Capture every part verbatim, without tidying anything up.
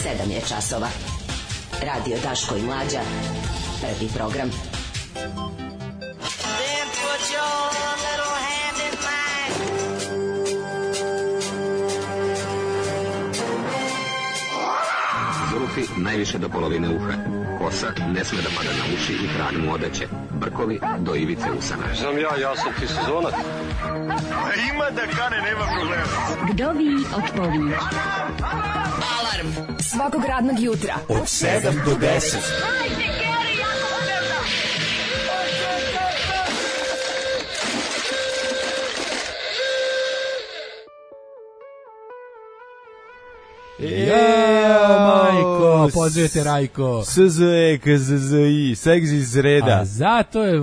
sedam je časova. Radio Daško i Mlađa. Prvi program. Zulufi najviše do polovine uha. Kosa ne sme da pada na uši i trag mu odeće. Brkovi do ivice usana. Znam ja, ja sam ti sezonac. Ima da kane, nema problema. Vdovi otpovi. Alarm svakog radnog jutra od sedam do deset. Ja, majko, pozdravite Rajko. S Z E K Z Z I, seks iz reda. A zato je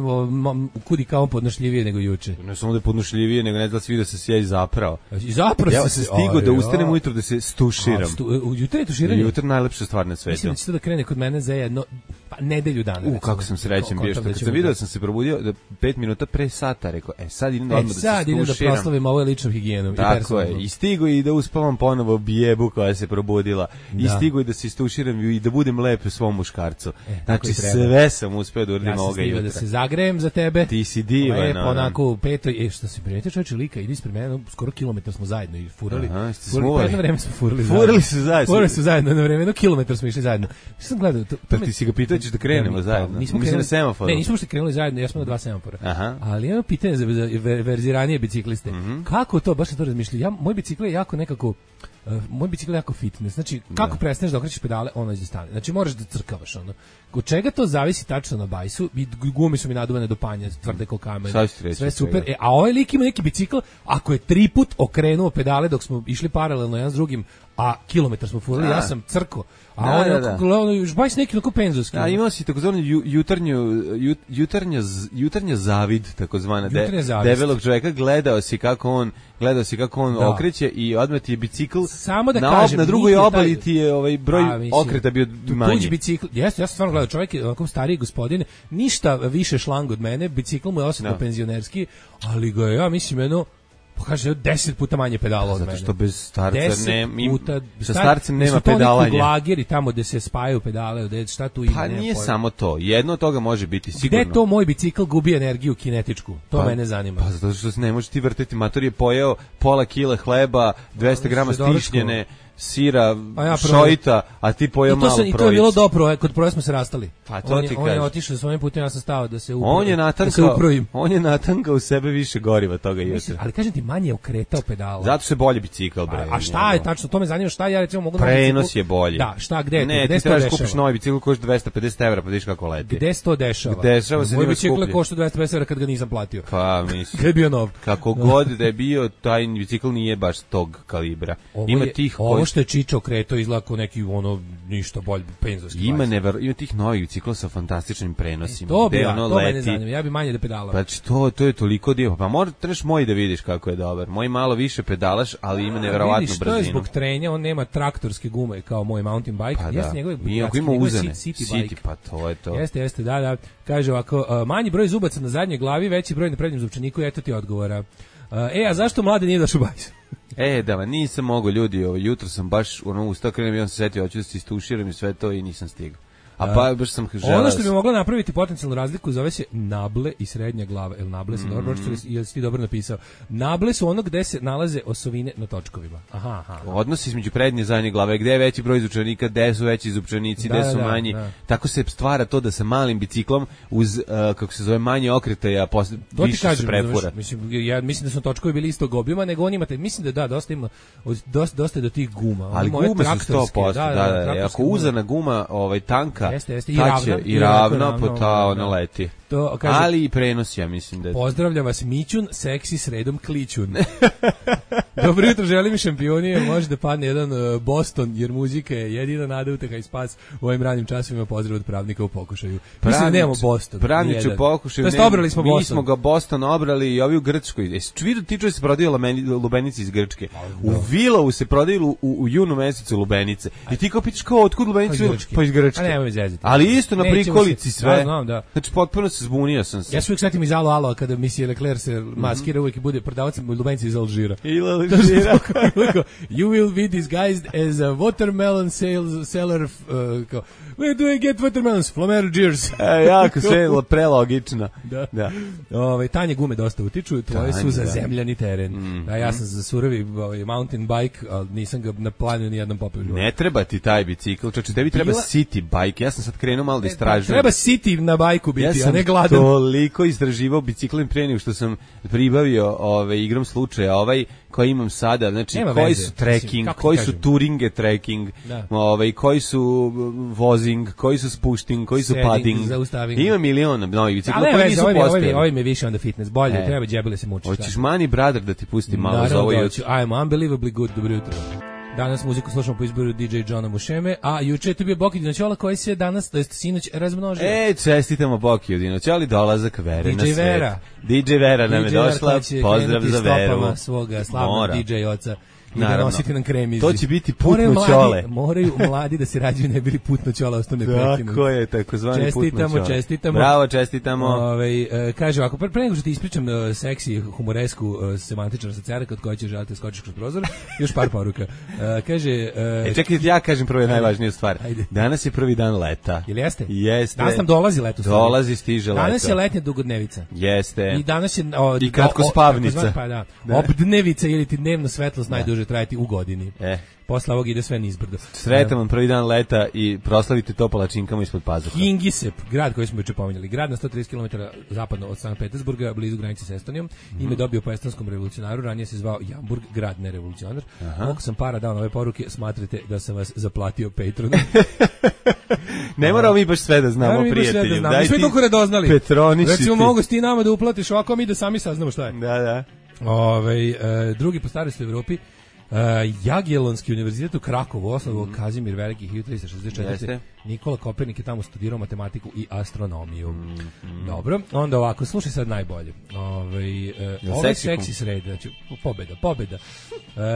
kudi kao podnošljivije nego juče. Ne samo da je podnošljivije, nego ne da se vidi da se sjedi zapravo. I zapravo ja se stigao da ustanem ujutro da se stuširam. U jutro je tuširanje? Jutro najlepša stvar na svetu. Mislim da će to da krene kod mene za jedno, pa nedelju dana. U, kako sam srećan bio što kad sam vidio da sam se probudio da pet minuta pre sata, rekao, e sad idem da odmah da se stuširam. E sad idem da proslavim ovo ličnom higijenom. Tako je, i stigo i da uspavam ponovo bijebu koja se probudila. Da. I stigo i da se istuširam i da budem lep u svom muškarcu. E, znači sve sam uspeo da uradim ja ovoga jutra. Da se zagrejem za tebe. Ti si divan. Lepo, onako u petoj. E, što si primetio čovječe lika, idi ispred mene, skoro kilometar smo zajedno i furali. Aha, ste smuvali. Jedno vreme smo furali zajedno. Furali su zajedno. Furali su zajedno, jedno vreme, jedno kilometar smo išli zajedno. Što sam gledao? To, pa ti si ga pitao ćeš da krenemo zajedno? Nismo krenuli na semaforu. Ne, nismo uopšte krenuli zajedno, ja smo na dva semafora. Aha. Ali jedno pitanje za verziranije bicikliste. Mm-hmm. Kako to, baš sam to razmišljao, ja, moj bicikl je jako nekako Uh, moj bicikl je jako fitness. Znači, kako da. prestaneš da okrećeš pedale, ono iza stane. Znači, moraš da crkavaš, ono. Od čega to zavisi tačno na bajsu? I gumi su mi naduvane do panja, tvrde ko kamen. Sve super. E, a ovaj lik ima neki bicikl, ako je tri put okrenuo pedale dok smo išli paralelno jedan s drugim, a kilometar smo furali, ja sam crko. A da, on je da, da. Još bajs neki onako penzovski. A imao si takozvani ju, jutarnju, jut, jutarnja, jutarnja zavid, takozvana, de, debelog čovjeka, gledao si kako on, gledao si kako on da. okreće i odmah ti je bicikl, samo da na, kažem, na drugoj obali ti je ovaj broj a, mislim, okreta bio manji. Tuđi bicikl, jeste, ja sam stvarno gledao, čovjek je onako stariji gospodin, ništa više šlang od mene, bicikl mu je osetno no. penzionerski, ali ga ja mislim jedno, pa kaže deset puta manje pedala od mene. Zato što bez starca ne, puta, sa starcem nema pedalanja. Su to lageri tamo gde se spajaju pedale, gde šta tu ima. Pa nije pojma. Samo to, jedno od toga može biti sigurno. Gde to moj bicikl gubi energiju kinetičku? To pa, mene zanima. Pa zato što se ne može ti vrteti, mator je pojeo pola kile hleba, dvesta grama stišnjene, sira, a ja šojita, a ti pojeo malo projic. I to je bilo dobro, kod proje smo se rastali. Pa to on ti je, kažem. On je otišao svojim putem, ja sam stao da se uprojim. On je natankao, on je natankao u sebe više goriva toga jutra. Ali kažem ti, manje je okretao pedala. Zato se bolje bicikl, bre. A, a šta je tačno, to me zanima, šta ja recimo mogu... Prenos je bolji. Da, šta, gde je ne, to? Gde ti trebaš kupiš novi bicikl, košta dvesta pedeset evra, pa vidiš kako leti. Gde se to dešava? Dešava se, moj bicikl košta dvesta pedeset evra kad ga nisam platio. Pa, mislim. Gde je bio nov? Kako god da je bio, taj bicikl nije baš tog kalibra. Ima tih ovo što je Čičo okretao izgleda kao neki ono ništa bolje penzovski. Ima never, ima tih novih bicikla sa fantastičnim prenosima. To bi, ono to mene zanima, ja bi manje da pedala. Pa to, to je toliko dio, pa možda trebaš moj da vidiš kako je dobar. Moj malo više pedalaš, ali ima neverovatnu brzinu. Vidiš, to je zbog trenja, on nema traktorske gume kao moj mountain bike. Pa jeste da. njegove, Iako ima uzane. City, City, pa to je to. Jeste, jeste, da, da. Kaže ovako, uh, manji broj zubaca na zadnjoj glavi, veći broj na prednjem zupčaniku, eto ti odgovora. Uh, e, a zašto mlade nije došao bajs? E, da, ma nisam mogao, ljudi, ovo, jutro sam baš ono, ustao, krenem i on se setio, hoću da se istuširam i sve to i nisam stigao. A pa baš sam želeo. Ono što bi moglo napraviti potencijalnu razliku zove se nable i srednja glava. El nable se mm. dobro pročitali, jesi ti dobro napisao. Nable su ono gde se nalaze osovine na točkovima. Aha, aha. aha. Odnos između prednje i zadnje glave, gde je veći broj zupčanika, gde su veći zupčanici, gde da, su da, manji. Da. Tako se stvara to da sa malim biciklom uz uh, kako se zove manje okretaja posle više kažem, se prefura. Znaš, mislim ja mislim da su točkovi bili istog obima, nego on imate, mislim da da dosta ima dosta dosta do tih guma. Ali gume su sto posto, da, da, da, da. Ako uzana guma, ovaj tanka, jeste, jeste, i ravna, i ravna, po ta ona leti. To, kaže, ali i prenos, ja mislim da je... Pozdravlja vas Mićun, seksi sredom klićun. Dobro jutro, želim i šampioni, može da padne jedan uh, Boston, jer muzika je jedina nada, uteha i spas u ovim ranim časovima. Pozdrav od pravnika u pokušaju. Mislim da nemamo Boston. Pravnič u pokušaju, ne, obrali smo mi Boston. smo ga Boston obrali i ovi u Grčkoj. Jesi vidio ti čuje se prodaju lubenici iz Grčke? U Vilovu se prodaju u, u junu mesecu lubenice. I ti kao pitaš kao, otkud lubenice? Pa iz Grčke. A nemoj zezati. Ali isto na prikolici sve. Da, znam, da. Znači potpuno se zbunio sam se. Ja se uvijek setim iz Alo Alo kada Monsieur Leclerc se maskira, uvijek bude prodavac lubenci iz Alžira. I Alžira. You will be disguised as a watermelon sales seller. Uh, kao, where do I get watermelons? From Algiers. E, jako sve prelogično. Da. Da. Ove, tanje gume dosta utiču, tvoje Tanje, su za da. zemljani teren. Mm. A ja sam za surovi ovaj, mountain bike, ali nisam ga na planu ni jednom popeo. Ne treba ti taj bicikl, čače, tebi treba Bila... city bike. Ja sam sad krenuo malo da istražujem. Treba city na bajku biti, ja a ne gladan. Ja sam toliko istraživao biciklom pre nego što sam pribavio ove, igrom slučaja, ovaj koji imam sada, znači Nema koji veze, su trekking, mislim, koji su kažem? touringe trekking, Da. ovaj, koji su vozing, koji su spushting, koji su Setting, padding. zaustaving. Ima milion novih bicikla koji veze, nisu ovaj mi- ovaj mi- postojali. ovaj mi je više onda fitness, bolje, E. treba džebele se mučiš. Hoćeš Money Brother da ti pusti malo za Naravno ovo da jutro? hoću. I'm unbelievably good, dobro jutro. Danas muziku slušamo po izboru D J Johna Mušeme, a juče je tu bio Boki Dinoćola koji se danas, to jest sinoć, razmnožio. E, čestitamo Boki Dinoć, ali dolazak Vere D J na svet. Vera. D J Vera nam je D J Vera došla, koja će pozdrav krenuti za Veru. stopama svoga slavnog Mora. D J oca i da Naravno. nositi nam kremizi. To će biti putno Moraju mladi- ćole. Moraju mladi da se rađuju, ne bili putno ćola, ostane prekinuti. Tako je, takozvani putno Čestitamo, ćole. čestitamo. Bravo, čestitamo. Ove, e, kaže ovako, pre pre nego što ti ispričam e, seksi, humoresku, e, semantičnu asocijarku od koje će želite skočiš kroz prozor, još par poruka. E, kaže... E, E, čekajte, ja kažem prvo je najvažniju stvar. Ajde. Danas je prvi dan leta. Jel jeste? Jeste. Danas nam dolazi leto. stvari. Dolazi, stiže leto. Danas je letnja dugodnevica. Jeste. I danas je o, I kratkospavnica. o- takozvan- Pa da. Da. Obdnevica ili ti dnevna svetlost najduže trajati u godini. E, Posle ovog ide sve nizbrdo. sretan vam prvi dan leta i proslavite to palačinkama ispod pazuha. Kingisep, grad koji smo juče pominjali, grad na sto trideset kilometara zapadno od Sankt Petersburga, blizu granice s Estonijom, ime dobio po estonskom revolucionaru, ranije se zvao Jamburg, grad ne revolucionar. Koliko sam para dao na ove poruke, smatrate da sam vas zaplatio Patronom. Ne moramo mi baš sve da znamo, Naravno, mi baš sve da prijatelju. znamo. Daj Mi smo ti toliko radoznali. Petroniši Recimo, ti. mogu si ti nama da uplatiš ovako, a mi da sami saznamo šta je. Da, da. Ove, e, drugi po starosti u Evropi, e, Jagiellonski univerzitet u Krakovu, osnovao Kazimir Veliki hiljadu tristo šezdeset četvrte. Jeste. Nikola Kopernik je tamo studirao matematiku i astronomiju. Dobro, onda ovako, slušaj sad najbolje. Ove, e, ovo je seksi seksi sreda, znači pobeda, pobeda.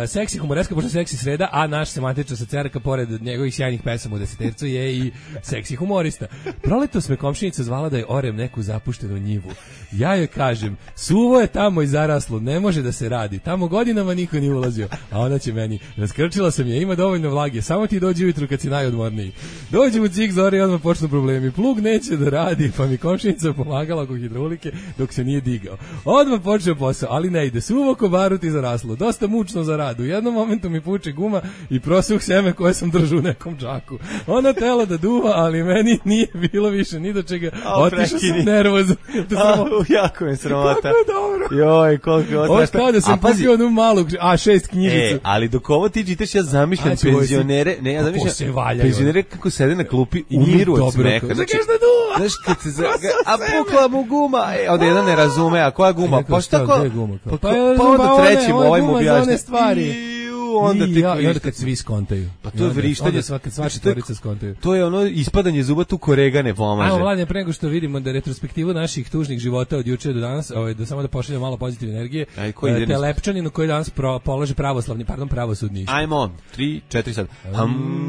E, seksi humoreska, pošto je seksi sreda, a naš semantična asocijarka, pored njegovih sjajnih pesama u desetercu, je i seksi humorista. Proletos me komšinica zvala da je orem neku zapuštenu njivu. Ja joj kažem, suvo je tamo i zaraslo, ne može da se radi. Tamo godinama niko nije ulazio. A ona će meni, raskrčila sam je, ima dovoljno vlage, samo ti dođi ujutru kad si najodmorniji. Dođi u cik zore i odmah počnu problemi. Plug neće da radi, pa mi komšinica pomagala oko hidraulike dok se nije digao. Odmah počeo posao, ali ne ide. Suvo ko barut i zaraslo. Dosta mučno za rad. U jednom momentu mi puče guma i prosuh seme koje sam držao u nekom džaku. Ona tela da duva, ali meni nije bilo više ni do čega. A, Otišao sam prekini. nervozan. A, jako je sramota. Kako je dobro. Joj, koliko je ovo Ovo je strašno. kao da sam A pazi, kupio onu malu A šest knjižicu. E, ali dok ovo ti čitaš, ja zamišljam Ajde, ovo si- penzionere, ne, ja Kako se zamišljam valjaju. penzionere kako sede na klupi, I njih umiru od dobro, smeha. kao, Znači, "Zakaj šta duva?" znaš, kad se za, a pukla mu guma, e, onda jedan ne razume, a koja guma? Rekao, Pa šta šta, ko? gde je guma? Pa, Pa pa, ja pa znam, pa onda one- trećim ova ovaj mu guma za objašnja. one stvari. Iu, onda I, tek ja, i onda vidiš. kad svi skontaju. Pa to I je onda- vrištanje. Onda svaka sva Znači, to je- četvorica skontaju. To je ono ispadanje zuba tu korega ne pomaže. Ajmo, mladine, pre nego što vidimo da retrospektivu naših tužnih života od juče do danas, ovaj, da samo da pošaljemo malo pozitivne energije. Aj, koji e, ide nisu? Telepčaninu koji danas pro, polože pravoslavni, pardon, pravosudni ispit. Ajmo, tri, četiri sad. Hum.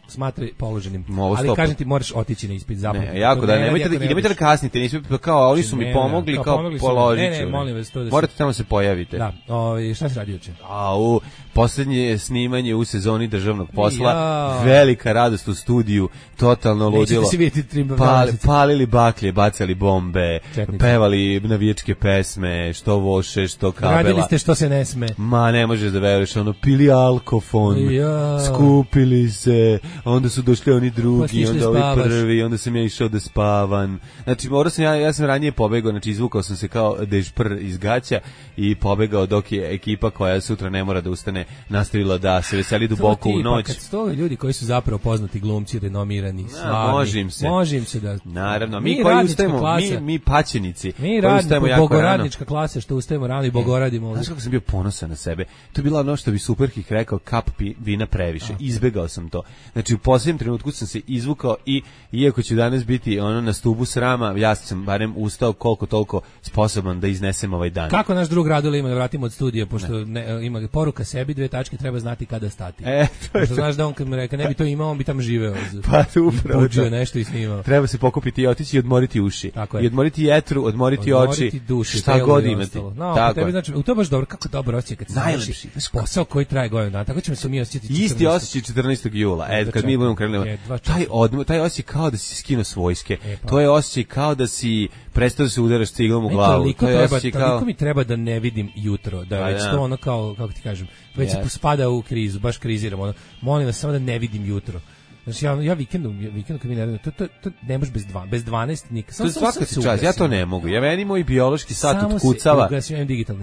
Smatraj položenim. Ovo Ali stopu. kažem ti, moraš otići na ispit zapamti. Ne, jako To da, ne radi nemojte da, ako ne nemojte da odeš. kasnite, nisu kao oni su Ne, mi ne, pomogli, kao kao pomogli su mi. položit Ne, ne, ću, molim vas, to da se- Morate tamo se pojavite. Da, ovaj, šta se radi juče? A u poslednje snimanje u sezoni državnog posla, Ja. velika radost u studiju, totalno Nećete ludilo. se vidjeti tri Pali, meseca. palili baklje, bacali bombe, Četnici. pevali navijačke pesme, što voše, što kabela. Radili ste što se ne sme. Ma ne možeš da veruješ, ono, pili alkofon, Ja. skupili se, onda su došli oni Pa drugi, si išli onda ovi spavaš. prvi, onda sam ja išao da spavam. Znači, morao sam, ja, ja sam ranije pobegao, znači izvukao sam se kao dežpr iz gaća i pobegao dok je ekipa koja sutra ne mora da ustane nastavila da se veseli duboko To ti, u noć. Pa kad su to ljudi koji su zapravo poznati glumci, renomirani, A, slavni. može im se. Može im se da... Naravno, mi, Mi koji radnička ustajemo, klasa. mi, mi paćenici, Mi koji radimo, ustajemo jako rano. bogoradnička klasa što ustajemo rano i bogoradimo. ovdje. Znaš kako sam bio ponosan na sebe? To je bila ono što bi Superhik rekao, kap pi, vina previše. Izbegao sam to. Znači, Znači u posljednjem trenutku sam se izvukao i iako ću danas biti ono na stubu srama, ja sam barem ustao koliko toliko sposoban da iznesem ovaj dan. Kako naš drug Radule ima da vratimo od studija, pošto ne, ima poruka sebi, dve tačke, treba znati kada stati. E, to je to. Znaš da on kad mu reka ne bi to imao, on bi tamo živeo. Pa upravo. Buđio nešto i snimao. Treba se pokupiti i otići i odmoriti uši. I odmoriti jetru, odmoriti, odmoriti oči. Duši, šta god imati. No, tako tebi, znači, u to baš dobro, kako dobro osjećaj kad se najlepši posao koji traje godinu dana. Tako ćemo se mi osjećati. Isti osjećaj četrnaestog jula. E, kad mi budemo krenuli. Taj odmor, taj osjećaj kao da si skinuo s vojske. E, pa. To je osjećaj kao da si prestao da se udaraš ciglom u glavu. Toliko, to je treba, toliko kao... mi treba da ne vidim jutro, da već to ono kao, kako ti kažem, već yes. se spada u krizu, baš kriziram. Ono. Molim vas samo da ne vidim jutro. Znači ja ja vikendom, ja vikendom kad mi ne to to to ne može bez dva, bez dvanaest nikad. To svaka čast, ja to ne mogu. Ja meni moj biološki sat otkucava.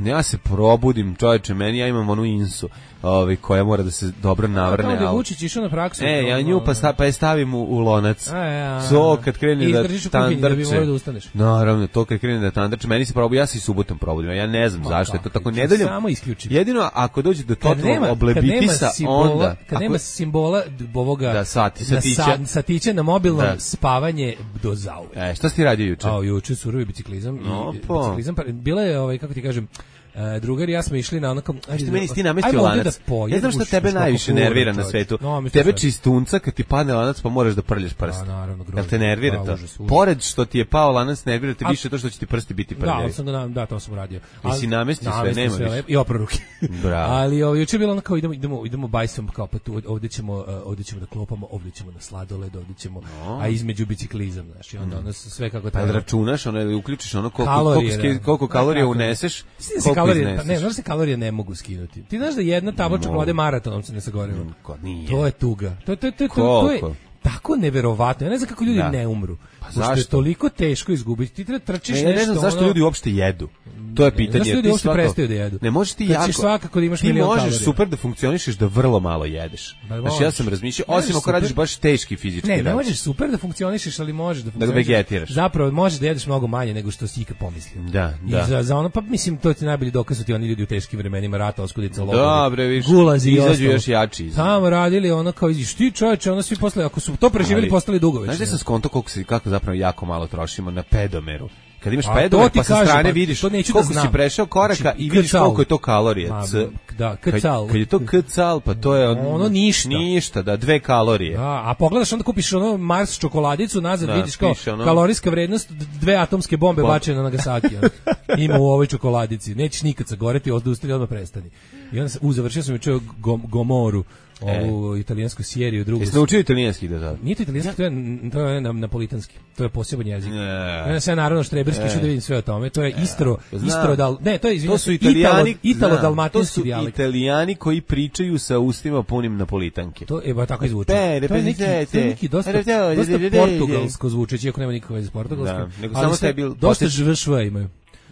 Ja se probudim, čoveče, meni ja imam onu insu, ovaj koja mora da se dobro navrne. Kao da Vučić išao na praksu. E, ja nju pa sta, pa je stavim u, u lonac. So kad krene da tandrče. Naravno, to kad krene da tandrče, meni se probu, ja se i subotom probudim. Ja ne znam zašto je to tako nedeljom. Samo isključim. Jedino ako dođe do totalnog oblebitisa, onda kad nema simbola ovoga da sati satića satića na mobilnom da. Spavanje do zauvek. E, šta si ti radio juče? A juče surovi biciklizam no, i biciklizam pa bila je ovaj kako ti kažem Uh, drugari ja smo išli na onakom ajde meni ti namestio lanac. Ja znam šta tebe najviše nervira na svetu. No, tebe čistunca kad ti padne lanac pa moraš da prljaš prst. Jel te nervira to? Pored što ti je pao lanac nervira te više to što će ti prsti biti prljavi. Da, sam da da to sam radio. Ali si namestio sve, nema više. I opro ruke. Bravo. Ali ovaj juče bilo onako idemo idemo idemo bajsom kao pa tu ovde ćemo ovde ćemo da klopamo, ovde ćemo na sladoled, ovde ćemo a između biciklizam, znači onda ono sve kako treba. Pa računaš, ono uključiš ono koliko koliko kalorija uneseš. Kalorije, pa ne, znaš se kalorije ne mogu skinuti. Ti znaš da jedna tabla čokolade maratonom se ne sagoriva. Nije. To je tuga. To, to, to, to, to je tako neverovatno. Ja ne znam kako ljudi da. ne umru. Pa zašto? Je toliko teško izgubiti. Ti treba trčiš ne, nešto. Ne znam zašto ono... ljudi uopšte jedu. To je pitanje. Zašto ljudi uopšte svako... prestaju da jedu? Ne možeš ti jako. Trčiš svakako da imaš milion kalorija. Ti možeš super da funkcionišeš da vrlo malo jedeš. Znači ja sam razmišljao, osim ako radiš baš teški fizički rad. Ne, ne možeš super da funkcionišeš, ali možeš da funkcionišeš. Da vegetiraš. Zapravo možeš da jedeš mnogo manje nego što si ikad pomislio. Da, da. I za, za ono, pa mislim, to ti najbolji dokaz su ti oni ljudi u teškim vremenima rata, oskudica, logovi. Dobre, viš. Gulazi i izađu još jači. Tamo radili ono kao iziš ti čoveče, ono svi posle, ako su to preživjeli, postali dugovi. Znaš da sam skonto koliko se kako zapravo jako malo trošimo na pedomeru. Kad imaš pedomer pa sa strane pa, vidiš koliko si prešao koraka znači, i vidiš koliko je to kalorije. C, da, kcal. Kad je to kcal, pa to je ono, ono ništa. Ništa, da, dve kalorije. Da, a pogledaš onda kupiš ono Mars čokoladicu, nazad da, vidiš kao ono, kalorijska vrednost dve atomske bombe bačene na Nagasaki. Ima u ovoj čokoladici. Nećeš nikad sagoreti, odustavi, odmah prestani. I onda u završio sam juče Gomoru. Ovu e. italijansku seriju, drugu. Jesi naučio italijanski da sad? Nije to italijanski, to je, to je napolitanski. To je poseban jezik. Ja sve naravno štreberski, što da vidim sve o tome. To je istro, ja, istro dal, ne, to je izvinite, to su italijani, italo dalmatinski dijalekt. To su italijani koji pričaju sa ustima punim napolitanke. To je ba tako izvuči. To je neki, to je neki dosta, dosta portugalsko zvučeći, iako nema nikakve veze s portugalskim. Nego samo taj bil dosta žvšva imaju.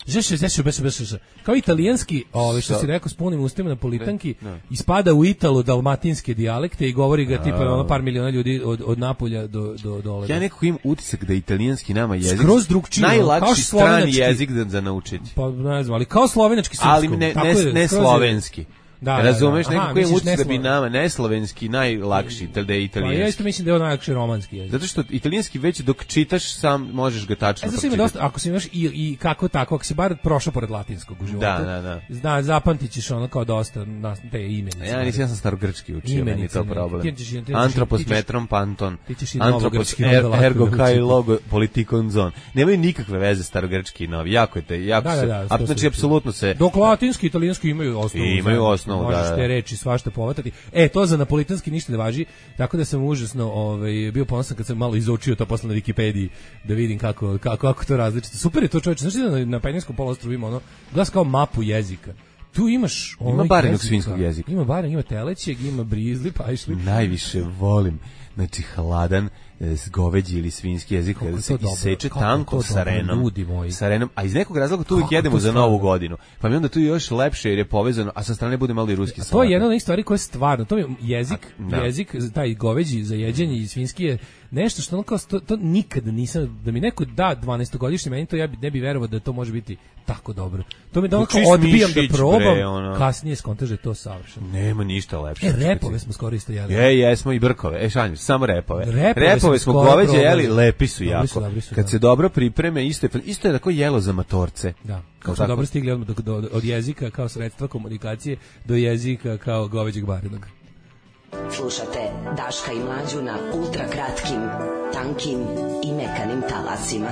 Žeš, žeš, žeš, žeš, kao italijanski, ovaj što si rekao s punim ustima napolitanki, ispada u italo-dalmatinske dijalekte i govori ga tipa ono par miliona ljudi od od Napolja do do dole. Ja nekako imam utisak da italijanski nama jezik skroz drugčiji, najlakši strani jezik da za naučiti. Pa ne znam, ali kao slovenački srpsko. Ali ne ne, ne slovenski. Da, razumeš, da, da. Nekako je utisak da bi nama neslovenski najlakši, da je italijanski. Pa ja isto mislim da je on najlakši romanski jezik. Zato što italijanski već dok čitaš sam možeš ga tačno pročitati. E, dosta, ako si imaš i, i kako tako, ako si bar prošao pored latinskog u životu, da, da, da. Zna, zapamtićeš ono kao dosta na te imenice. Ja nisam ja sam starogrčki učio, meni to problem. Antropos metron panton, antropos er, ergo kai logo politikon zon. Nemaju nikakve veze starogrčki i novi, jako je te, jako se, znači apsolutno se. Dok latinski i italijanski imaju osnovu. Imaju osnovu. Možeš te reči svašta povatati. E, to za napolitanski ništa ne važi, tako da sam užasno ovaj, bio ponosan kad sam malo izučio to posle na Wikipediji da vidim kako, kako, kako to različito. Super je to čovječe. Znaš da na, na Penjenskom poluostrvu ima ono, glas kao mapu jezika. Tu imaš ono ima barenog svinjskog jezika. Ima barem, ima telećeg, ima brizli, pa išli. Najviše volim, znači hladan goveđi ili svinjski jezik kada se iseče tanko sa renom, ljudi moji. Sa renom, a iz nekog razloga tu uvijek jedemo za Novu godinu. Pa mi onda tu još lepše jer je povezano, a sa strane bude malo i ruski salat. To je jedna od onih stvari koja je stvarno, to je jezik, a, jezik, taj goveđi za jeđenje i svinjski je nešto što ono kao, to, to nikada nisam, da mi neko da dvanaestogodišnji meni to ja bi, ne bi verovao da to može biti tako dobro. To mi da onako odbijam da probam, bre, ono. Kasnije skontaže to savršeno. Nema ništa lepše. E, repove smo skoro isto jeli. Je, jesmo i brkove. E, šalim, samo repove. Repove, repove smo goveđe jeli, lepi su jako. Su, dobri su, Kad da. se dobro pripreme, isto je, isto je tako jelo za matorce. Da. Kao smo dobro stigli od, od, od jezika kao sredstva komunikacije do jezika kao goveđeg barenog. Slušate Daška i Mlađu na ultra kratkim, tankim i mekanim talasima.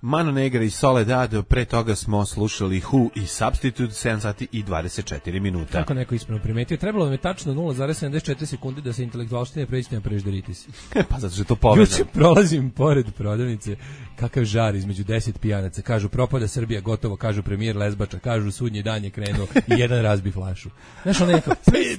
Mano Negra i Soledad, pre toga smo slušali Who i Substitute, sedam sati i dvadeset četiri minuta. Kako neko ispravno primetio, trebalo mi je tačno nula zarez sedamdeset četiri sekunde da se intelektualštine pređe na prežderitis. Pa zato što je to povezano. Juče prolazim pored prodavnice, kakav žar između deset pijanaca, kažu propada Srbija, gotovo, kažu premijer Lezbača, kažu sudnji dan je krenuo i jedan razbi flašu. Znaš, ono neko,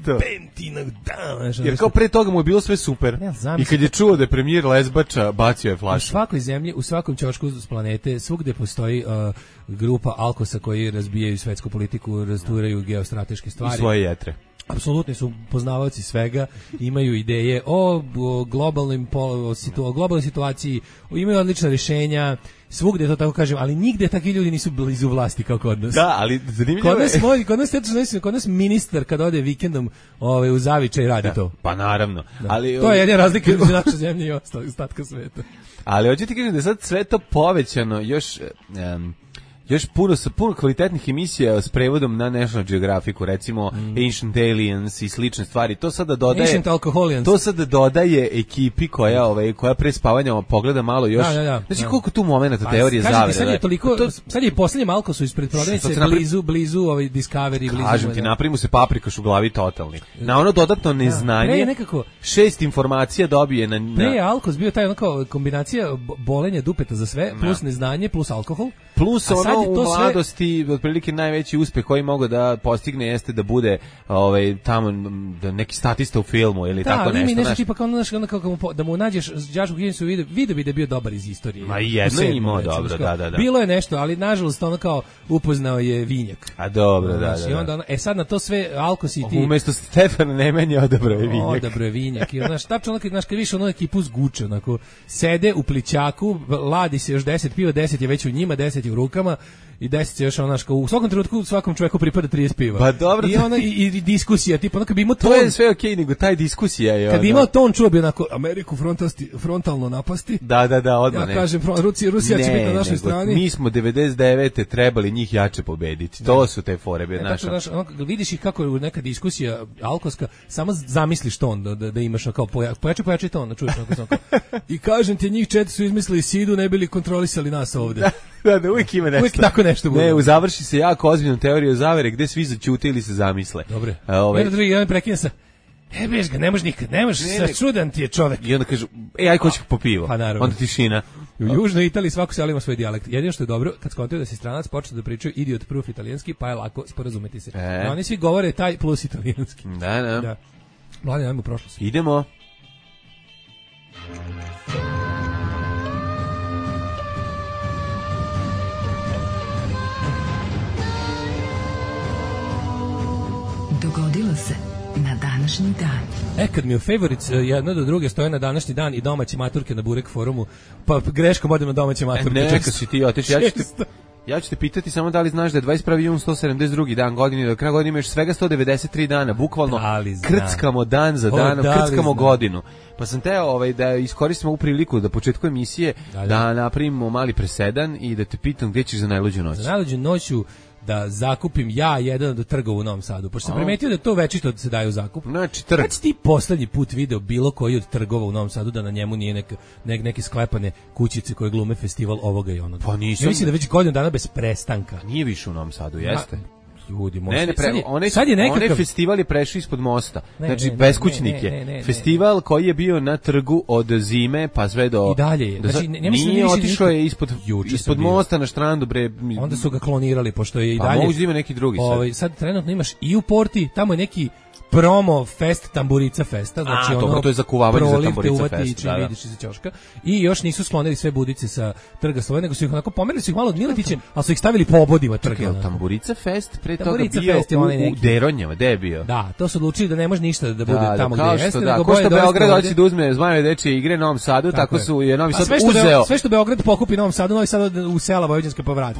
pentinog dana. Jer kao pre toga mu je bilo sve super. Ja, i kad je čuo da je premijer Lezbača, bacio je flašu. U svakoj zemlji, u svakom ćošku s planete, svugde postoji uh, grupa alkosa koji razbijaju svetsku politiku, rasturaju geostrateške stvari. I svoje jetre. Apsolutni su poznavaoci svega, imaju ideje o, o, globalnim, o, situ, o globalnoj situaciji, imaju odlična rješenja, svugde to tako kažem, ali nigde takvi ljudi nisu blizu vlasti kao kod nas. Da, ali zanimljivo je. Kod nas, moj, kod nas, tečno, kod nas ministar kad ode vikendom ovaj, u Zavičaj radi da, to. Pa naravno. Da. Ali, to je jedna razlika između naše zemlje i ostalog ostatka sveta. Ali hoću ti kažem da je sad sve to povećano još... Um, još puno sa puno kvalitetnih emisija s prevodom na National Geographicu, recimo mm. Ancient Aliens i slične stvari. To sada dodaje Ancient Alcoholians. To sada dodaje ekipi koja ovaj koja pre spavanja pogleda malo još. Da, da, da, znači koliko tu momenata teorije zavere. Sad je toliko to, sad je poslednji Malko su ispred prodavnice blizu blizu ovaj Discovery blizu. Kažem ti, napravimo se paprikaš u glavi totalni. Na ono dodatno neznanje. Da, nekako šest informacija dobije na, na... Pre je Alkos bio taj onako kombinacija bolenja dupeta za sve plus da. Neznanje plus alkohol. Plus ono u mladosti sve... otprilike najveći uspeh koji mogu da postigne jeste da bude ovaj tamo da neki statista u filmu ili da, tako nešto. Da, ali mi nešto tipa kao znaš ono kako mu, da mu nađeš đačku knjižicu video, video bi da je bio dobar iz istorije. Ma jedno je imao dobro, da, da, da. Bilo je nešto, ali nažalost ono kao upoznao je vinjak. A dobro, da, da, da. I onda ono, e sad na to sve Alkos i ti. Umesto Stefana Nemanje odabrao je vinjak. Odabrao je vinjak. I znaš, tačno onako, znaš, kad više ono ekipu zguče, onako, sede u plićaku, ladi se još deset piva, deset je već u njima, deset je u rukama. I deset još ono što u svakom trenutku svakom čoveku pripada trideset piva. Pa dobro. I ona i, i diskusija, tipa ono kad bi imao ton. To je sve okej, okay, nego taj diskusija je. Kad bi imao ton čuo bi onako Ameriku frontasti, frontalno napasti. Da, da, da, odmah. Ja ne. kažem Rusija, Rusija ne, će biti na našoj nego, strani. Mi smo devedeset devete trebali njih jače pobediti. To su te fore be naša. Znači, ono, vidiš ih kako je neka diskusija alkoska, samo zamisliš ton da, da, da imaš kao poja, pojači pojači ton, da čuješ onako, onako. I kažem ti njih četiri su izmislili sidu, ne bili kontrolisali nas ovde. Da, da, uvijek ima nešto. Uvijek tako nešto bude. Ne, završi se jako ozbiljnom teorijom zavere gde svi zaćute ili se zamisle. Dobre. A, ovaj... Jedan drugi, jedan prekine sa, e, beš ga, ne može nikad, ne može, ne, ne, čudan ti je čovek. I onda kažu, e, aj ko će po pivo. Pa naravno. Onda tišina. U Južnoj Italiji svako selo ima svoj dijalekt. Jedino što je dobro, kad skontaju da si stranac, počne da pričaju idiot proof italijanski, pa je lako sporazumeti se. E. No, oni svi govore taj plus italijanski. Da, da. Da. Mladen, ajmo u prošlost. Idemo. Dogodilo se na današnji dan. E, kad mi u favorites jedna do druge stoje na današnji dan i domaće maturke na Burek forumu, pa greškom odem na domaće maturke. E, ne, čekaj si ti otiš, ja ću te... Ja ću te pitati samo da li znaš da je dvadeset prvi jun sto sedamdeset drugi dan godine, do kraja godine imaš svega sto devedeset tri dana, bukvalno krckamo dan za danom, krckamo godinu. Pa sam teo ovaj, da iskoristimo ovu priliku da početku emisije da, da. da napravimo mali presedan i da te pitam gdje ćeš za najluđu noć. Za najluđu noću da zakupim ja jedan od trgova u Novom Sadu, pošto sam primetio da to večito da se daje u zakup. Znači, trg. Kad si ti poslednji put video bilo koji od trgova u Novom Sadu da na njemu nije neka, ne, neke sklepane kućice koje glume festival ovoga i onoga? Pa nisam. Ja mislim da već godinu dana bez prestanka. Nije više u Novom Sadu, jeste? Ma, ljudi, ne, ne, pre, sad je, onaj, sad je nekakav... onaj festival je prešao ispod mosta. Ne, znači, ne, beskućnik ne, ne, ne, ne, je. Festival koji je bio na trgu od zime pa sve do... I dalje je. Do, znači, ne, ne nije otišao je ispod, ispod mosta na štrandu, bre. Onda su ga klonirali, pošto je i pa dalje... Pa mogu da ima neki drugi sad. Ovaj, sad trenutno imaš i u Porti, tamo je neki promo fest Tamburica festa, znači A, ono dobro, to je za kuvavanje za proliv te Tamburica uvati fest, i čim da, da. vidiš iza ćoška. I još nisu sklonili sve budice sa trga Slobode, nego su ih onako pomerili su ih malo od Miletića, ali su ih stavili po obodima trga. Jel Tamburica fest pre toga Tamburica bio fest je u, onaj u neki. Deronjama, gde je bio? Da, to su odlučili da ne može ništa da bude Da, tamo da, gde kao što, jeste, da, nego ko što bolje Beograd dovesti hoće da uzme Zmajeve dečije igre Novom Sadu, tako, tako su je Novi A Sad sve što uzeo. Beo, sve što Beograd pokupi Novom Sadu, Novi Sad u sela Vojvođanska povrati.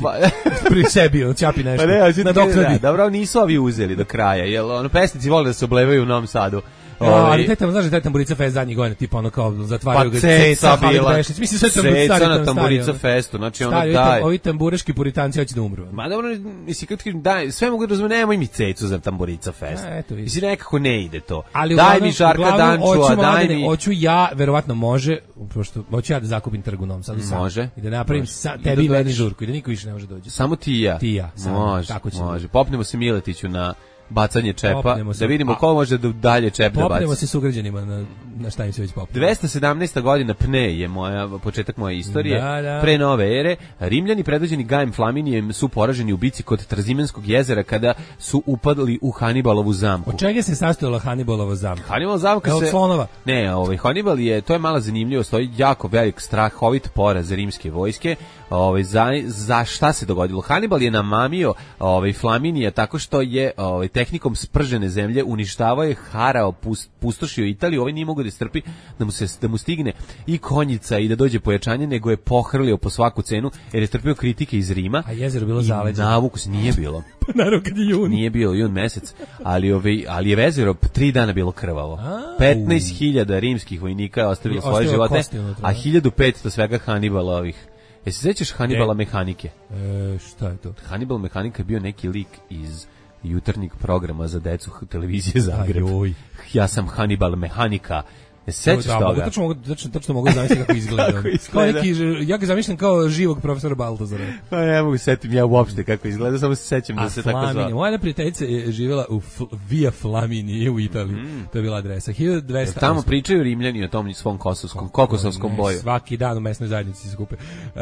Pri sebi, on ćapi nešto. Pa ne, na doknadi. da, dobro, nisu ovi uzeli do kraja, jel ono pesnici vole da se oblevaju u Novom Sadu. Ja, ali taj tamo, znaš, taj Tamburica fest zadnjih godina, tipa ono kao zatvaraju pa ga Ceca bila, Bešić, mislim sve Ceca na Tamburica festu, znači ono stari, daj. Ovi tamburaški puritanci hoće da umru. Ma dobro, mislim, kad kažem, daj, sve mogu da razumem, nemoj mi Cecu za Tamburica fest. A, eto, mislim, nekako ne ide to. Ali daj uglavnom, mi Žarka uglavnom, Dančua, hoću, daj mladine, mi... Hoću ja, verovatno može, pošto hoću ja da zakupim trg u Novom Sadu sam. Može. I da napravim Može. sa, I tebi da meni dođeš. žurku i da niko više ne može dođe. Samo ti i ja. Ti i ja, samo, može, tako će može. biti. Popnemo se Miletiću na bacanje čepa, Popnemo se. da vidimo A- ko može da dalje čep da baci. Popnemo se s ugrađenima na, na šta im se već popnemo. dvesta sedamnaesta godina Pne je moja početak moje istorije. Da, da. Pre nove ere Rimljani predvođeni Gajem Flaminijem su poraženi u bici kod Trzimenskog jezera kada su upadli u Hanibalovu zamku. Od čega se sastojala Hannibalovo zamka? Hannibal zamka Evo, se od slonova. Ne, ovaj Hannibal je, to je mala zanimljivost, to je jako velik strahovit poraz rimske vojske. Ovaj za, za šta se dogodilo? Hannibal je namamio ovaj Flaminija tako što je ovaj tehnikom spržene zemlje uništavao je, harao, pust, pustošio Italiju. Ovaj nije mogao da strpi da mu se da mu stigne i konjica i da dođe pojačanje, nego je pohrlio po svaku cenu jer je trpio kritike iz Rima. A jezero bilo i zaleđeno. navuku se nije bilo. Naravno kad je jun. Nije bio jun mesec, ali ovaj ali je vezero tri dana bilo krvavo. A, petnaest hiljada rimskih vojnika je ostavilo I svoje ostavilo živote, kosti unutra, a da. hiljadu petsto svega Hannibalovih. Jesi se sećaš Hannibala Ne. mehanike? E, šta je to? Hannibal mehanika je bio neki lik iz jutarnjeg programa za decu televizije Zagreb. Ajoj. Ja sam Hannibal mehanika. Jesi se sećaš Da, mogu, toga? tačno, mogu, tačno, tačno mogu zamisliti kako izgleda. Kako izgleda? Kao neki, ja ga zamišljam kao živog profesora Baltazara. Pa ne mogu setim ja uopšte kako izgleda, samo se sećam da A se tako Flaminija, zvao. moja jedna prijateljica je živjela u Fl Via Flaminije u Italiji. Mm. To je bila adresa. hiljadu dvesta. Tamo pričaju Rimljani o tom svom kosovskom, kokosovskom Ne, boju. Svaki dan u mesnoj zajednici se skupe. Uh,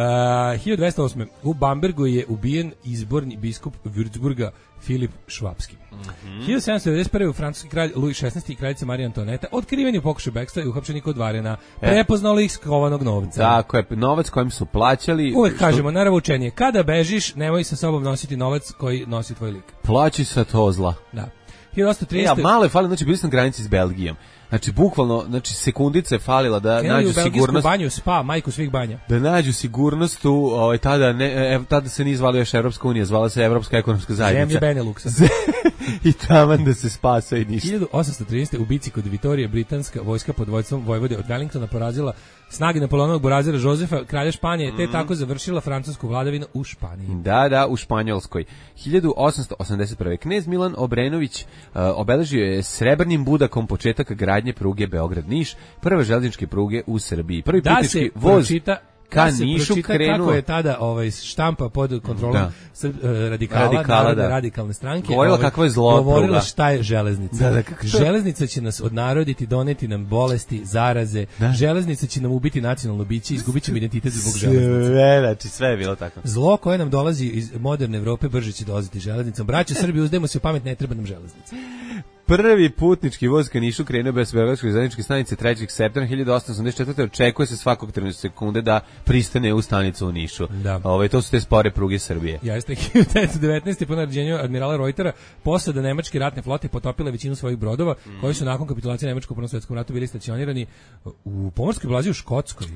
hiljadu dvesta osme. U Bambergu je ubijen izborni biskup Würzburga Filip Švapski. Mm -hmm. hiljadu sedamsto devedeset prve. u francuski kralj Louis šesnaesti i kraljica Marija Antoneta otkriveni u pokušaju bekstva i uhapšeni kod Varena. Prepoznali ih skovanog novca. Tako je, novac kojim su plaćali. Uvek što- kažemo, naravno učenje. Kada bežiš, nemoj sa sobom nositi novac koji nosi tvoj lik. Plaći sa to zla. Da. hiljadu osamsto E, trinaeste. a malo je falilo, znači bili smo na granici s Belgijom. Znači, bukvalno, znači, sekundice je falila da Krenuli nađu u belgijsku sigurnost. banju, spa, majku svih banja. Da nađu sigurnost u, ovaj, tada, ne, e, tada se nije zvala još Evropska unija, zvala se Evropska ekonomska zajednica. Zemlje Beneluxa. I taman da se spasa i ništa. hiljadu osamsto trinaeste. u bici kod Vitorije britanska vojska pod vojstvom vojvode od Wellingtona porazila snage Napoleonovog burazira Jozefa, kralja Španije, te tako završila francusku vladavinu u Španiji. Da, da, u Španjolskoj. hiljadu osamsto osamdeset prve. Knez Milan Obrenović uh, obeležio je srebrnim budakom početak gradnje pruge Beograd-Niš, prve železničke pruge u Srbiji. Prvi Da putnički se voz pročita ka da se Nišu pročita krenuo. kako je tada ovaj štampa pod kontrolom Da. Srb, eh, radikala, Radikala, Narodne da. radikalne stranke. Govorila ovaj, kakvo je zlo Govorila pruga. šta je železnica. Da, da, kako to- Železnica će nas odnaroditi, doneti nam bolesti, zaraze. Da. Železnica će nam ubiti nacionalno biće, izgubit ćemo identitet zbog železnice. Sve, znači sve je bilo tako. Zlo koje nam dolazi iz moderne Evrope brže će dolaziti železnicom. Braćo Srbi, uzdajmo se u pamet, ne treba nam železnica. Prvi putnički voz ka Nišu krenuo bez beogradske železničke stanice trećeg septembra hiljadu osamsto osamdeset četvrte. Očekuje se svakog trenutka sekunde da pristane u stanicu u Nišu. Da. Ove, to su te spore pruge Srbije. Jeste, hiljadu devetsto devetnaeste. po naređenju admirala Reutera posada nemačke ratne flote potopila većinu svojih brodova koji su nakon kapitulacije Nemačkog u Prvom svetskom ratu bili stacionirani u pomorskoj blazi u Škotskoj.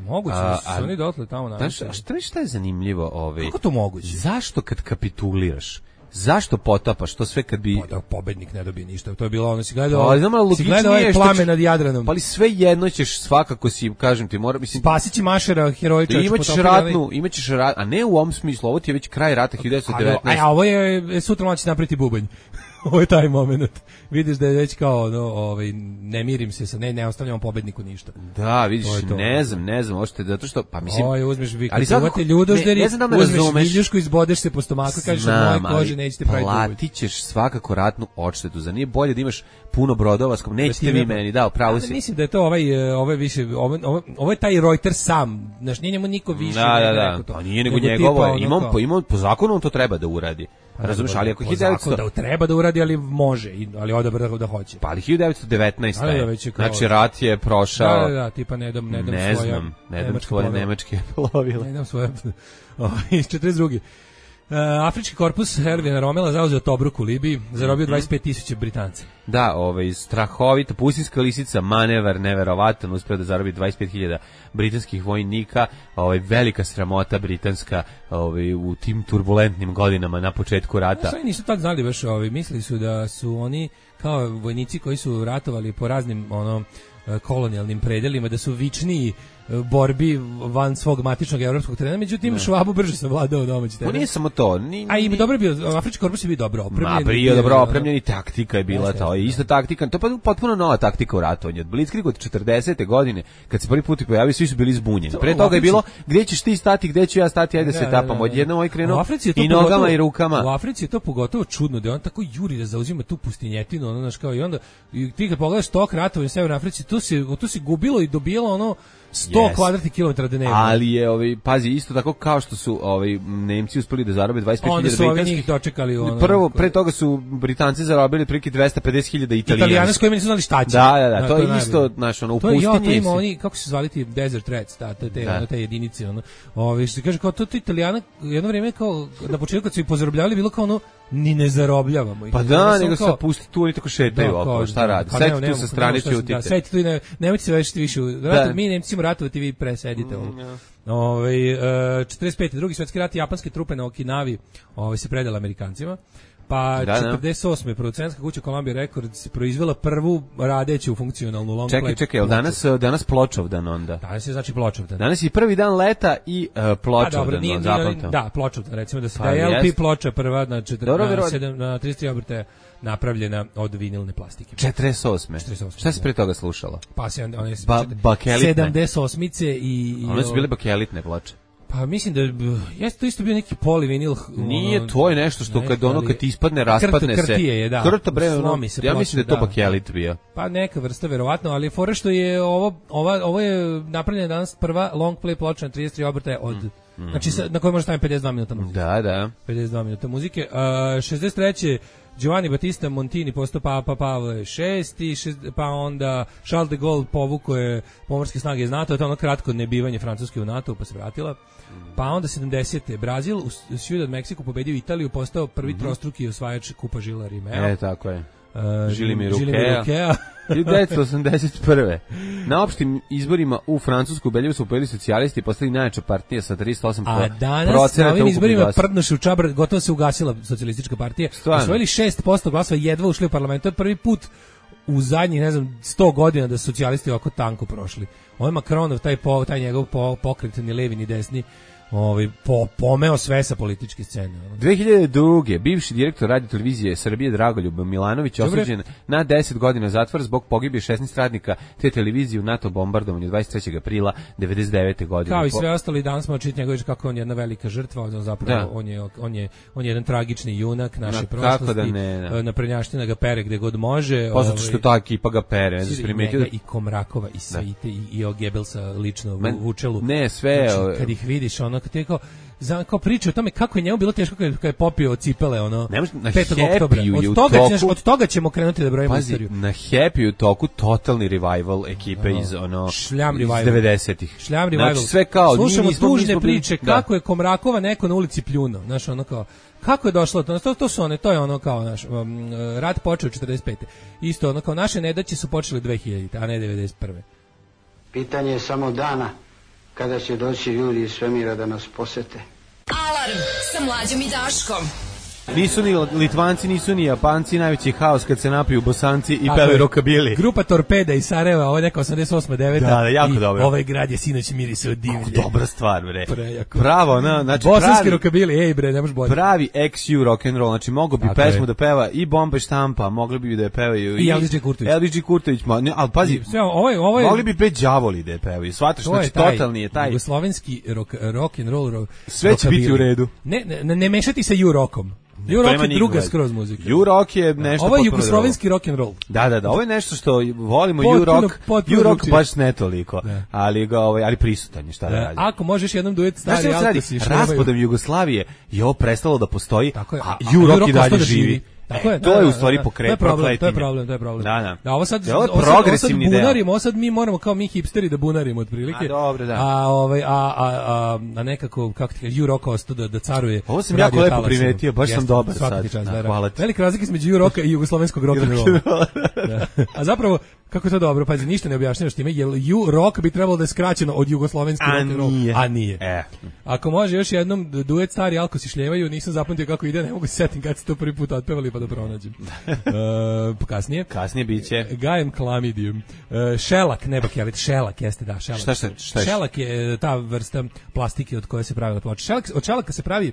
Moguće A, da su a- se oni dotle tamo Znaš, nametali. a šta, šta je zanimljivo? Ove, Kako to moguće? zašto kad kapituliraš? Zašto potapaš to sve kad bi... Pa da pobednik ne dobije ništa. To je bilo ono, si gledao, Pa, znam, ali si gledao logičnije ovaj što plame će- nad Jadranom. Pa ali sve jedno ćeš svakako si, kažem ti, mora, mislim... Spasići Mašera, heroj čovječ, imaćeš potopili onaj- ratnu, imaćeš rat, a ne u ovom smislu, ovo ti je već kraj rata hiljadu devetsto Ali, devetnaeste. a, a ovo je, sutra mlaći napriti bubanj. Ovo je taj moment. Vidiš da je već kao, no, ovaj, ne mirim se sa, ne, ne ostavljamo pobedniku ništa. Da, vidiš, To je to. ne znam, ne znam, ošte, zato što, pa mislim... Oj, uzmeš vi, ali kad svakako- uvate ljudožderi, ne, ne znam da me uzmeš razumeš. viljušku, izbodeš se po stomaku, kažeš od moje kože nećete praviti uvid. platit ćeš svakako ratnu odštetu, za nije bolje da imaš puno brodova, skom nećete vi meni, da, pravo Ali si. mislim da je to ovaj, e, ovaj više, ovo, ovo, ovo je taj Reuters sam, znaš, nije njemu niko više. Da, da, nego da, rekao to. pa nije nego Nego njegovo, tipa je, ono imam, kao- po, imam, po zakonu on to treba da uradi. Razumeš, ali ako po hiljadu devetsto zakonu da treba da uradi, ali može, i- ali odabrao da hoće. pa ali hiljadu devetsto devetnaesta Ali da, je. već je kao- Znači rat je prošao. Da, da, da, tipa ne dam, ne dam ne svoja znam, ne dam nemačka svoje plovila. nemačke plovila. Ne dam svoja iz četrdeset druge. Uh, Afrički korpus Ervina Romela zauzeo Tobruk u Libiji, zarobio dvadeset pet tisuća Britanca. Da, ovaj strahovita pustinjska lisica, manevar neverovatan, uspeo da zarobi dvadeset pet hiljada britanskih vojnika, ovaj velika sramota britanska, ovaj u tim turbulentnim godinama na početku rata. Oni nisu tad znali baš, ovaj, mislili su da su oni kao vojnici koji su ratovali po raznim ono kolonijalnim predelima, da su vičniji borbi van svog matičnog evropskog terena, međutim Švabu brže savladao domaći teren. On nije samo to, ni, A i ni- dobro bio, Afrički korpus je bio dobro opremljen. Ma, bio prije je, dobro ono, opremljeni, taktika je bila Jeste, to, jeste, ista taktika, to je pa potpuno nova taktika u ratovanju. Od Blitzkrieg od četrdesete godine, kad se prvi put pojavio, svi su bili zbunjeni. Pre u toga je Africi- bilo, gdje ćeš ti stati, gdje ću ja stati, ajde Da, se da, tapamo. da, da. Odjednom ovaj U krenuo Africi je to i nogama pogotovo- i rukama. U Africi je to pogotovo čudno da on tako juri da zauzima tu pustinjetinu, ono znaš kao i onda i ti kad pogledaš tok ratovanja u Severnoj Africi, tu se tu se gubilo i dobijalo ono sto Yes. kvadratnih kilometara dnevno. Ali je, ovaj, pazi, isto tako kao što su ovaj, Nemci uspeli da zarobe dvadeset pet Onda hiljada su ovi britanskih. njih dočekali ono. Prvo, pre toga su Britanci zarobili priki dvesta pedeset hiljada Italijani s Italijanskih. kojima nisu znali šta će. Da, da, da, to je najbolje. isto, znaš, ono, u To je, ja, to pustinji ima se- oni, kako se zvali ti Desert Rats, ta, te, te, Da. ono, te jedinice, ono, ovi, što se kaže, kao to, to Italijana, jedno vrijeme kao, na početku kad su ih pozarobljavali, bilo kao ono, ni ne zarobljavamo ih. Pa Ono, da, samo nego kao- se pusti tu, oni tako šetaju Da, okolo, kao, šta da, radi? pa Sedite nema- tu nema- sa nema strane, šta se- ćutite. Da, sedite tu i ne, nemojte se vešiti više. u ratu, Da. mi Nemci ćemo ratovati, vi presedite. Mm, ovo. Ovaj, e, četrdeset pete drugi svjetski rat, japanske trupe na Okinavi ovaj, se predala Amerikancima. Pa Da, da. četrdeset osme producentska kuća Columbia Records proizvela prvu radeću funkcionalnu long Čekaj, play čekaj, jel ploču. danas, danas Pločovdan onda? Danas je znači Pločovdan. Danas je prvi dan leta i uh, Pa dobro, Pločovdan, nije, no, nije, zapamtio. da, Pločovdan, recimo da se Pa da je L P jest. ploča prva na, četir, Dobro, na, vero- sedam, na trideset tri obrtaja napravljena od vinilne plastike. četrdeset osme. četrdeset osme, Šta se da. pre toga slušalo? Pa se onda one Ba- bakelitne. sedamdeset osmice i, i One su bile bakelitne ploče. pa mislim da je b- jeste to isto bio neki polivinil. Nije, ono, to je nešto što ne, kad ono ali- kad ti ispadne, raspadne Krt- se. krtije je, da. Krto, bre, ono, Slomi se ja ploča, mislim da je to da. bakelit bio. Pa neka vrsta verovatno, ali fora što je ovo ova ovo je napravljena danas prva long play ploča na trideset tri obrtaja od znači sa, na kojoj može staviti pedeset dva minuta muzike. Da, da. pedeset dva minuta muzike. Uh, šezdeset treće Giovanni Battista Montini postao Papa Pavle šesti, šest- pa onda Charles de Gaulle povukao je pomorske snage iz NATO, to je ono kratko nebivanje Francuske u NATO, pa se vratila. Pa onda sedamdesete Brazil u S- Ciudad Mexico pobedio Italiju, postao prvi trostruki osvajač Kupa Žila Rimeo. E, tako je. Uh, Žili mi Žili Rukea. hiljadu devetsto osamdeset prve. Na opštim izborima u Francusku ubedljivo su pobedili socijalisti i postali najjača partija sa trideset osam A danas na procenata ovim ukupnih izborima glasova. prdnuše u čabar, gotovo se ugasila socijalistička partija. Stvarno? Osvojili šest posto glasova, jedva ušli u parlament. To je prvi put u zadnjih, ne znam, sto godina da su socijalisti ovako tanko prošli. Ovo je Macronov, taj, po, taj njegov po, pokret, ni levi ni desni, ovaj, po, pomeo sve sa političke scene. ono. dve hiljade druge. bivši direktor radio televizije Srbije Dragoljub Milanović Dobre. osuđen na deset godina zatvora zbog pogibije šesnaest radnika te televizije u NATO bombardovanju dvadeset trećeg aprila devedeset devete godine. Kao i Po- sve ostali, danas smo čitati njegove kako on je jedna velika žrtva, on zapravo Da. on je on je on je jedan tragični junak naše Ma, prošlosti. kako da ne, da. Na prnjaština ga pere gde god može. Pa zato ovaj, što ta ekipa ga pere, ne znaš, i primetio njega da... i Komrakova i sve i, te, i, i o Gebelsa lično Men- u Vučelu. ne, sve, Znači, o- kad ih vidiš, ono, kad ti kao, za, kao priča o tome kako je njemu bilo teško kad, kad je popio cipele, ono, Ne može- na petog Happy-u oktobra. je Od u toga, toku- ćeš, od toga ćemo krenuti da brojimo Pazi, istoriju. na Happy u toku totalni revival ekipe Ono, iz ono šljam iz revival. devedesetih. Šljam revival. Znači sve kao Slušamo mi nismo- tužne nismo bili- priče da. kako je Komrakova neko na ulici pljuno, znaš, ono kao kako je došlo to, to, to su one, to je ono kao naš um, rat počeo četrdeset pete. Isto ono kao naše nedaće su počele dve hiljadite, a ne devedeset prve. Pitanje je samo dana kada će doći ljudi iz svemira da nas posete. Alarm sa Mlađom i Daškom. Nisu ni Litvanci, nisu ni Japanci, najveći haos kad se napiju Bosanci i Tako pevaju je. rokabili. Grupa Torpeda iz Sarajeva, ovo je neka osamdeset osma deveta Da, da, jako i dobro. ovaj grad je sinoć mirisao od divlje. Dobra stvar, bre. Prejako. Pravo, na, znači Bosanski pravi, rokabili, ej bre, ne možeš bolje. pravi ex u rock and roll, znači mogu bi Tako pesmu je. da peva i Bomba i Štampa, mogli bi da je pevaju I Elvis Đ. Kurtović. Elvis Đ. Kurtović, ma, ne, ali pazi, Sve, ovo je, ovo je, mogli bi bre đavoli da je pevaju. Shvataš, to je znači taj totalni je taj. jugoslovenski rock, rock and roll rock, Sve će biti u redu. Ne, ne, ne mešati sa ju rokom. U-rock je druga skroz muzika. U-rock je nešto ovo je potpuno jugoslovenski rock and roll. Da, da, da, ovo je nešto što volimo. Potpuno, U-rock, potpuno U-rock drugčije. baš ne toliko, Da. ali ga ovaj, ali prisutan je, šta da Da, radi. ako možeš jednom duet Znaš stari šta se radi? Alkosi šlemaju. Raspadom Jugoslavije je ovo prestalo da postoji, Tako je, a a- a U-rock U-rock i dalje ostao da živi. živi. Tako E, je, to da, je da, u stvari da. pokret, To je problem, to je prokletine. problem, to je problem. Da, da. Da, ovo sad, Ja, ovo je ovo sad- ovo sad progresivni deo. bunarimo, ovo sad mi moramo kao mi hipsteri da bunarimo otprilike. A, dobro, da. A, ovaj, a, a, a, a nekako, kako ti kažeš, U-rock ostao da, da caruje. Ovo sam u jako radio lepo talasima. primetio, baš sam Jeste, dobar svaka sad. ti čast, Da, da, da. hvala ti. Velika razlika između U-rocka i jugoslovenskog rock and rolla. Da. A zapravo, kako je to dobro, pazi, ništa ne objašnjavaš time, jer U-rock bi trebalo da je skraćeno od jugoslovenski A rock and roll. nije. A nije. E. Ako može još jednom duet stari Alkosi šljevaju, nisam zapamtio kako ide, ne mogu se setim kad se to prvi put otpevali pa da pronađem. uh, kasnije. Kasnije biće. Gajem klamidijum. Uh, šelak, ne bakelit, šelak jeste, da, šelak. Šta, šta, šta je? Šelak je e, ta vrsta plastike od koje se pravi ploča. Šelak, od šelaka se pravi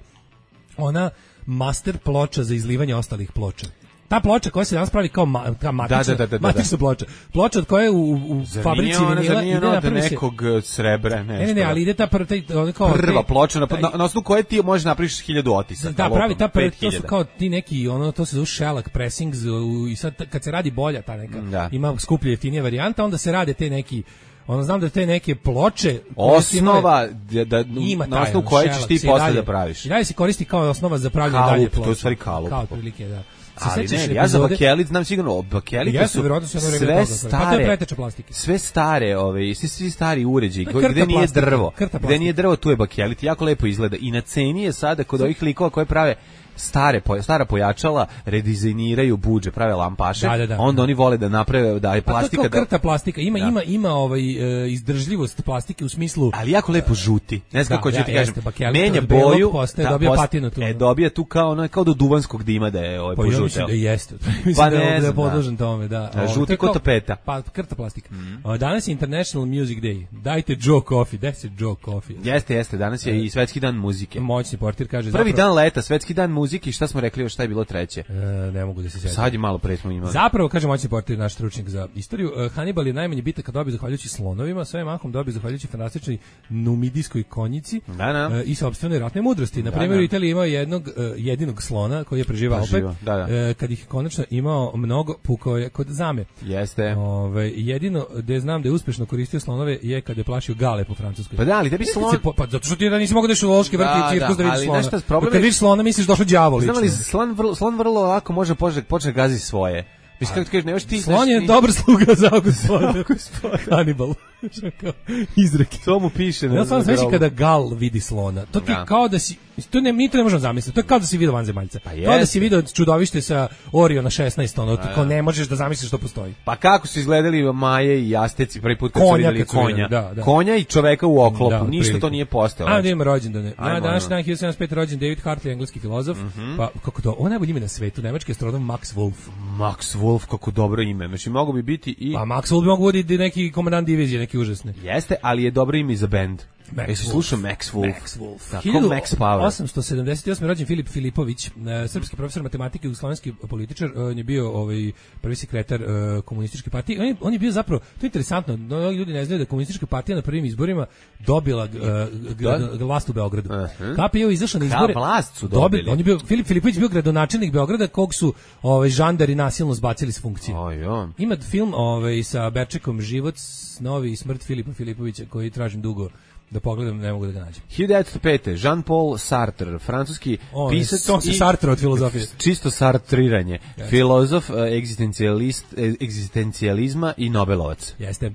ona master ploča za izlivanje ostalih ploča. Ta ploča koja se danas pravi kao ma, ta matična, Da, da, da, da, da. matična ploča. Ploča od koje u, u Zar fabrici nije ona, vinila zar nije ide ona od napravi se- nekog uh, srebra, nešto? Ne, ne, ne, ali ide ta prva, taj, ona kao... Prva te- ploča, na, taj- na, na osnovu koje ti možeš napraviš hiljadu otisaka. Da, pravi ta prva, pet to su hiljada. kao ti neki, ono, to se zove shellac pressings u- i sad kad se radi bolja ta neka, Da. ima skuplje jeftinija varijanta, onda se rade te neki, ono, znam da te neke ploče... koje su imale- Osnova, da, da, ima na taj, osnovu ono, koje ćeš shellac ti se i posle dalje- da praviš. I dalje se koristi kao osnova za pravljanje Kalup, dalje to je u ploče. stvari kalup. Kao otprilike, da. Se Ali sećaš ne, ja za epizode- bakelit znam sigurno, o, bakelite Jeste, su verovatno su jedno vreme sve toga pravili. Pa to je stare, preteča plastike. sve stare, ove, svi, svi stari uređaji, To je krta gde nije plastike, drvo, krta gde plastike. nije drvo, tu je bakelit, jako lepo izgleda. I na ceni je sada kod ovih likova koje prave stare po- stara pojačala, redizajniraju budže, prave lampaše, Da, da, da. onda oni vole da naprave da je Pa plastika to je kao da, krta plastika. Ima, Da. ima, ima ovaj, e, izdržljivost plastike u smislu... ali jako lepo žuti. Ne znam Da, kako ću ja, ti kažem. jeste, bakelit Menja od belog boju, postaje, dobija post- patinu tu, E, ono. dobija tu kao ono kao do duvanskog dima da je ovaj Pa ja mislim požuteo. da jeste. mislim Pa da je, ne da je znam, da. podložen tome, da. Da, Ovo, žuti to je ko kao- tapeta. Pa krta plastika. O, danas je International Music Day. Dajte Joe Coffee. Daj se Joe Coffee. Jeste, jeste, danas je i svetski dan muzike. Moćni portir kaže Prvi zapravo, dan leta, svetski dan muzike i šta smo rekli, još šta je bilo treće? E, ne mogu da se sjetim. Sad je malo pre smo imali. Zapravo, kaže moćni portir, naš stručnjak za istoriju, e, Hannibal je najmanje bitak kad dobio zahvaljujući slonovima, sve mahom dobio zahvaljujući fantastičnoj numidijskoj konjici Da, da. e, i sopstvenoj ratnoj mudrosti. Na Da, primjer, da. u Italiji imao jednog e, jedinog slona koji je preživao opet. Preživao, da, da. E, kad ih je konačno imao mnogo, pukao je kod zame. Jeste. Ove, jedino gde znam da je uspešno koristio slonove je kad je plašio gale po Francuskoj. Pa da, ali tebi slon... Se po- Pa zato što ti da nisi mogao da ideš u zoološki vrt Da, i cirkus da, da vidiš ali slona. znaš šta, problem Kad je- vidiš slona misliš došao đavo Znam lično. li, slon vrlo, slon vrlo lako može počne, počne gazi svoje. Mislim, kako ti kažeš, nemaš ti... Slon znaš, je ti- dobar sluga za gospodina. Hannibal. Kao izreke. To mu piše. na- Ja sam na sveći grobu. kada gal vidi slona. To ti Da. kao da si, to ne, mi to ne možemo zamisliti. To je kao da si vidio vanzemaljca. Pa Kao da jeste. si vidio čudovište sa Oriona šesnaest, ono, ti kao ne možeš da zamisliš što postoji. Pa kako su izgledali Maje i Asteci prvi put kad Konja su vidjeli kad su vidjeli, konja. da, da. Konja i čoveka u oklopu. Da, Ništa otprilike. to nije postojalo. A da ima rođendane. Ajmo, Na današnji ajmo. dan hiljadu sedamsto pet rođen David Hartley, engleski filozof. Pa kako to? On je najbolji ime na svetu, nemački astronom Max Wolf. Max Wolf, kako dobro ime. Znači, mogu bi biti i... Pa Max Wolf bi mogu biti neki komandant divizije, neki užasni. Jeste, ali je dobro ime i za bend. Max Jesi Wolf. slušao Max Wolf? Max Wolf. Tako, Max Power. osamsto sedamdeset osme rođen Filip Filipović, e, srpski profesor matematike i jugoslovenski političar. E, on je bio ovaj prvi sekretar e, komunističke partije. On je, on je bio zapravo, to je interesantno, mnogi ljudi ne znaju da je komunistička partija na prvim izborima dobila e, g- Da? g- vlast u Beogradu. Aha. K P je izašao na Ka izbore. vlast su Dobi- dobili. On je bio Filip Filipović bio gradonačelnik Beograda kog su ovaj žandari nasilno zbacili s funkcije. Oj, on. Ima film ovaj sa Berčekom Život, snovi i smrt Filipa Filipovića koji tražim dugo da pogledam, ne mogu da ga nađem. hiljadu devetsto pet. Jean-Paul Sartre, francuski On je- pisac on se i Sartre od filozofije. čisto sartriranje. Filozof, eh, egzistencijalist, eh, egzistencijalizma i Nobelovac. Jeste. Uh,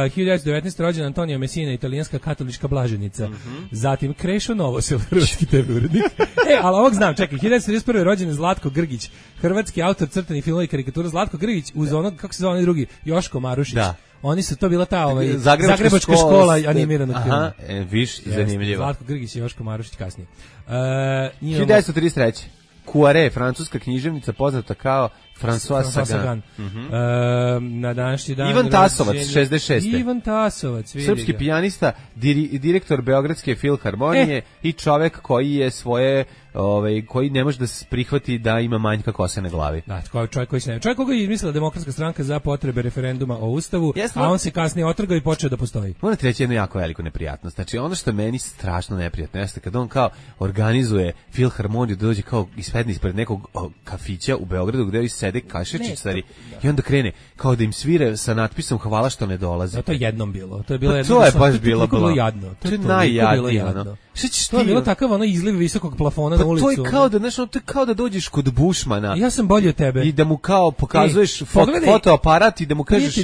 hiljadu devetsto devetnaeste. rođen Antonio Messina, italijanska katolička blaženika. Zatim Krešo Novosel, hrvatski te ve urednik. e, ali ovog znam, čekaj, hiljadu devetsto trideset prve. rođen je Zlatko Grgić, hrvatski autor crtanih filmova i karikatura. Zlatko Grgić uz onog, kako se zove onaj drugi, Joško Marušić. Da. Oni su to bila ta ovaj, Zagrebačka Zagrebačka škola, škola ste- animiranog filma. Aha, e, viš, Jeste, zanimljivo. Zlatko Grgić i Joško Marušić kasnije. Uh, imamo- hiljadu devetsto trideset treće. Cuare, francuska književnica poznata kao François François Sagan. Sagan. E, na današnji dan Ivan Tasovac, rođenja- šezdeset šeste. Ivan Tasovac, vidi Srpski ga. pijanista, diri, direktor Beogradske filharmonije E. i čovek koji je svoje, ovaj, koji ne može da se prihvati da ima manjka kose na glavi. Da, koji čovjek koji se ne. Čovjek koga je izmislila Demokratska stranka za potrebe referenduma o Ustavu, Jeste, a on se kasnije otrgao i počeo da postoji. Moram ti reći jednu jako veliku neprijatnost. Znači, ono što je meni strašno neprijatno jeste kad on kao organizuje filharmoniju da dođe kao iz sedne ispred nekog o, kafića u Beogradu gde ovi sede kašičičari i onda krene kao da im svire sa natpisom hvala što ne dolazi. Da, to je jednom bilo. To je bilo pa jedno. To je sam, baš to, bilo to, to, bilo jadno. To je najjadnije, ono. Šta ćeš to je bilo takav ono izliv visokog plafona pa na ulicu. To je kao da, znaš, to je kao da dođeš kod Bušmana. Ja sam bolji od tebe. I da mu kao pokazuješ Ej, fo pogledaj, fotoaparat i da mu kažeš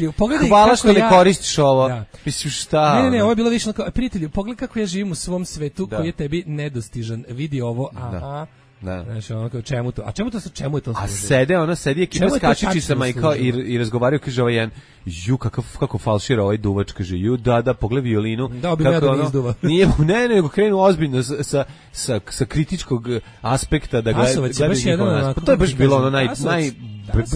hvala što ja, ne koristiš ovo. Da. Mislim šta? Ne, ne, ne, ovo je bilo više kao prijatelju, pogledaj kako ja živim u svom svetu da. koji je tebi nedostižan. Vidi ovo, aha. Da. Da. Znači, ono kao, čemu to? A čemu to sa čemu je to služi? A sede, ona sedi ekipa s kačičicama i kao i, i razgovaraju, kaže ovaj jedan, ju kakav kako falšira ovaj duvač, kaže ju da da pogled violinu. Da, bi me da ono, izduva. Nije mu ne, nego krenu ozbiljno sa sa sa, sa kritičkog aspekta da gleda. Pa to je baš bilo ono naj naj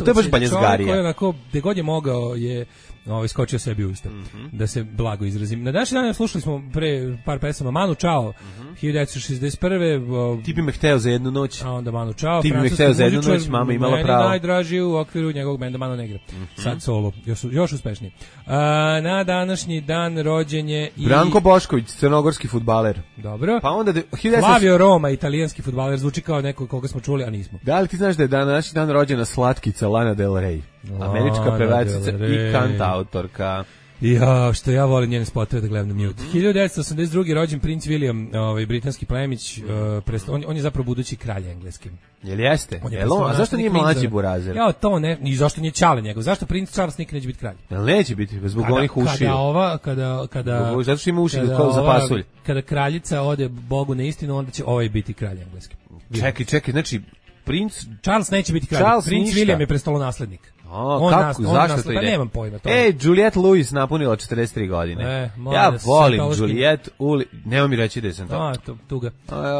to je baš banjezgarija. Koji onako gde god je mogao je ovaj skočio sebi u usta. Mm -hmm. Da se blago izrazim. Na današnji dan slušali smo pre par pesama Manu Chao, mm -hmm. hiljadu devetsto šezdeset prve. O, ti bi me hteo za jednu noć. A onda Manu Chao. Ti bi me hteo za jednu noć, mama imala pravo. Najdraži u okviru njegovog benda Mano Negra. Mm -hmm. Sad solo, još, još uspešniji. A, na današnji dan rođen je i Branko Bošković, crnogorski fudbaler. Dobro. Pa onda de, Flavio Roma, italijanski fudbaler, zvuči kao neko koga smo čuli, a nismo. Da li ti znaš da je današnji dan rođena slatkica Lana Del Rey? Američka pevačica i kantautorka. Ja, što ja volim njene spotove da gledam na mute. hiljadu devetsto osamdeset druge rođen princ William, ovaj britanski plemić, uh, prest, on, on je zapravo budući kralj engleski. Jel jeste? On je Jel on, a zašto nije mlađi burazer? Ja, to ne, i zašto nije Čale njegov? Zašto princ Charles nikad neće biti kralj? Jel neće biti, zbog kada, onih ušiju? Kada ova, kada... kada zbog, zato što ima uši kao za pasulj. Kada kraljica ode Bogu na istinu, onda će ovaj biti kralj engleski. Čekaj, čekaj, znači princ Charles neće biti kralj. Charles princ ništa. William je prestolonaslednik. O, on kako, nas, on zašto nas, to ide? Pa nemam pojma to. E, Juliette Lewis napunila četrdeset tri godine. E, ja volim Juliette Uli... Nema mi reći da sam to. A, to, tuga.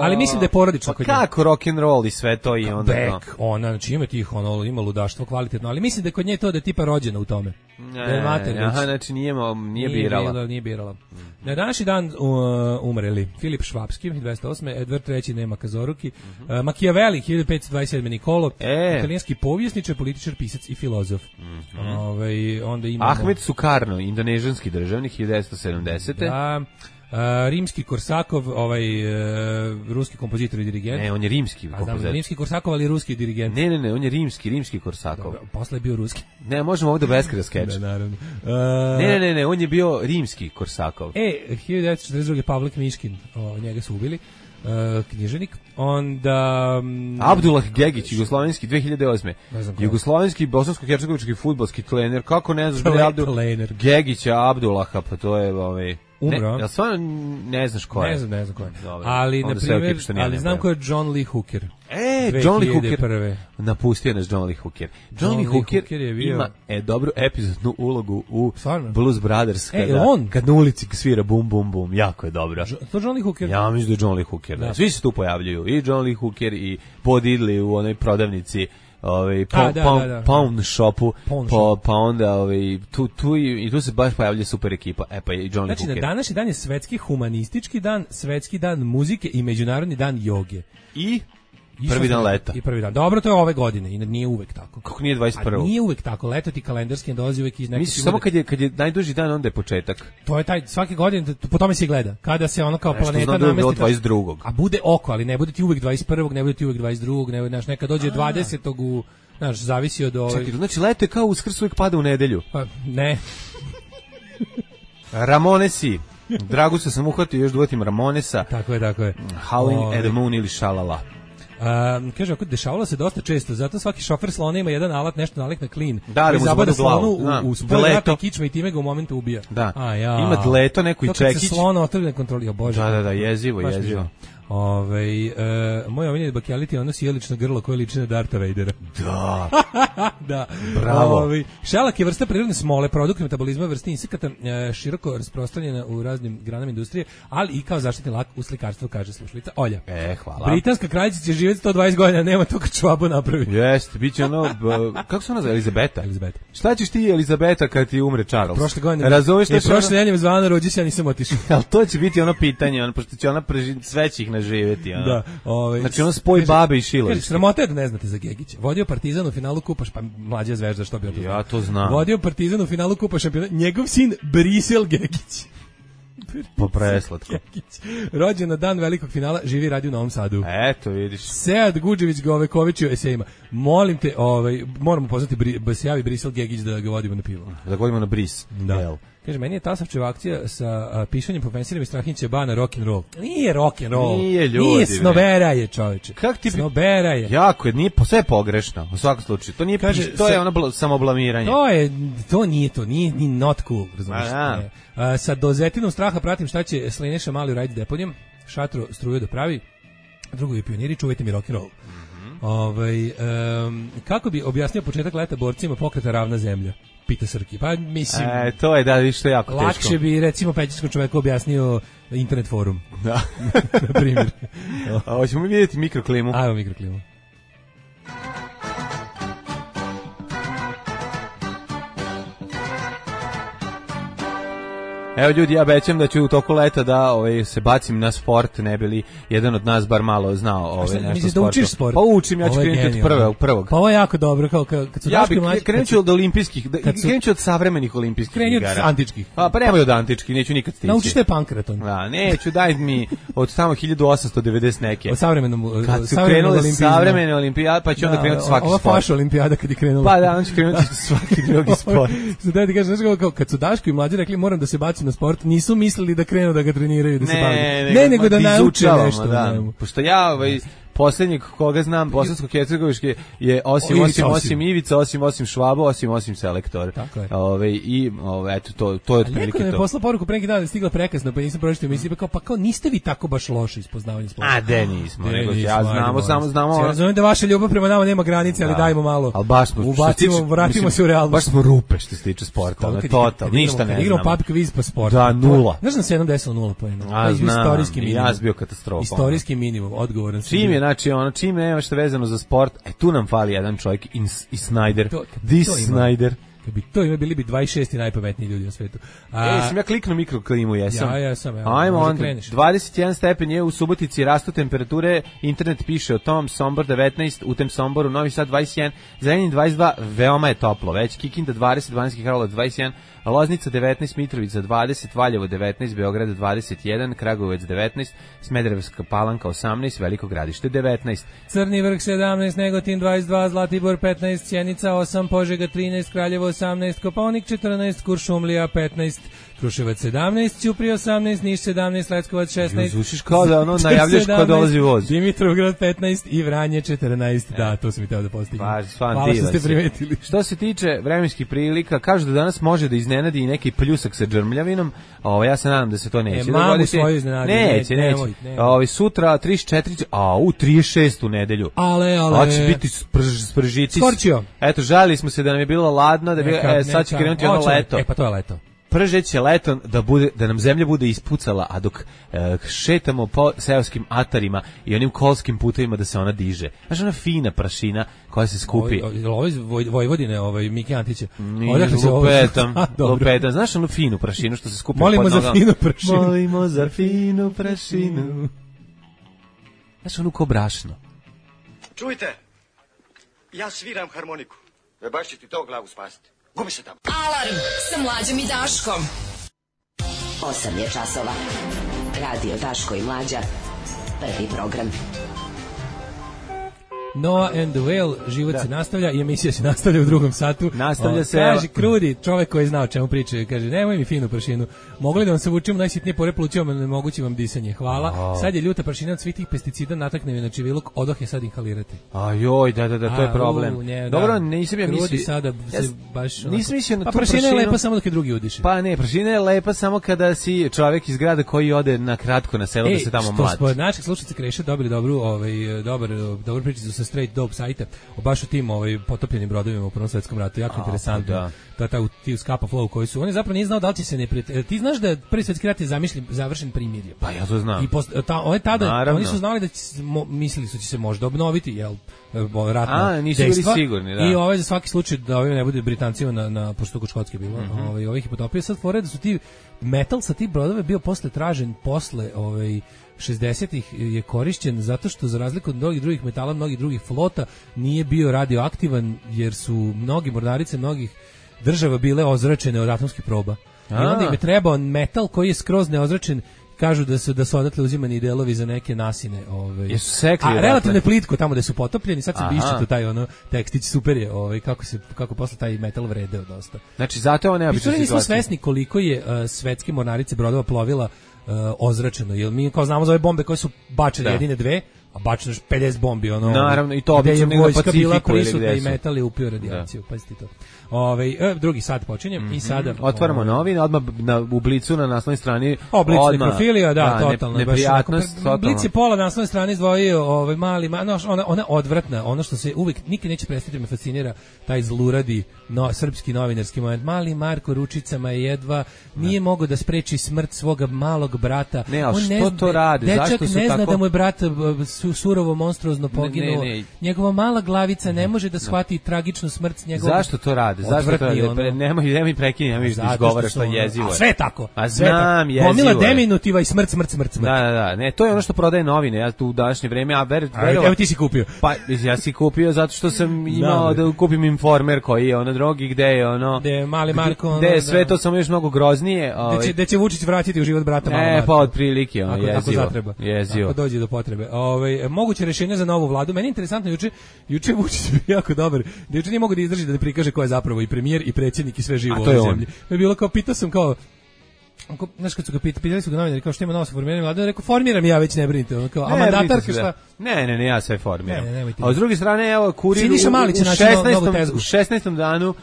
Ali mislim da je porodično pa kod nje. Kako rock and roll i sve to i onda Beck, to. Ona, znači ima tih, ono, ima ludaštvo kvalitetno, ali mislim da je kod nje to da je tipa rođena u tome. Ne, da je mater, aha, znači nije, nije, nije birala. Bila, nije birala. Mm. Na današnji dan uh, umreli Filip Švapski, dvesta osme Edvard treći Nema Kazoruki, mm -hmm. uh, Machiavelli, hiljadu petsto dvadeset sedme Nikolo, e. italijanski povjesničar, političar, pisac i filozof. Mm -hmm. Ove, onda imamo... Ahmed Sukarno, indonežanski državnik, hiljadu devetsto sedamdesete Da, Uh, rimski Korsakov, ovaj uh, ruski kompozitor i dirigent. Ne, on je rimski kompozitor. Znam, rimski Korsakov, ali ruski dirigent. Ne, ne, ne, on je rimski, rimski Korsakov. Dobro, posle je bio ruski. Ne, možemo ovdje beskraj skeč. Ne, naravno. Uh, ne, ne, ne, ne, on je bio rimski Korsakov. E, hiljadu devetsto četrdeset druge Pavlik Miškin, o, njega su ubili. Uh, književnik. Onda um, Abdullah Gegić, jugoslovenski dve hiljade osme Jugoslovenski bosansko-hercegovički fudbalski trener. Kako ne znaš da je Abdullah Gegića Abdullaha, pa to je ovaj umro. Ja stvarno ne znaš ko je. Ne znam, ne znam ko je. Dobre, ali na primjer, ali znam ko je John Lee Hooker. E, John Lee Hooker. Napustio nas John Lee Hooker. John, John Lee Hooker, Hooker je bio... ima e, dobru epizodnu ulogu u stvarno? Blues Brothers kada, e, on? kad na ulici svira bum bum bum. Jako je dobro. Jo, to John Lee Hooker? Ja mislim da je John Lee Hooker. Da. Da. Svi se tu pojavljuju. I John Lee Hooker i Bo Diddley u onoj prodavnici ovaj pa, da, pa, da, da. pound shopu pound pa, shop. pa onda ovaj tu tu i, i tu se baš pojavlja super ekipa. E pa i John Lee znači, Hooker. Znači na današnji dan je svetski humanistički dan, svetski dan muzike i međunarodni dan joge. I I prvi dan leta. I prvi dan. Dobro, to je ove godine i nije uvek tako. Kako nije dvadeset prve? A nije uvek tako. Leto ti kalendarski dolazi uvek iz nekog. Misliš samo kad je kad je najduži dan onda je početak. To je taj svake godine po tome se gleda. Kada se ono kao Nešto planeta da namesti dvadeset drugog A bude oko, ali ne bude ti uvek dvadeset prvog ne bude ti uvek dvadeset drugog ne znaš, nekad dođe dvadesetog u, znaš, zavisi od ove. Čekaj, znači leto je kao Uskrs uvek pada u nedelju. Pa ne. Ramonesi. Dragusa sam uhvatio još duvatim Ramonesa. Tako je, tako je. Howling at the Moon ili Shalala. Um, kaže, ako dešavalo se dosta često, zato svaki šofer slona ima jedan alat, nešto nalik na klin. Da, koji zabada slonu u, da, u spoj vrata kičma i time ga u momentu ubija. Da, A, ja. ima dleto, neko i čekić. To kad se slona otrgne kontroli, o Bože. Da, da, da, jezivo, jezivo. Ove, uh, moj omiljeni bakeliti ono sjelično grlo koje liči na Darta Vadera. Da. Da. Bravo. Ove, šalak je vrsta prirodne smole, produkt metabolizma vrste insekata, uh, široko rasprostranjena u raznim granama industrije, ali i kao zaštitni lak u slikarstvu, kaže slušalica Olja. E, hvala. Britanska kraljica će živjeti sto dvadeset godina, nema to kad čvabu napravi. Jeste, bit će ono, b, kako se ona zove, Elizabeta? Elizabeta. Šta ćeš ti, Elizabeta, kad ti umre Charles? Prošle godine. Razumeš što je prošle nedelje zvana rođi se, ja nisam otišao. Al to će biti ono pitanje, on pošto će ona preži, sve će ih naživjeti, ono. Da, ovaj. Znači ono spoj kaže, babe i Šilović. Kaže, sramota je da ne znate za Gegića. Vodio Partizan u finalu kupa, pa mlađa Zvezda, što bi ja to znam. Vodio Partizan u finalu kupa šampiona, njegov sin Brisel Gegić. Po preslatko. Rođen na dan velikog finala, živi i radi u Novom Sadu. Eto, vidiš. Sead Guđević Govekoviću esejima. Molim te, ovaj, moramo pozvati, da se javi Brisel Gegić da ga vodimo na pivo. Da ga vodimo na bris. Da. Kaže, meni je Tasovčeva akcija sa a, pišanjem po pensirima i Strahinjića ba na rock and roll. Nije rock and roll. Nije, ljudi. Nije, snobera je, čoveče. Kako ti... Snobera je. Jako je, nije, sve je pogrešno, u svakom slučaju. To nije, Kaže, to je sa, ono bl- samoblamiranje. To je, to nije to, nije ni not cool, razumiješ. A, sa dozetinom straha pratim šta će Slineša Mali uraditi s deponijom, šatro struju da pravi, drugovi pioniri, čuvajte mi rock and roll. Mm-hmm. Ovaj, um, kako bi objasnio početak leta borcima pokreta Ravna zemlja? Pita Srki. Pa mislim, e, to je da viš to je jako lakše teško. Lakše bi recimo pećinskom čoveku objasnio internet forum. Da. Na primjer. A hoćemo mi vidjeti mikroklimu. Ajmo mikroklimu. Evo ljudi, ja obećam da ću u toku leta da ovaj, se bacim na sport, ne bi li jedan od nas bar malo znao ovaj, nešto sporta. Da učiš sport? Pa učim, ja ću krenuti od prve, prvog. Pa ovo je jako dobro, kao kad, kad su ja Daško i mlađi... Ja krenut ću od olimpijskih, da, su, krenut ću od savremenih olimpijskih igara. Krenut od antičkih. Pa, pa nemoj od antičkih, neću nikad stići. Naučiš te pankraton. Da, neću, daj mi od tamo hiljadu osamsto devedeset neke. Od savremenom kad su krenule savremene olimpijade, pa ću onda krenuti svaki ova sport. Ova faša olimpijada kad je krenula. Pa da, on će krenuti svaki drugi sport. Da ti kažeš, kad su Daško i mlađi rekli moram da se bacim na sport, nisu mislili da krenu da ga treniraju, da se bavaju. Ne, ne, nego da nauče nešto. Da. Pošto ja, ovaj, posljednjeg koga znam, bosansko-hercegoviški je osim, osim, osim Ivica, osim, osim Švabo, osim, osim Selektor. Tako je. Ove, I, ove, eto, to, to je otprilike to. Neko je poslao poruku pre neki dan da je stigla prekasno, pa nisam pročitao emisiju, pa kao, pa kao, niste vi tako baš loši iz poznavanja sporta. A, de nismo, nego ja znamo, samo znamo. Ja razumijem da vaša ljubav prema nama nema granice, ali dajmo malo. Ali baš smo, ubacimo, vratimo se u realnost. Baš smo rupe što se tiče sporta, ono, total, ništa ne znamo. Igramo pub quiz pa sport. Da, nula. Znaš na sedam desilo nula poena. A, znam, ja sam bio katastrofa. Istorijski minimum, odgovoran. Čim je, znači, ono, čim nema što vezano za sport, e tu nam fali jedan čovjek i Snyder. To, This to Snyder. Kad bi to ima, bili bi dvadeset šesti najpametniji ljudi na svetu. A, e, sam ja kliknuo mikroklimu, jesam. Ja, ja sam. Ja, ajmo onda, dvadeset jedan stepen je u Subotici, rastu temperature, internet piše o tom, Sombor devetnaest, u tem Somboru, Novi Sad dvadeset jedan, Zrenjanin dvadeset dva, veoma je toplo, već Kikinda dvadeset, Banjski Karlovac dvadeset jedan, Loznica devetnaest, Mitrovica dvadeset, Valjevo devetnaest, Beograd dvadeset jedan, Kragujevac devetnaest, Smederevska Palanka osamnaest, Veliko Gradište devetnaest. Crni Vrh sedamnaest, Negotin dvadeset dva, Zlatibor petnaest, Sjenica osam, Požega trinaest, Kraljevo osamnaest, Kopaonik četrnaest, Kuršumlija petnaest, Kruševac sedamnaest, Ćuprija osamnaest, Niš sedamnaest, Leskovac šesnaest. Zvučiš kao da ono najavljaš ko dolazi voz. Dimitrovgrad petnaest i Vranje četrnaest. E. Da, to sam i teo da postignem. Pa, hvala što ste primetili. Što se tiče vremenskih prilika, kažu da danas može da iznenadi i neki pljusak sa džrmljavinom. Ovo, ja se nadam da se to neće. E, mamu svoju iznenadi. Neće, neće. Nemoj, nemoj. Ovo, sutra trideset četiri, a u trideset šest u nedelju. Ale, ale. Ovo će biti sprž, spržici. Skorčio. Eto, žalili smo se da nam je bilo ladno, da bi, neka, e, sad će krenuti ono leto. E, pa to je leto. Pržeće leto da bude da nam zemlja bude ispucala, a dok e, šetamo po seoskim atarima i onim kolskim putevima da se ona diže. Znaš, ona fina prašina koja se skupi. Ovo iz Vojvodine, ovaj Miki Antića. Odakle se lupetam, lupetam. Znaš onu finu prašinu što se skupi Molimo pod nogama? Molimo za finu prašinu. Molimo za finu prašinu. Znaš, onu ko brašno. Čujte, ja sviram harmoniku. E baš će ti to glavu spasiti. Gubi se tamo. Alarm sa Mlađom i Daškom. osam je časova. Radio Daško i Mlađa. Prvi program. Noah and the Whale, život da. se nastavlja i emisija se nastavlja u drugom satu. Nastavlja o, se. Kaže Krudi, čovjek koji zna o čemu priča, kaže nemoj mi finu prašinu. Mogli da vam se vučemo najsitnije pore plućima, ne mogući vam disanje. Hvala. Oh. Sad je ljuta prašina od svih tih pesticida, natakne mi na čiviluk, odoh je sad inhalirati. A joj, da, da, da, to je problem. A, u, nje, Dobro, da. nisam ja mislio. Krudi sada se ja, baš... Nisam mislio na pa tu prašina prašinu. je lepa samo dok je drugi udiše. Pa ne, prašina je lepa samo kada si čovjek iz grada koji ode na kratko na selo Ej, da se tamo što mladi. Smo naših slušalica Kreša dobili dobru, ovaj, dobar, dobar pričicu sa Straight Dope sajta o baš u tim ovaj, potopljenim brodovima u Prvom svetskom ratu. Jako A, interesantno. Da. Ta, ta, ti u Scapa Flow koji su, on je zapravo nije znao da li će se ne prijatelj. Ti znaš da je Prvi svjetski rat je zamišljen, završen primirjem. Pa ja to znam. I post, ta, ovaj tada, Naravno. oni su znali da će, mo, mislili su će se možda obnoviti, jel, ratno A, nisu dejstva, bili sigurni, da. I ovaj za svaki slučaj da ovaj ne bude Britancima na, na pošto kod Škotske bilo, mm-hmm. ovaj, ovih je potopio. Sad fore da su ti metal sa tih brodova bio posle tražen, posle ovaj, šezdesetih je korišćen zato što za razliku od mnogih drugih metala, mnogih drugih flota nije bio radioaktivan jer su mnogi mornarice mnogih država bile ozračene od atomskih proba. I onda im je trebao metal koji je skroz neozračen. Kažu da su da su odatle uzimani delovi za neke nasine, ovaj. Jesu sekli. A relativno plitko tamo gde su potopljeni, sad se Aha. bišće taj ono tekstić super je, ovaj kako se kako posle taj metal vredeo dosta. Znači zato on ne obično situacija. Nismo svesni koliko je uh, svetske mornarice brodova plovila uh, ozračeno, jer mi kao znamo za ove bombe koje su bačene jedine dve, a bačeno je pedeset bombi, ono. Naravno, i to obično na vojska bila Pacifiku prisutna i metal je upio radijaciju, da. Pazite to. Ovaj e, drugi sat počinje mm-hmm. i sada otvaramo ovaj, novine, odmah na u Blicu na naslovnoj strani Blic nekrofilija, da, da, totalno. Ne, neprijatnost, totalno. Blic je pola na naslovnoj strani izdvojio ovaj mali, ma, no, ona, ona odvratna, ono što se uvijek nikad neće prestati me fascinira, taj zluradi no, srpski novinarski moment. Mali Marko ručicama je jedva nije mogao da spreči smrt svoga malog brata. Ne, ali on što ne zna, to radi? Dečak Zašto su ne zna tako... da mu je brat su, surovo, monstruozno poginuo. Ne, ne, ne. Njegova mala glavica ne može da shvati tragičnu smrt njegovog. Zašto to rade? Zašto to rade? Pre, nemoj, nemoj prekini, nemoj da izgovaraš što jezivo. A sve tako. A znam, jezivo. Gomila deminutiva i smrt, smrt, smrt, smrt. Da, da, da. Ne, to je ono što prodaje novine. Ja tu u današnje vreme, a ver, verova, evo ti si kupio. Pa ja si kupio zato što sam imao da kupim Informer koji je ono drugi gde je ono gde mali Marko, gde je sve to samo još mnogo groznije, ovaj. Gde će, gde će Vučić vratiti u život brata malog Marka. E, pa otprilike, ono jezivo. Ako zatreba. Jezivo. Ako dođe do potrebe. Ovaj moguće rješenje za novu vladu. Meni je interesantno juče, juče Vučić bio jako dobar. Da juče nije mogao da izdrži da ne prikaže ko je zapravo i premijer i predsjednik i sve živo u ovoj zemlji. Je bilo kao pitao sam kao znaš kad su ga pitali, pitali su ga novinari kao što ima novo formiranje vlade, on rekao formiram ja već ne brinite, on kao a mandatarka šta? Ne, ne, ne, ja sve formiram. Ne, ne, a s druge strane evo Kurir u, u šesnaestom danu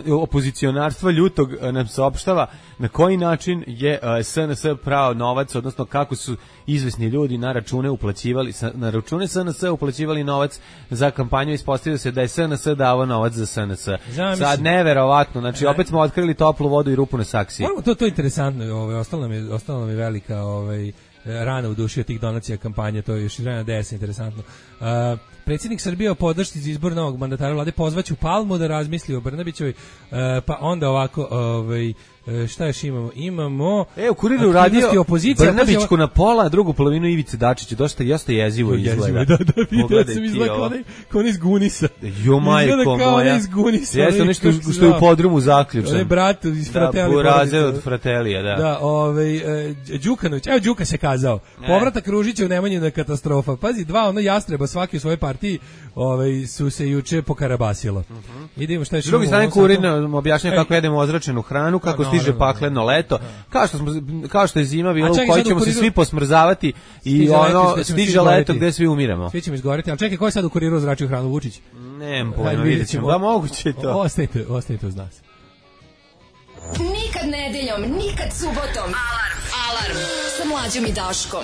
opozicionarstva ljutog nam saopštava na koji način je S N S prao novac, odnosno kako su izvesni ljudi na račune uplaćivali na račune S N S uplaćivali novac za kampanju, ispostavilo se da je S N S davao novac za S N S. Sad neverovatno, znači opet smo otkrili toplu vodu i rupu na saksiji. To to je interesantno, ovaj ostalo nam je ostalo nam je velika ovaj rana u duši od tih donacija kampanje, to je još iz vremena D S, interesantno. Uh, predsjednik Srbije o podršci za izbor novog mandatara vlade pozvaću Palmu da razmisli o Brnabićevoj, uh, pa onda ovako, ovaj šta još imamo? Imamo E, u Kuriru radio Brnabićku na pola, drugu polovinu Ivice Dačića, dosta jeste jezivo izgleda. Da, da, vidio sam izgleda kao onaj iz Gunisa. Jo, majko moja. Jeste nešto što je u podrumu zaključan. Onaj brat iz Fratelija. Da, Buraze od Fratelija, da. Da, ovaj, Đukanović, evo Đuka se kazao. Povratak Ružića u Nemanjina katastrofa. Pazi, dva ono jastreba svaki u svojoj partiji ovaj, su se juče pokarabasilo. Idemo šta je što. S druge strane Kurir nam objašnjava kako jedemo ozračenu hranu, kako stiže pakleno leto, kao što smo kao što je zima bilo u kojoj ćemo se svi posmrzavati i ono stiže leto gde svi umiramo. Svi ćemo izgoreti, al čekaj, ko je sad u Kuriru ozračio hranu, Vučić? Nemam pojma, videćemo. Da moguće to. Ostanite, ostanite uz nas. Nikad nedeljom, nikad subotom. Alarm, alarm sa Mlađom i Daškom.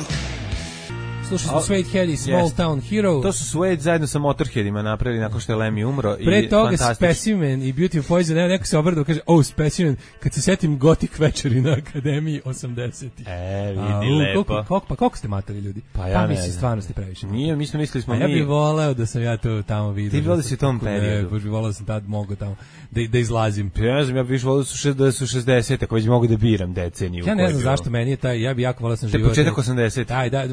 Slušaj, su Suede Head i Small yes. Town Hero. To su Suede zajedno sa Motorheadima napravili nakon što je Lemmy umro. Pre i toga Specimen i Beautiful Poison, evo neko se obradao, kaže, oh, Specimen, kad se setim Gothic večeri na Akademiji osamdesetih. E, vidi, A, lepo. Koliko, koliko, pa koliko ste matali ljudi? Pa ja pa, ne mislim, stvarno ste previše. Nije, mi smo mislili smo mi. A ja bih voleo da sam ja to tamo vidio. Ti voleo da si u tom periodu. Ne, bih voleo da sam tad mogo tamo da, da izlazim. Ja ne znam, ja bih više voleo da su šezdeset, ako već mogu da biram deceniju. Ja ne znam zašto meni je taj, ja bih jako voleo da sam živio. Početak osamdesetih. Aj, da,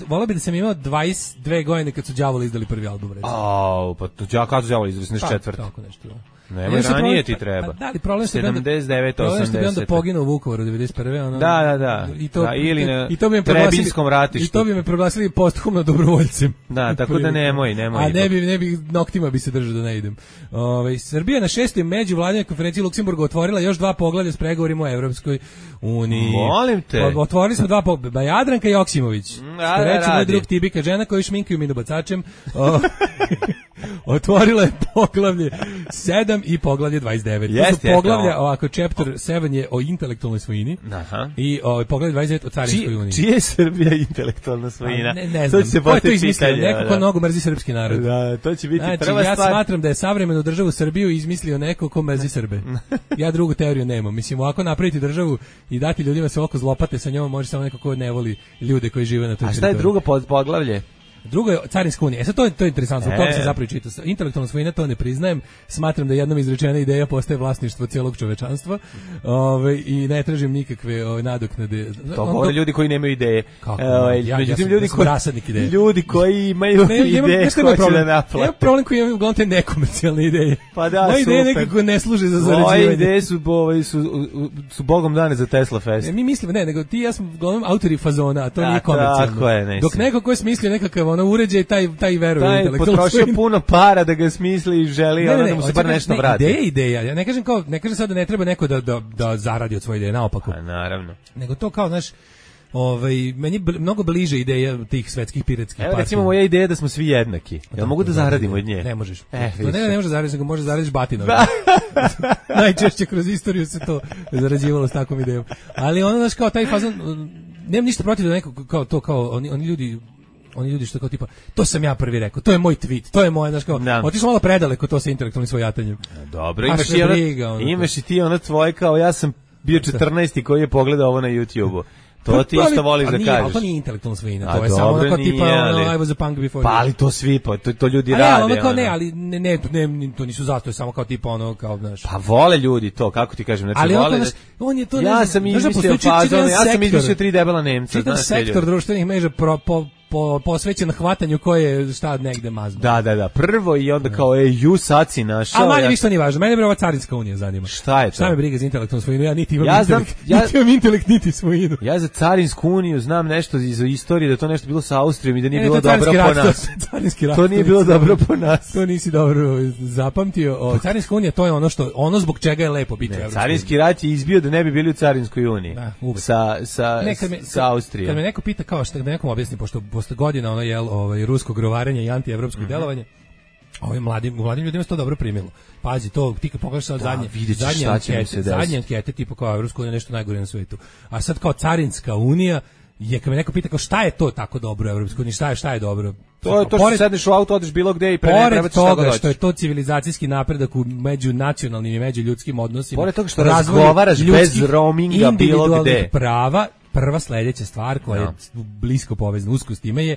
voleo bih da sam imao dvadeset dve godine kad su Đavoli izdali prvi album, recimo. Au, pa to ja kad su Đavoli izdali sedamdeset četvrte. Pa, tako nešto. Nema, ranije ti treba. Pa, da, ali problem što sedamdeset devet, osamdeset. Problem što bi onda poginuo u Vukovaru devedeset prve. Ono, da, da, da. I to, da, ili na i to bi Trebinskom ratištu. I to bi me proglasili posthumno dobrovoljcem. Da, tako da nemoj, nemoj. A ne bi, ne bi, noktima bi se držao da ne idem. Ove, Srbija na šestoj međuvladinoj konferenciji Luksemburga otvorila još dva poglavlja s pregovorima o Evropskoj uniji. Molim te. O, otvorili smo dva poglavlja. Jadranka Joksimović. Da, što reče moj drug Tibika, žena koju šminkaju minobacačem. Otvorila je poglavlje sedam i poglavlje dvadeset devet. Jest, to su poglavlja, ovako, chapter sedam je o intelektualnoj svojini. Aha. I o, poglavlje dvadeset devet o carinskoj uniji. Čije je Srbija intelektualna svojina? Ne, ne znam, to ko je to izmislio? Neko ko mnogo mrzi srpski narod. Da, to će biti znači, prva ja stvar. Ja smatram da je savremenu državu Srbiju izmislio neko ko mrzi Srbe. Ja drugu teoriju nemam. Mislim, ovako napraviti državu i dati ljudima se oko zlopate sa njom, može samo neko ko ne voli ljude koji žive na toj teritoriji. A šta je drugo poglavlje? Drugo je carinska unija. E sad to je to je interesantno, E. to se zapravo čita. Intelektualna svojina to ne priznajem. Smatram da jednom izrečena ideja postaje vlasništvo cijelog čovečanstva. Ovaj i ne tražim nikakve ovaj nadoknade. To govore ljudi koji nemaju ideje. Kako? Ovaj, Ja- međutim, ja sam- ljudi ja sam koji rasadnik ideje. ljudi koji imaju Ne, ja imam, ideje znaš šta imam hoće da problem? Ja naplate. imam problem koji imam uglavnom te nekomercijalne ideje. Pa da, Moje ideje super. nekako ne služe za Moje zarađivanje. ideje su, ovaj, su, u- u- su bogom dane za Tesla Fest. E, mi mislimo, ne, nego ti i ja smo uglavnom autori fazona, a to A, nije komercijalno. tako je, ne Dok si. neko ko je smislio nekakav ono uređaj, taj, taj veruje u Taj intelektualnu potrošio svojinu. puno para da ga smisli i želi ono da mu se hoću bar kažem, nešto ne, vrati. Ideja je ideja. Ja ne kažem kao, ne kažem sad da ne treba neko da, da, da zaradi od svoje ideje, naopako. A, naravno. Nego to kao, znaš, ovaj, meni je bl- mnogo bliže ideja tih svetskih piratskih Evo partija. recimo moja ideja je da smo svi jednaki. Jel mogu da zaradim od nje? Ne možeš. E, to ne, vidiš. ne možeš zaraditi, nego možeš zaraditi batinom. Najčešće kroz istoriju se to zarađivalo s takvom idejom. Ali ono, znaš, kao taj fazon, nemam ništa protiv da neko, kao to, kao, oni, oni ljudi, oni ljudi što kao tipa, to sam ja prvi rekao, to je moj tweet, to je moje, znaš, kao, Da. otišao malo predaleko to sa intelektualnim svojatanjem. Dobro, A imaš što i, ono, briga, ono, imaš i ti ono tvoje kao ja sam bio četrnaesti koji je pogledao ovo na YouTubeu. To ti Pa, ali- isto voliš a da nije, ali kažeš. to nije intelektualna svojina, A to je samo dobro, ono kao tipa, nije, ono, ali- I was a punk before Pa you. ali to svi, pa to, to ljudi A ne, rade. ali ono kao ono. ne, ali ne, ne, ne, to nisu zato, je samo kao tipa ono, kao, znaš. Pa vole ljudi to, kako ti kažem, znači Ali on, vole. to, da- znaš, on je to, ne ja znam, sam znaš da izmislio postoji čitav fazon, jedan ja sam sektor. izmislio tri debela Nemca, Čitav znaš te sektor ljudi. društvenih mreža pro, po, po, posvećen hvatanju koje je šta negde mazno. Da, da, da, prvo i onda kao, ej, ju sad si našao. A manje ja- više to nije važno. Mene bre ova carinska unija zanima. Šta je to? Šta me briga za intelektualnu svojinu? Ja niti imam Ja znam- intelekt, ja- niti imam intelekt, niti svojinu. Ja za carinsku uniju znam nešto iz istorije, da to nešto bilo sa Austrijom i da nije Ne, bilo to je dobro carinski po rat, nas. to je carinski rat, To nije to bilo nisi dobro dobro- po nas. To nisi dobro zapamtio. O, carinska unija, to je ono što ono zbog čega je lepo biti u Ne, Evropskoj carinski rat je izbio da ne bi bili u carinskoj uniji. Da, uvek. sa, sa, Ne, kad me, sa Austrijom. Kad me neko pita kao šta da nekom objasni pošto posle godina ono jel ovaj ruskog rovarenja i antievropskog Mhm. delovanja. Ovim mladim, mladim ljudima se to dobro primilo. Pazi, to ti kad pogledaš sad Da, zadnje, vidjet ćeš zadnje šta će nam ankete, se desiti. zadnje ankete tipa kao Evropska unija nešto najgore na svetu. A sad kao carinska unija je kad me neko pita kao šta je to tako dobro u Evropskoj uniji, šta je šta je dobro? To je to što Pored- sedneš u auto, odeš bilo gde i pre ne treba Pored ti šta god toga hoćeš. što je to civilizacijski napredak u međunacionalnim i međuljudskim odnosima. Pored toga što razvoju razgovaraš bez ljudskih roaminga bilo individualnih gde. prava, prva sledeća stvar koja Da. je blisko povezana usko s time je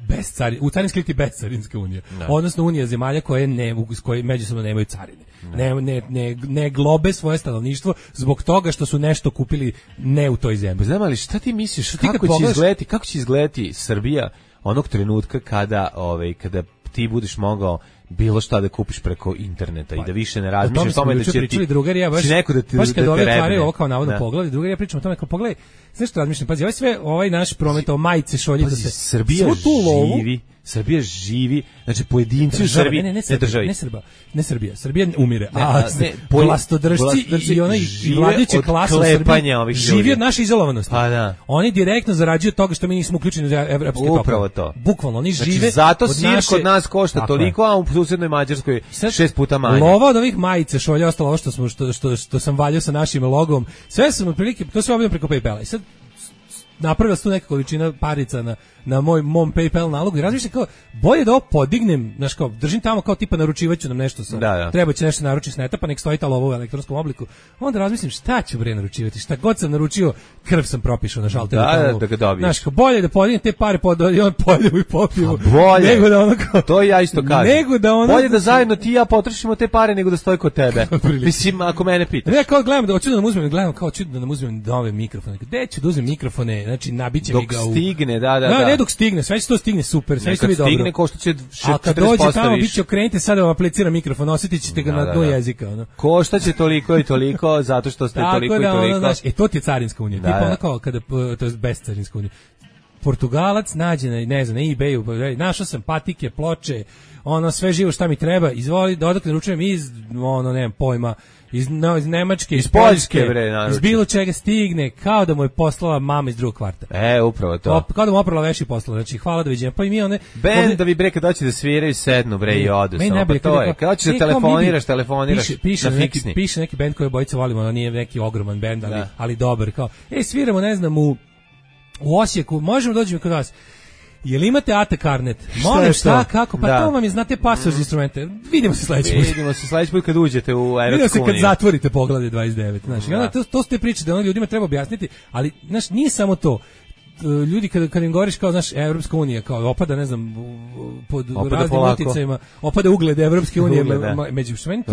bez cari, u carinskoj liti bez carinska unija. Da. Odnosno unija zemalja koje ne s koje međusobno nemaju carine. Ne, ne, ne, ne globe svoje stanovništvo zbog toga što su nešto kupili ne u toj zemlji. Pa znam, ali šta ti misliš, Ti kad kako će pogledaš- izgledati, kako će izgledati Srbija onog trenutka kada, ovaj, kada ti budeš mogao bilo šta da kupiš preko interneta i da više ne O razmišljaš tome o smo tome da juče će pričali ti drugari, ja baš, će neko da te, baš da kad te ove rebne. otvaraju ovo kao navodno Da. poglavlje, drugari ja pričam o tome kao pogledaj, znaš što razmišljam, pazi, ovaj sve, ovaj naš promet o majice šoljica Pazi, se, Srbija svu tu lovu, živi, Srbija živi, znači pojedinci u država, Srbiji, ne, ne, ne, ne Srbija, državi. ne Srbija, ne Srbija, Srbija umire, Ne, a a, ne, poj- vlastodržci vlastodržci i onaj žive vladajuća od klasa u klepanja Srbiji ovih živi ljudi. od naše izolovanosti. Pa da. Oni direktno zarađuju od toga što mi nismo uključeni u evropske tokove. Upravo to. Bukvalno, oni Znači, žive zato od sir naše- kod nas košta Tako je. toliko, a u susednoj Mađarskoj Sad, šest puta manje. Lova od ovih majica, šolja, ostalo ovo što, smo, što, što, što sam valjao sa našim logom, sve sam otprilike, to sve obavljam preko PayPala. I sad napravila se tu neka količina parica na, na moj, mom PayPal nalogu i razmišljam kao, bolje da ovo podignem, znaš kao, držim tamo kao tipa naručivaću nam nešto sa, Da, da. treba će nešto naručiti s neta, pa nek stoji ta lova u elektronskom obliku. Onda razmislim šta ću bre naručivati, šta god sam naručio, krv sam propišao na šalteru. Da, tamo. da ga dobiješ. Znaš, kao, bolje da podignem te pare, pod, i on pojedemo i popijemo. Pa bolje. Nego da ono kao, To ja isto kažem. Nego da ono- Bolje da zajedno ti i ja potrošimo te pare nego da stoji kod tebe. Otprilike. Mislim, ako mene pitaš. Ne, kao gledam da hoću da nam uzmem, gledam kao hoću da nam uzmem nove mikrofone. Gde ću da uzmem mikrofone? Znači nabiće mi Dok ga u stigne, da, da, No, da. ne dok stigne, sve će to stigne super, sve će Nekad biti dobro. stigne, košta će A kad četrdeset dođe posto tamo, više. bit će okrenite sada vam aplicira mikrofon, osjetit ćete ga Da, na da, dnu da. jezika. Ono. Košta će toliko i toliko, zato što ste Tako toliko i da, ono, toliko. znaš, e, to ti je carinska unija. Da, Tipa da. ono kao kada, p- to je bez carinska unija. Portugalac nađe na, ne znam, na eBayu, pa, našao sam patike, ploče, ono, sve živo šta mi treba, izvoli, da odakle naručujem iz, ono, nemam pojma, iz, no, iz Nemačke, iz, Poljske, Poljske, bre, naruči. iz bilo čega stigne, kao da mu je poslala mama iz drugog kvarta. E, upravo to. Op, kao da mu oprala veši poslala, znači hvala doviđenja. Pa i mi one... Bendovi bre kad doći da sviraju sednu bre i odu Meni samo, najbolje pa to kad je. Kad hoćeš da telefoniraš, telefoniraš piše, piše na neki, fiksni. piše neki bend koji obojica volimo, ono nije neki ogroman bend, ali, Da. ali dobar. Kao, e, sviramo, ne znam, u, u Osijeku, možemo doći kod vas. Jel imate A T karnet? Molim, je šta, to? kako? Pa Da. to vam je, znate, pasor za instrumente. Vidimo se sledeći put. Vidimo se sledeći put kad uđete u Vidimo Evropsku se kad uniju. zatvorite poglavlje dvadeset devet. Znaš, i onda Da. to, to ste priče da ono ljudima treba objasniti, ali znaš, nije samo to. ljudi kada kad im govoriš kao znaš Evropska unija kao opada ne znam pod opada raznim polako. uticajima opada ugled Evropske unije Ugled, da. me, među sve to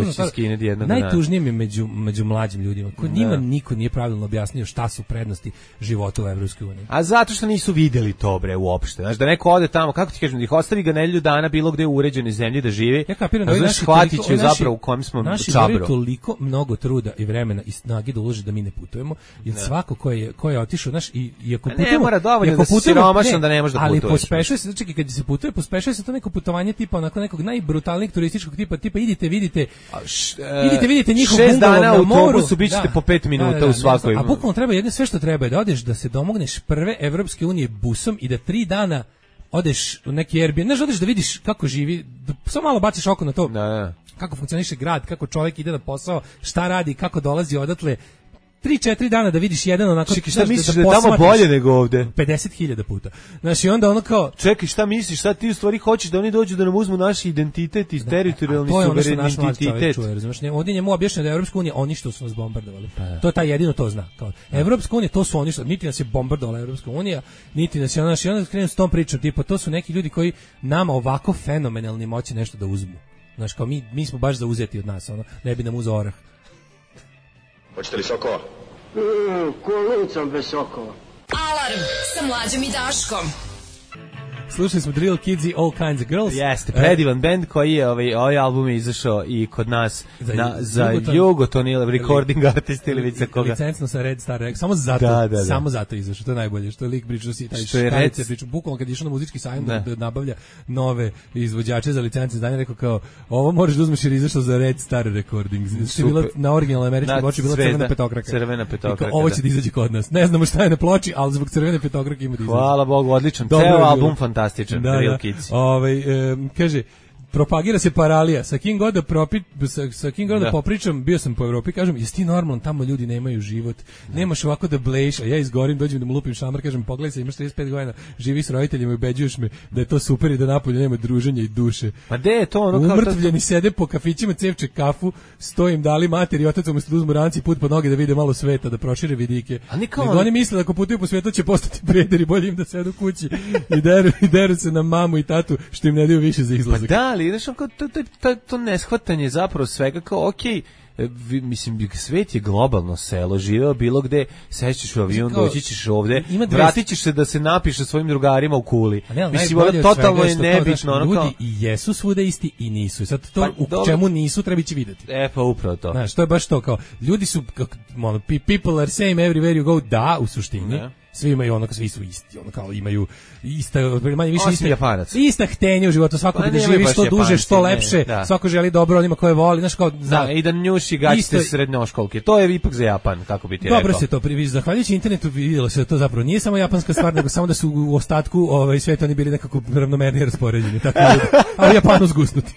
jednog najtužnije mi među među mlađim ljudima ko Da. njima niko nije pravilno objasnio šta su prednosti života u Evropskoj uniji. A zato što nisu videli to bre uopšte. Znaš da neko ode tamo, kako ti kažem, da ih ostavi ga nedelju dana bilo gde u uređenoj zemlji da živi. Ja kapiram da a ovi znaš naši shvatit toliko- će ovi naši- zapravo u kojem smo naši čabro. moraju toliko mnogo truda i vremena i snage da ulože da mi ne putujemo, jer svako ko je ko je otišao, znaš, i i ako A ne, putujemo, mora dovoljno i ako da si putujemo- siromašan da ne možeš da ali putuješ. pospešuje se, znači kad se putuje, pospešuje se to neko putovanje tipa onako nekog najbrutalnijeg turističkog tipa, tipa idite, vidite, idite, vidite njihov šest bungalov dana na u moru. autobusu, bit ćete po pet minuta u svakoj. A bukvalno treba jedno sve što treba je da odeš da se domogneš prve Evropske unije busom i da tri dana odeš u neki Airbnb, znaš, odeš da vidiš kako živi, da samo malo baciš oko na to. Da, da. Kako funkcioniše grad, kako čovjek ide na posao, šta radi, kako dolazi odatle. tri četiri dana da vidiš jedan onako... Čekaj, šta znaš, misliš da je tamo posmatraš bolje nego ovde? pedeset hiljada puta. Znaš, i onda ono kao... Čekaj, šta misliš, šta ti u stvari hoćeš da oni dođu da nam uzmu naš identitet i teritorijalni to je ono što naš mlad čovjek suverenitet? čuje, razumiješ? Ne, ovdje njemu objašnjeno da je Evropska unija oni što su nas bombardovali. To je taj jedino to zna. Kao, Evropska unija, to su oni što, niti nas je bombardovala Evropska unija, niti nas je ono, i onda krenu s tom pričom, tipa, to su neki ljudi koji nama ovako fenomenalni moći nešto da uzmu. Znaš, kao mi, mi smo baš zauzeti od nas, ono, ne bi nam uzeo orah. Hoćete li sokova? Mm, kolicom bez sokova. Alarm sa Mlađom i Daškom. Slušali smo Drill Kids i All Kinds of Girls. Jeste, predivan bend koji je, ovaj, ovaj album je izašao i kod nas Za- na, za Jugoton- Jugoton ili recording artist ili vice koga. Licencno sa Red Star Records. Samo zato, Da, da, da. samo zato izašao. To je najbolje. Što je lik pričao si taj Što je škarice Red- pričao. Bukvalno kad je išao na muzički sajam Da. da. da nabavlja nove izvođače za licence izdanja, rekao kao, ovo možeš da uzmeš jer je izašao za Red Star Recordings. Što je bila Super. na originalnoj američkoj Na ploči bila zvezda, crvena petokraka. crvena I kao, petokraka, ovo da. će da izađe kod nas. Ne znamo šta je na ploči, ali zbog crvene petokrake ima da izađe. Hvala Bogu, odličan. Dobro je Ceo bilo. album fantastičan, Da, Real da. Kids. Ovaj, em, kaže, propagira se paralija. Sa kim god da propi, sa, sa kim god da. Da. popričam, bio sam po Evropi, kažem, jesi ti normalan, tamo ljudi nemaju život. Nemaš ovako da bleješ, a ja izgorim, dođem da mu lupim šamar, kažem, pogledaj se, imaš trideset pet godina, živi s roditeljima i ubeđuješ me da je to super i da napolju nema druženja i duše. Pa gde je to ono kao... Umrtvljeni sede po kafićima, cevče kafu, stojim dali mater i otac umjesto da uzmu ranci put pod noge da vide malo sveta, da prošire vidike. A ni kao Nego ono- oni misle da ako putuju po svijetu će postati prederi, bolje im da sedu kući i deru, i deru se na mamu i tatu što im ne daju više za Pa izlazak. da, ali znaš, ono kao to, to, to, to neshvatanje zapravo svega kao, okej, e, vi- mislim, svet je globalno selo, živeo bilo gde, sećaš u avion, Kao, doći ćeš ovde, ima dve- vratit ćeš se da se napiše svojim drugarima u kuli. A ne, ali Mislim, najbolje ono, od svega totalno je što kao, nebitno, znaš, ono kao... ljudi i jesu svude isti i nisu. I sad to Pa, u dobro. čemu nisu treba ići videti. E, pa upravo to. Znaš, to je baš to kao, ljudi su, kako, ono, pe- people are same everywhere you go, da, u suštini. Da. Svi imaju ono, svi su isti, ono kao imaju ista, manje više Osim iste, Japanaca. ista htenja u životu, svako Pa bi da nemaju živi baš što duže, Japanci, što ne, lepše, da. svako želi dobro onima koje voli, znaš kao, Da, i da njuši gaćite Isto- srednjoškolke. To je ipak za Japan, kako bi ti rekao. dobro se to priviš, zahvaljujući internetu vidjelo se da to zapravo nije samo japanska stvar, nego samo da su u ostatku ovaj, sveta oni bili nekako ravnomernije raspoređeni, tako da, a u Japanu zgusnuti.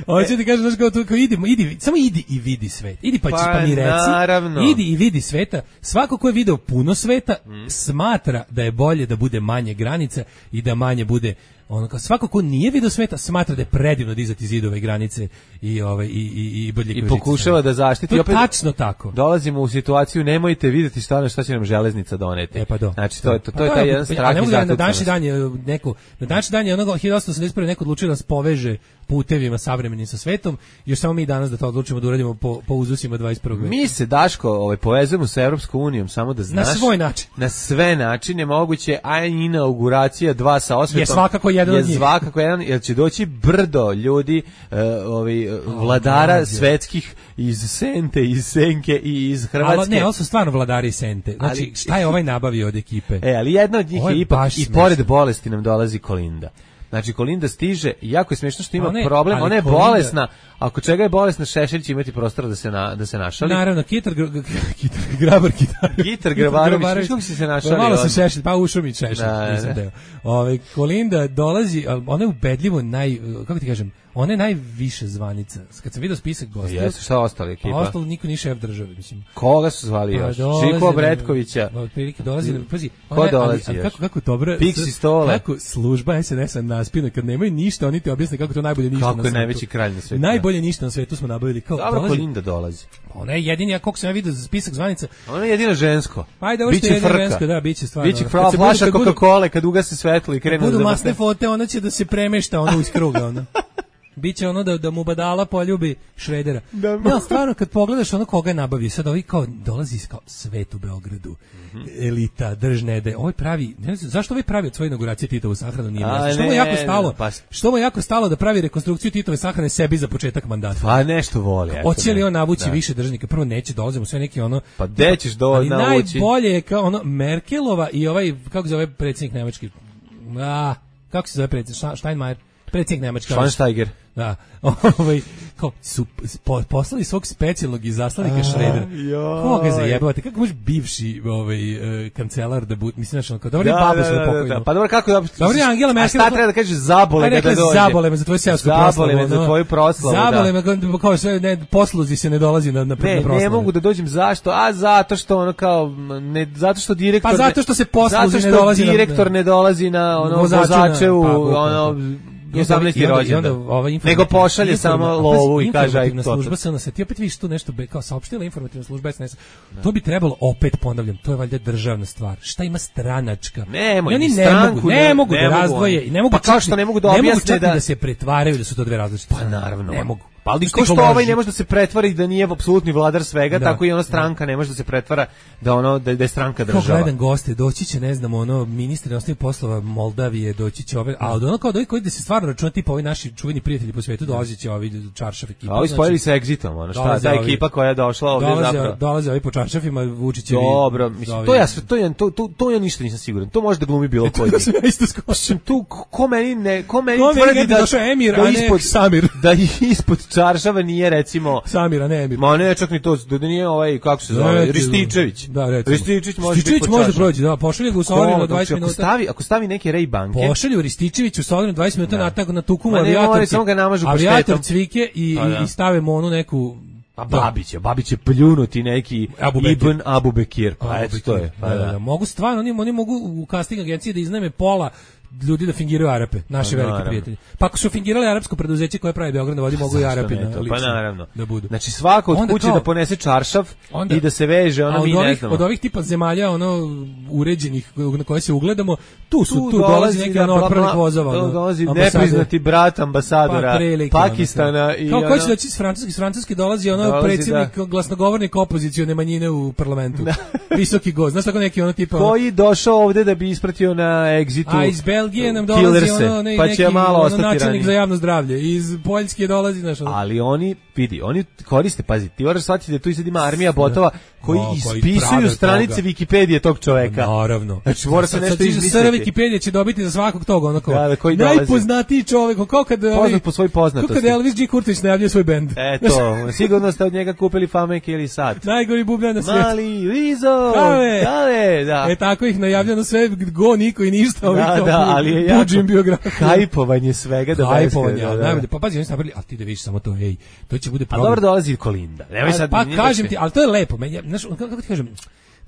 Hoće ti kažem, znaš, kao, to, kao idi, idi, samo idi i vidi svet. Idi pa, Pa, pa mi reci. naravno. Idi i vidi sveta. Svako ko je video puno sveta, smatra da je bolje da bude manje granica i da manje bude ono kao svako ko nije video sveta smatra da je predivno dizati zidove i granice i ovaj i i i bodljikove I pokušava žice. da zaštiti. To je Opet tačno tako. dolazimo u situaciju, nemojte vidjeti stvarno šta će nam železnica doneti. E pa do. Znači, to, je- to, to je Pa taj da, jedan a strah ne i mogu da na zatucanost. današnji dan je neko, na današnji dan je onoga hiljadu osamsto osamdeset prve neko odlučio da nas poveže putevima savremenim sa svetom, još samo mi danas da to odlučimo da uradimo po, po uzusima dvadeset prvog veka. Mi se, Daško, ovaj, povezujemo sa Evropskom unijom, samo da znaš. Na svoj način. Na sve načine moguće, a inauguracija dva sa osvetom Je svakako jedan je od njih. svakako jedan, jer će doći brdo ljudi, uh, ovi, uh, vladara God, je. svetskih iz Sente, iz Senke i iz Hrvatske. Ali ne, ovo su stvarno vladari Sente. Znači, Ali- šta je ovaj nabavio od ekipe? E, ali jedna od njih Ovo je je ipak, baš i smešno. pored bolesti nam dolazi Kolinda. Znači, Kolinda stiže, i jako je smiješno što ima Ona je- problem, ali ona je Kolinda- bolesna, ako čega je bolesna, Šešelj će imati prostora da se, na, da se našali. Naravno, kitar, gr, gr, kitar grabar, kitar. Gitar Grabarović, viš kako si se našali? Malo se odmah? šešelj, pa ušao mi šešelj, Da, nisam da. deo. Ove, Kolinda dolazi, a ona je ubedljivo naj, kako ti kažem, ona je najviše zvanica. Kad sam vidio spisak gostiju, Jesu, šta ostali ekipa? pa ostalo niko nije šef države, mislim. Koga su zvali Pa još? dolazi Žiko nam- Bretkovića. Otprilike dolazi, nam- pazi. Ko ona je- dolazi ali- ali još? Kako kako dobro. Pixi s- Stole. Kako služba es en es-a naspina kad nemaju ništa, oni ti objasne kako to najbolje ništa. Kako na je svetu. najveći kralj na svetu. Najbolje najbolje ništa na svetu smo nabavili. Kao, Dobro, dolazi, Kolinda dolazi. ona je jedini, ja koliko sam ja vidio za spisak zvanica. Ona je jedino žensko. Ajde, ovo što je jedino žensko, da, biće stvarno. Biće fra, flaša Coca-Cola kad ugase svetlo i krene da budu masne fote, ona će da se premešta ono iz kruga, ono. Biće ono da, da mu badala poljubi Šredera. Da, no, stvarno, kad pogledaš ono koga je nabavio, sad ovi kao dolazi kao svet u Beogradu, mm-hmm. elita, držnede, ovaj pravi, ne znam, zašto ovaj pravi od svoje inauguracije Titovu sahranu nije jasno? Što mu je jako stalo, pa... što mu je jako stalo da pravi rekonstrukciju Titove sahrane sebi za početak mandata? Pa nešto voli. Hoće li on navući da. više državnika? Prvo neće, dolazimo sve neki ono... Pa gde ćeš do, ali navući? Najbolje je kao ono Merkelova i ovaj, kako se zove predsjednik Nemački? A, kako se zove predsjednik? Steinmeier? Predsjednik Nemačke. Schweinsteiger. Da, ovaj, kao, su po, poslali svog specijalnog izaslanika Šredera. Koga zajebavate? Kako može bivši ovaj, uh, kancelar da bude, mislim, znači, kao, dobro je da, babo da, sve da, pokojno. Da, pa dobro, kako da... Dobro je Angela Merkel. A šta treba da kažeš zabole ga da dođe? Zabole me za tvoju seosku proslavu. Zabole me za tvoju proslavu, da. Zabole me, kao sve, ne, posluzi se ne dolazi na, na, ne, na proslavu. Ne mogu da dođem, zašto? A zato što ono kao, ne, zato što direktor... Pa zato što se posluzi ne dolazi na... Zato što direktor ne dolazi na ono, vozačevu, ono... osamnaesti rođendan. Nego pošalje samo lovu i kaže aj to. Služba se ona se ti opet vidiš tu nešto kao saopštila informativna služba es en es. To bi trebalo opet ponavljam, to je valjda državna stvar. Šta ima stranačka? Ne, oni ne mogu, ne mogu da razdvoje i ne mogu pa kao što ne mogu da objasne da se pretvaraju da su to dve različite. Pa naravno. Ne mogu. Pa ali ko što ovaj ne može da se pretvara da nije apsolutni vladar svega, da, tako i ona stranka da. ne može da se pretvara da ono da, da je stranka država. Kao gledam goste, doći će, ne znam, ono ministar inostranih poslova Moldavije, doći će ove, a od ono kao da koji da se stvarno računa tipa ovi naši čuveni prijatelji po svetu, dolazi će ovi Čaršaf ekipa. A ovi spojili se Exitom, ono šta, ta ekipa koja je došla ovde dolaze, zapravo. Dolaze ovi po Čaršafima, Vučićevi. Dobro, mislim, to ja sve to je to to to ja ništa nisam siguran. To može da glumi bilo koji. Mislim tu ko meni ne, ko meni tvrdi da došao Emir, a ne Samir. Da ispod Čaršava nije recimo Samira, ne Emir. Ma ne, čak ni to, da nije ovaj, kako se zove, Rističević. Da, recimo. Rističević može Rističević biti može proći, da, pošalje ga u Solinu na dvadeset minuta. Ako stavi, ako stavi neke Ray banke. Pošalje Rističević u Solinu dvadeset minuta na tako na tuku avijator. Samo ga namažu paštetom. Avijator cvike i i stave mu onu neku pa Babić, Babić će pljunuti neki Ibn Abu Bekir. Pa eto to je. Pa da, mogu stvarno, oni oni mogu u casting agenciji da iznajme pola ljudi da fingiraju Arape, naši pa, veliki naravno. prijatelji. Pa ako su fingirali arapsko preduzeće koje pravi Beograd na vodi, mogu i Arapi na lično, pa naravno. Da budu. Znači svako od kuće da ponese čaršav onda, i da se veže, ono mi ovih, ne znamo. Od ovih tipa zemalja ono uređenih na koje se ugledamo, tu su tu, tu dolazi neki ono otpravnik vozova. Tu dolazi nepriznati brat ambasadora pa, Pakistana i kao ko će doći iz Francuske, iz Francuske dolazi ono dolazi, predsjednik da. glasnogovornik opozicione manjine u parlamentu. Visoki gost, znaš tako neki ono tipa koji došao ovde da bi ispratio na Exitu. A iz Belgije nam dolazi ono ne, pa neki ono načelnik za javno zdravlje, iz Poljske dolazi znaš ono. Ali oni vidi, oni koriste, pazi, ti moraš shvatiti da tu sad ima armija botova koji no, ispisuju stranice toga. Wikipedije tog čoveka. Naravno. Znači mora se nešto izmisliti. Sada Wikipedija će dobiti za svakog toga onako. Da, da, koji najpoznatiji čovjek, kao kad poznat po svojoj poznatosti. Kako kad Elvis G. Kurtić najavljuje svoj bend. Eto, sigurno ste od njega kupili Fameke ili Sat. Najgori bubljan na svijetu. Mali Rizo. Dale, da. E tako ih najavljeno sve go niko i ništa, ovih da, da, ali je jako biografija. Hajpovanje svega da hajpovanje, da, da. Najbolje. Pa pazi, oni su napravili, al ti da vidiš samo to, ej, to će bude problem. A dobro dolazi Kolinda. Nemoj sad. Pa kažem ti, al to je lepo. Meni, znaš, kako ti kažem,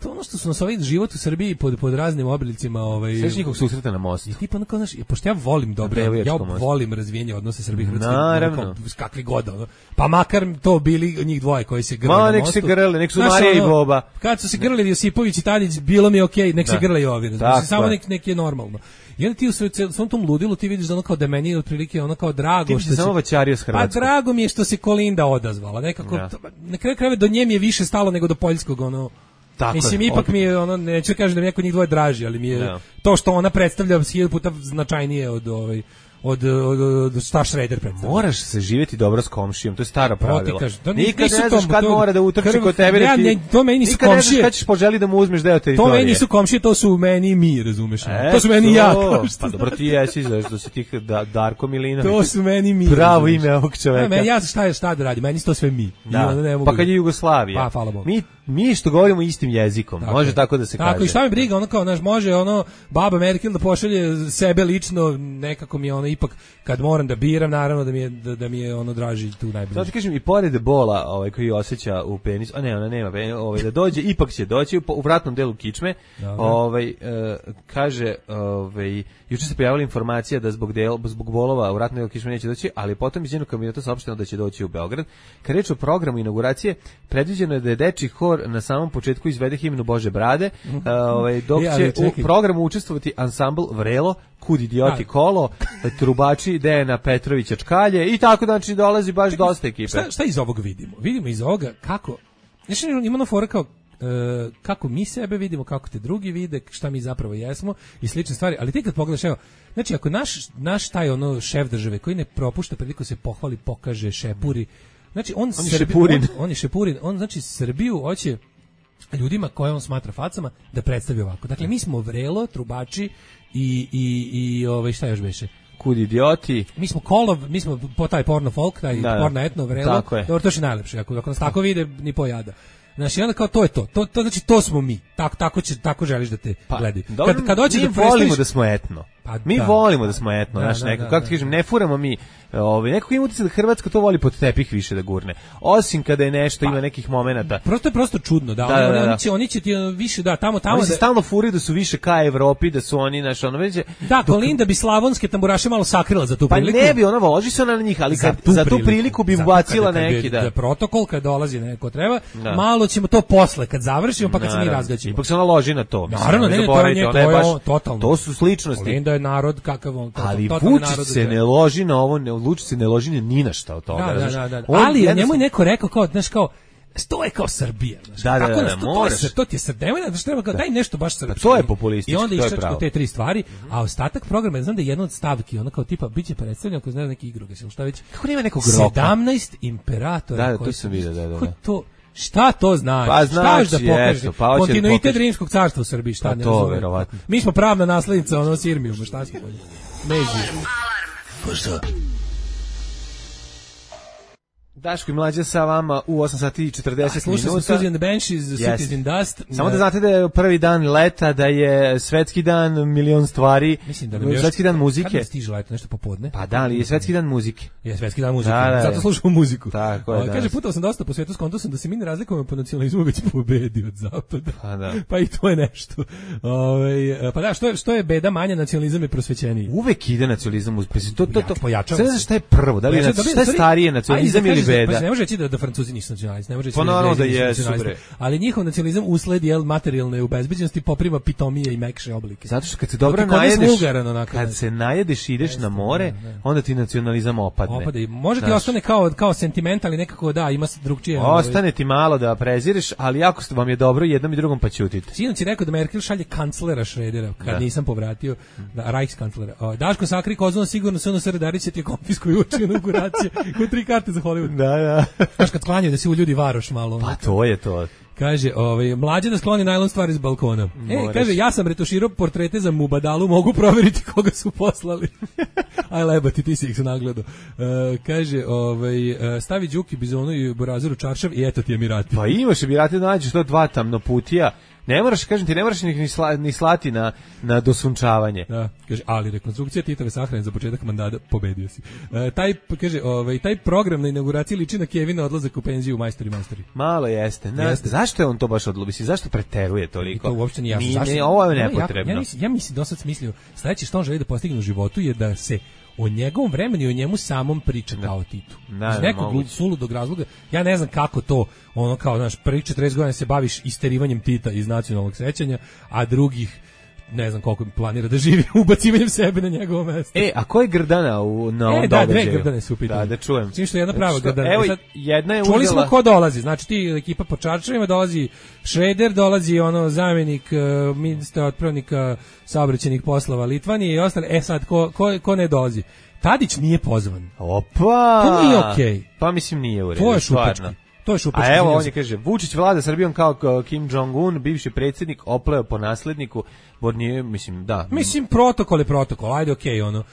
to ono što su nas ovaj život u Srbiji pod pod raznim oblicima, ovaj sve njihov susreta na mostu. I tipa onako znaš, pošto ja volim dobro, ja volim razvijenje odnosa Srbije i Hrvatske. Naravno. Kakvi god ono. Pa makar to bili njih dvoje koji se grle na mostu. Ma nek se grle, nek su Marija i Boba. Kad su se grlili Josipović i Tadić, bilo mi okej, nek se grle i ovi, znači samo nek nek je normalno. I onda ti u svom tom ludilu ti vidiš da ono kao da meni otprilike ono kao drago što se samo vaćario s Hrvatskom. Pa drago mi je što se Kolinda odazvala, nekako ja. Na kraju krajeva do nje mi je više stalo nego do poljskog ono. Tako mislim je, ipak opet. Mi je ono neću kažem da mi neko njih dvoje draži, ali mi je ja. To što ona predstavlja hiljadu puta značajnije od ovaj od od, od šta Šreder predstavlja. Moraš se živjeti dobro s komšijom, to je staro pravilo. Kaži, da nikad ne znaš kad to, mora da utrči krv, kod tebe. Ja, ne, to meni nisu komšije. Nikad ne znaš kad ćeš poželi da mu uzmeš deo teritorije. To meni nisu komšije, to su meni mi, razumeš? E, to su meni to, ja. Pa dobro ti jesi, što si ti da, Darko Milinović. To su meni mi. Pravo ime ovog čoveka. Ne, ja šta šta da radi, meni to sve mi. Da. Ne pa kad je Jugoslavija. Pa hvala Bogu. Mi mi što govorimo istim jezikom, tako može je. Tako da se kaže. Tako i šta mi briga, ono kao naš može ono baba Merkel da pošalje sebe lično, nekako mi ono ono ipak kad moram da biram, naravno da mi je da, da mi je ono draži tu najbliže. Zato kažem i pored bola, ovaj koji osjeća u penis, a ne, ona nema, ovaj da dođe, ipak će doći u, u vratnom delu kičme. Dobre. Ovaj e, kaže, ovaj juče se pojavila informacija da zbog del, zbog bolova u vratnom delu kičme neće doći, ali potom iz njenog kabineta saopšteno da će doći u Beograd. Kad reč o programu inauguracije, predviđeno je da je dečiji hor na samom početku izvede himnu Bože brade, mm -hmm. ovaj dok će ja, u programu učestvovati ansambl Vrelo, Kud idioti kolo, trubači Dejana Petrovića Čkalje i tako, znači dolazi baš Čekaj, dosta ekipe. Šta, šta iz ovog vidimo? Vidimo iz ovoga kako, znači ima ona fora kao e, kako mi sebe vidimo, kako te drugi vide, šta mi zapravo jesmo i slične stvari, ali ti kad pogledaš, evo, znači ako naš, naš taj ono šef države koji ne propušta priliku se pohvali, pokaže, šepuri, znači on, on, Srbi, šepurin. on, on je šepurin, on znači Srbiju hoće ljudima koje on smatra facama da predstavi ovako. Dakle, mi smo Vrelo, trubači i, i, i ovaj, šta još beše? Kud idioti. Mi smo kolov, mi smo po taj porno folk, taj da, porno etno Vrelo. Dobro, to je najlepše, ako, ako nas tako vide, ni pojada. Znači, onda kao to je to. To, to znači to smo mi. Tako tako će tako želiš da te pa, gledaju. Kad kad hoćeš da volimo da smo etno. Pa, mi da, volimo da smo etno, znači da, nekako, kako ti kažem, ne furamo mi, ovaj nekako ima utisak da Hrvatska to voli pod tepih više da gurne. Osim kada je nešto pa, ima nekih momenata. Prosto je prosto čudno, da, da, da, da. Oni će oni će ti više da tamo tamo oni da se stalno furaju da su više ka Evropi, da su oni naš ono već. Da, Kolinda bi slavonske tamburaše malo sakrila za tu priliku. Pa ne bi ona loži se ona na njih, ali kad za tu, za tu priliku, priliku bi bacila neki, da. Za protokol kad dolazi neko treba, da. Malo ćemo to posle kad završimo, pa kad se mi razgaćimo. Ipak se ona loži na to. Naravno, ne, to je to je totalno. To su sličnosti. Kolinda je narod kakav on, ali Vučić se ne loži na ovo, ne Vučić se ne loži ni na šta od toga. Da, da, da, da. Ali je njemu neko rekao kao, znaš, kao to je kao Srbija, znaš. Da, da, da, da, to, moraš. To, to ti je Srbija, znaš, treba kao, daj nešto baš srpsko. To je populistički, i onda iščačko te tri stvari, a ostatak programa, znam da je jedna od stavki, ono kao tipa, biće predstavljeno ako znaju neki igrokaz, ili šta već. Kako nema nekog roka? sedamnaest imperatora. Da, da, to sam vidio, da, da. Kako to? Šta to znači? Pa znači, šta da pokaže? Pa kontinuitet Rimskog carstva u Srbiji, šta pa ne to, verovatno. Mi smo pravna naslednica ono Sirmijuma, šta smo? Međi. Pa šta? Daško i Mlađa sa vama u osam sati i četrdeset minuta. Slušao sam Suzy and the Banshees, Cities in Dust. Samo da znate da je prvi dan leta, da je svetski dan milion stvari. Mislim da nam još, svetski dan muzike. Kada stiže leto, nešto popodne? Pa da, ali je svetski dan muzike. Je svetski dan muzike, da, da, zato slušamo muziku. Tako je, kaže, putao sam dosta po svetu, skonto sam da se mi ne razlikujemo po nacionalizmu, već pobedi od zapada. Pa da. Pa i to je nešto. Ove, pa da, što je, što je beda manja, nacionalizam je prosvećeniji. Uvek ide nacionalizam, pa to, to, to, pojačava. Sve šta je prvo, da li je šta je starije, nacionalizam ili beda? Pa ne može reći da, da Francuzi nisu nacionalisti, ne može reći pa da, da jesu, ali njihov nacionalizam usled jel materijalne ubezbeđenosti poprima pitomije i mekše oblike. Zato što kad se dobro najedeš, kad se najedeš i ideš na more, onda ti nacionalizam opadne. Opada i može ti ostane kao kao sentiment, ali nekako da, ima se drugčije. Ostane ti malo da prezireš, ali jako vam je dobro jednom i drugom pa ćutite. Sinoć je rekao da Merkel šalje kanclera Šredera, kad da. Nisam povratio, da, Reichskancelera. Daško sakri kozon, sigurno se ono Sredarić će ti konfiskuju uči inauguracije, ko tri karte za Hollywood. Da, da. Znaš kad sklanjaju da se u ljudi varoš malo. Pa to je to. Kaže, ovaj, Mlađe da skloni najlon stvari s balkona. Moraš. E, kaže, ja sam retuširao portrete za Mubadalu, mogu provjeriti koga su poslali. Aj lebati, ti si ih se nagledao. Uh, kaže, ovaj, uh, stavi Đuki Bizonu i Borazoru čaršav i eto ti Emirati. Pa imaš Emirati, nađeš to dva tamno putija. Ne moraš, kažem ti, ne moraš ni, sla, ni slati na, na dosunčavanje. Da, kaže, ali rekonstrukcija Titove sahrane za početak mandata, pobedio si. E, taj, kaže, ovaj, taj program na inauguraciji liči na Kevina odlazak u penziju u Majstori Majstori. Malo jeste. Na, jeste. Zašto je on to baš odlubi? Zašto preteruje toliko? I to uopšte nije jasno. Zašto? Ne, ovo je nepotrebno. Ja, ja, mislim, ja mislim do sad smislio, sledeće što on želi da postigne u životu je da se o njegovom vremenu i o njemu samom priča da. Kao Titu. Da, iz nekog da, suludog razloga, ja ne znam kako to, ono kao, znaš, prvi četrdeset godina se baviš isterivanjem Tita iz nacionalnog sećanja, a drugih ne znam koliko planira da živi ubacivanjem sebe na njegovo mesto. E, a ko je Grdana u, na ovom e, događaju? Da, dve Grdane su u pitanju. Da, da čujem. Čim što je jedna prava Grdana. Evo, sad, jedna je čuli uzela... smo ko dolazi, znači ti ekipa po čarčevima, dolazi Šreder, dolazi ono zamjenik uh, ministra otpravnika saobraćajnih poslova Litvanije i ostale. E sad, ko, ko, ko ne dolazi? Tadić nije pozvan. Opa! To nije okej. Okay. Pa mislim nije u redu. To je šupački. To je šupački. A evo on je kaže, Vučić vlada Srbijom kao Kim Jong-un, bivši predsjednik, opleo po nasledniku. Bornije, mislim, da. Mislim, protokol je protokol, ajde okej, okay, ono.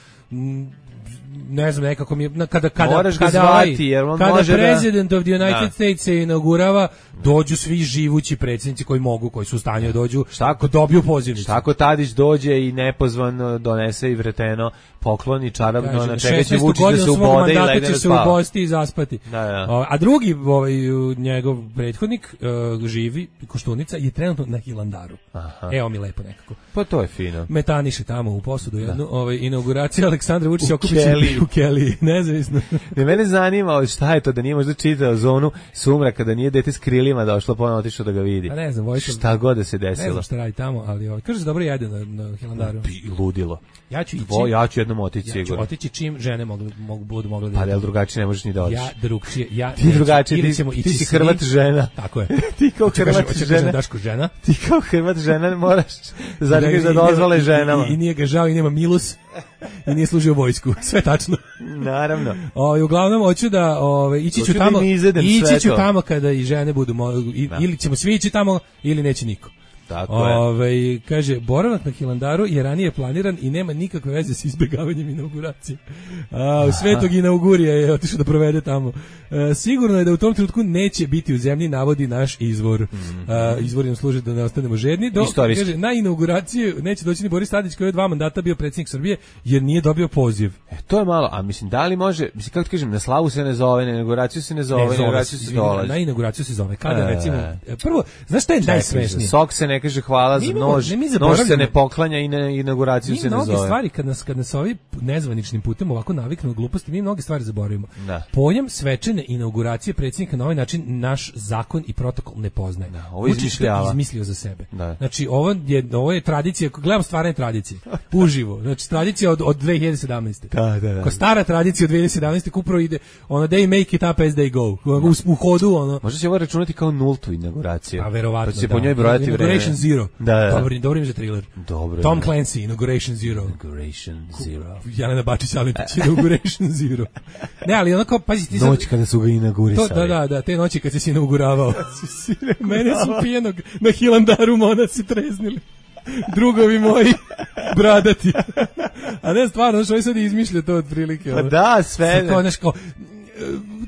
ne znam, nekako mi je, kada, kada, Moraš ga kada, zvati, jer on kada može da- president of the United Da. States se inaugurava, dođu svi živući predsjednici koji mogu, koji su u stanju da dođu, Šta ako- dobiju pozivnicu. Šta ako Tadić dođe i nepozvan donese i vreteno poklon i čarobno Kaže, na čega će šesnaestu Vučić da godinu se svog ubode i mandata legne će da se spava. ubosti i zaspati. Da, da. O, a drugi ovaj, njegov prethodnik, uh, živi, Koštunica, je trenutno na Hilandaru. Aha. Evo mi lepo nekako. Pa to je fino. Metaniše tamo u posudu jednu, ovaj, inauguracija Aleksandra Vučića U okupiće Keliji. u Keliji, nezavisno. Ne, mene zanima šta je to da nije možda čitao zonu sumraka, da nije dete s krilima došlo ponovno otišao da ga vidi. A ne znam, Vojko, Šta god da se ne desilo. znam šta radi tamo, ali ovaj, kaže se dobro jede na, na Hilandaru. Pi- ludilo. Ja ću ići. Vo, ja ću jednom otići ja ću sigurno. otići čim žene mogu, mogu budu mogle da Pa idu. jel drugačije ne možeš ni da odeš. Ja drugčije, ja Ti neću. drugačije, Ili ti- ćemo ti ići si svi. Hrvat žena. Tako je. Ti kao Hoću kažem- Hrvat hoću kažem žena. Daško žena. Ti kao Hrvat žena moraš zaregiš da I nema- dozvole i- ženama. I, i nije ga žao i nema milus i nije služio vojsku. Sve tačno. Naravno. Ovaj uglavnom hoću da ovaj ići ću Hoću da tamo. im izvedem sve Ići ću to. tamo kada i žene budu mo- i- Da. ili ćemo svi ići tamo ili neće niko. Tako je. Ovaj kaže boravak na Hilandaru je ranije planiran i nema nikakve veze s izbegavanjem inauguracije. A u Svetog inaugurija je otišao da provede tamo. E, sigurno je da u tom trenutku neće biti u zemlji, navodi naš izvor. Mm. A, izvor nam služi da ne ostanemo žedni. Dok, Istorijski. kaže, na inauguraciju neće doći ni Boris Tadić koji je dva mandata bio predsjednik Srbije jer nije dobio poziv. E, to je malo, a mislim, da li može, mislim, kako ti kažem, na slavu se ne zove, na inauguraciju se ne zove, Ne, na zove inauguraciju se, se izvini, dolazi. na inauguraciju se zove. Kada E. recimo, prvo, znaš šta je Čekaj, najsmešnije? za sok se ne kaže hvala, Mi za imamo- nož, ne, mi nož se zaboravljamo. ne poklanja i na inauguraciju Mi se ne mnoge zove. stvari kad nas kad nas ovi nezvaničnim putem ovako naviknu na gluposti, mi mnoge stvari zaboravimo. Da. Pojam svečane inauguracije predsjednika na ovaj način naš zakon i protokol ne poznaje. Da, ovo Vučić to izmišljava. izmislio za sebe. Da. Znači ovo je ovo je tradicija, ako gledam stvarne tradicije, uživo. Znači tradicija od od dve hiljade sedamnaeste. Da, da, da. Ko stara tradicija od dve hiljade sedamnaeste kupro ide ono they make it up as they go. U, u hodu ono. Možda će ovo računati kao nultu inauguraciju. A verovatno. Pa će se da. po njoj brojati vreme. Inauguration Zero. Da, da. Dobro, dobro ime za thriller. Dobro. Tom da. Clancy, Inauguration Zero. Inauguration Zero. Jelena Bačić Alimpić, Inauguration Zero. Ne, ali onako, pazi, ti sad... Noć kada su ga inaugurisali. To, da, da, da, te noći kad si se inauguravao. Mene su pijenog na Hilandaru monasi treznili. Drugovi moji, bradati. A ne, stvarno, znaš, ovaj sad izmišlja to otprilike. Pa ono. da, sve. Kao, znaš, kao,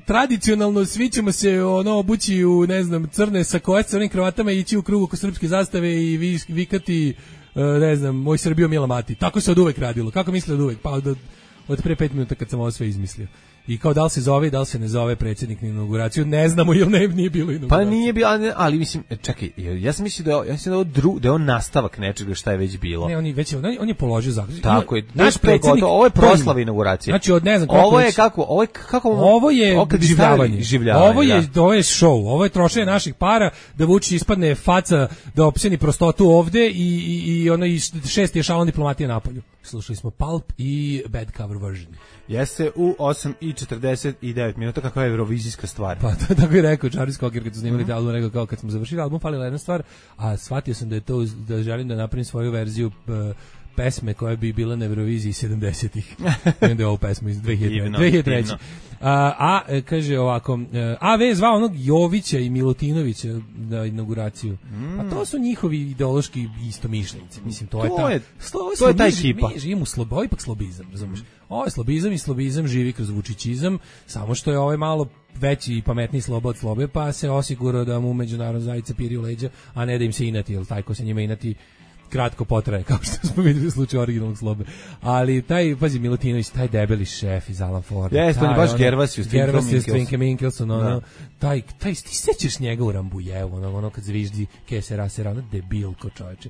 tradicionalno svi ćemo se ono obući u, ne znam, crne sakoje sa crvenim kravatama i ići u krugu oko srpske zastave i vi, vikati, e, ne znam, moj Srbio Mila Mati. Tako se od uvek radilo. Kako misle od uvek? Pa od, od pre pet minuta kad sam ovo sve izmislio. I kao da li se zove, da li se ne zove predsjednik na inauguraciju, ne znamo ili ne, nije bilo inauguracije. Pa nije bilo, ali, ali mislim, čekaj, ja sam mislio da je, ovo- ja mislim da je ovo dru, da je on nastavak nečega šta je već bilo. Ne, on je već on, on je položio zakletvu. Tako je. Naš to je predsjednik, gotovo, ovo je to ima. proslava inauguracije. Znači od ne znam koliko Ovo je već- kako, ovo je kako Ovo je ovo kad bi življavanje. stavili življavanje. Ovo je, da. ovo je show, ovo je trošenje naših para da Vučić ispadne faca, da opseni prostotu ovde i, i, i ono i šest je šalon diplomatije napolju. Slušali smo Pulp i Bad Cover Version. Jeste u osam i četrdeset devet minuta, kakva je eurovizijska stvar. Pa to tako je rekao Charles Cocker kad su snimali taj album, rekao kao kad smo završili album falila jedna stvar, a shvatio sam da je to da želim da napravim svoju verziju uh, pesme koja bi bila na Euroviziji sedamdesetih. I onda je ovu pesmu iz dve hiljade Divno, dve hiljade treće. divno. A, a e, kaže ovako, e, A V je zvao onog Jovića i Milutinovića na inauguraciju. Pa to su njihovi ideološki istomišljenici. Mislim, to, je To ta... je- Slo- to je ta mi- ekipa. Mi živimo u slobo, ovo je ipak slobizam, razumiješ? Ovo je slobizam i slobizam živi kroz vučićizam, samo što je ovaj malo veći i pametniji slobo od slobe, pa se osigurao da mu međunarodna zajednica piri u leđa, a ne da im se inati, jer taj ko se njima inati kratko potraje, kao što smo vidjeli u slučaju originalnog slobe. Ali taj, pazi, Milutinović, taj debeli šef iz Alan Forda. Jeste, on je taj, baš ono, Gervasio s Twinkom Gervasio s Minkelsom. Twinkom Minkelsom, ono, Da. taj, taj, ti sećaš njega u Rambujevu, ono, ono kad zviždi kesera, sera, ono, debilko čoveče.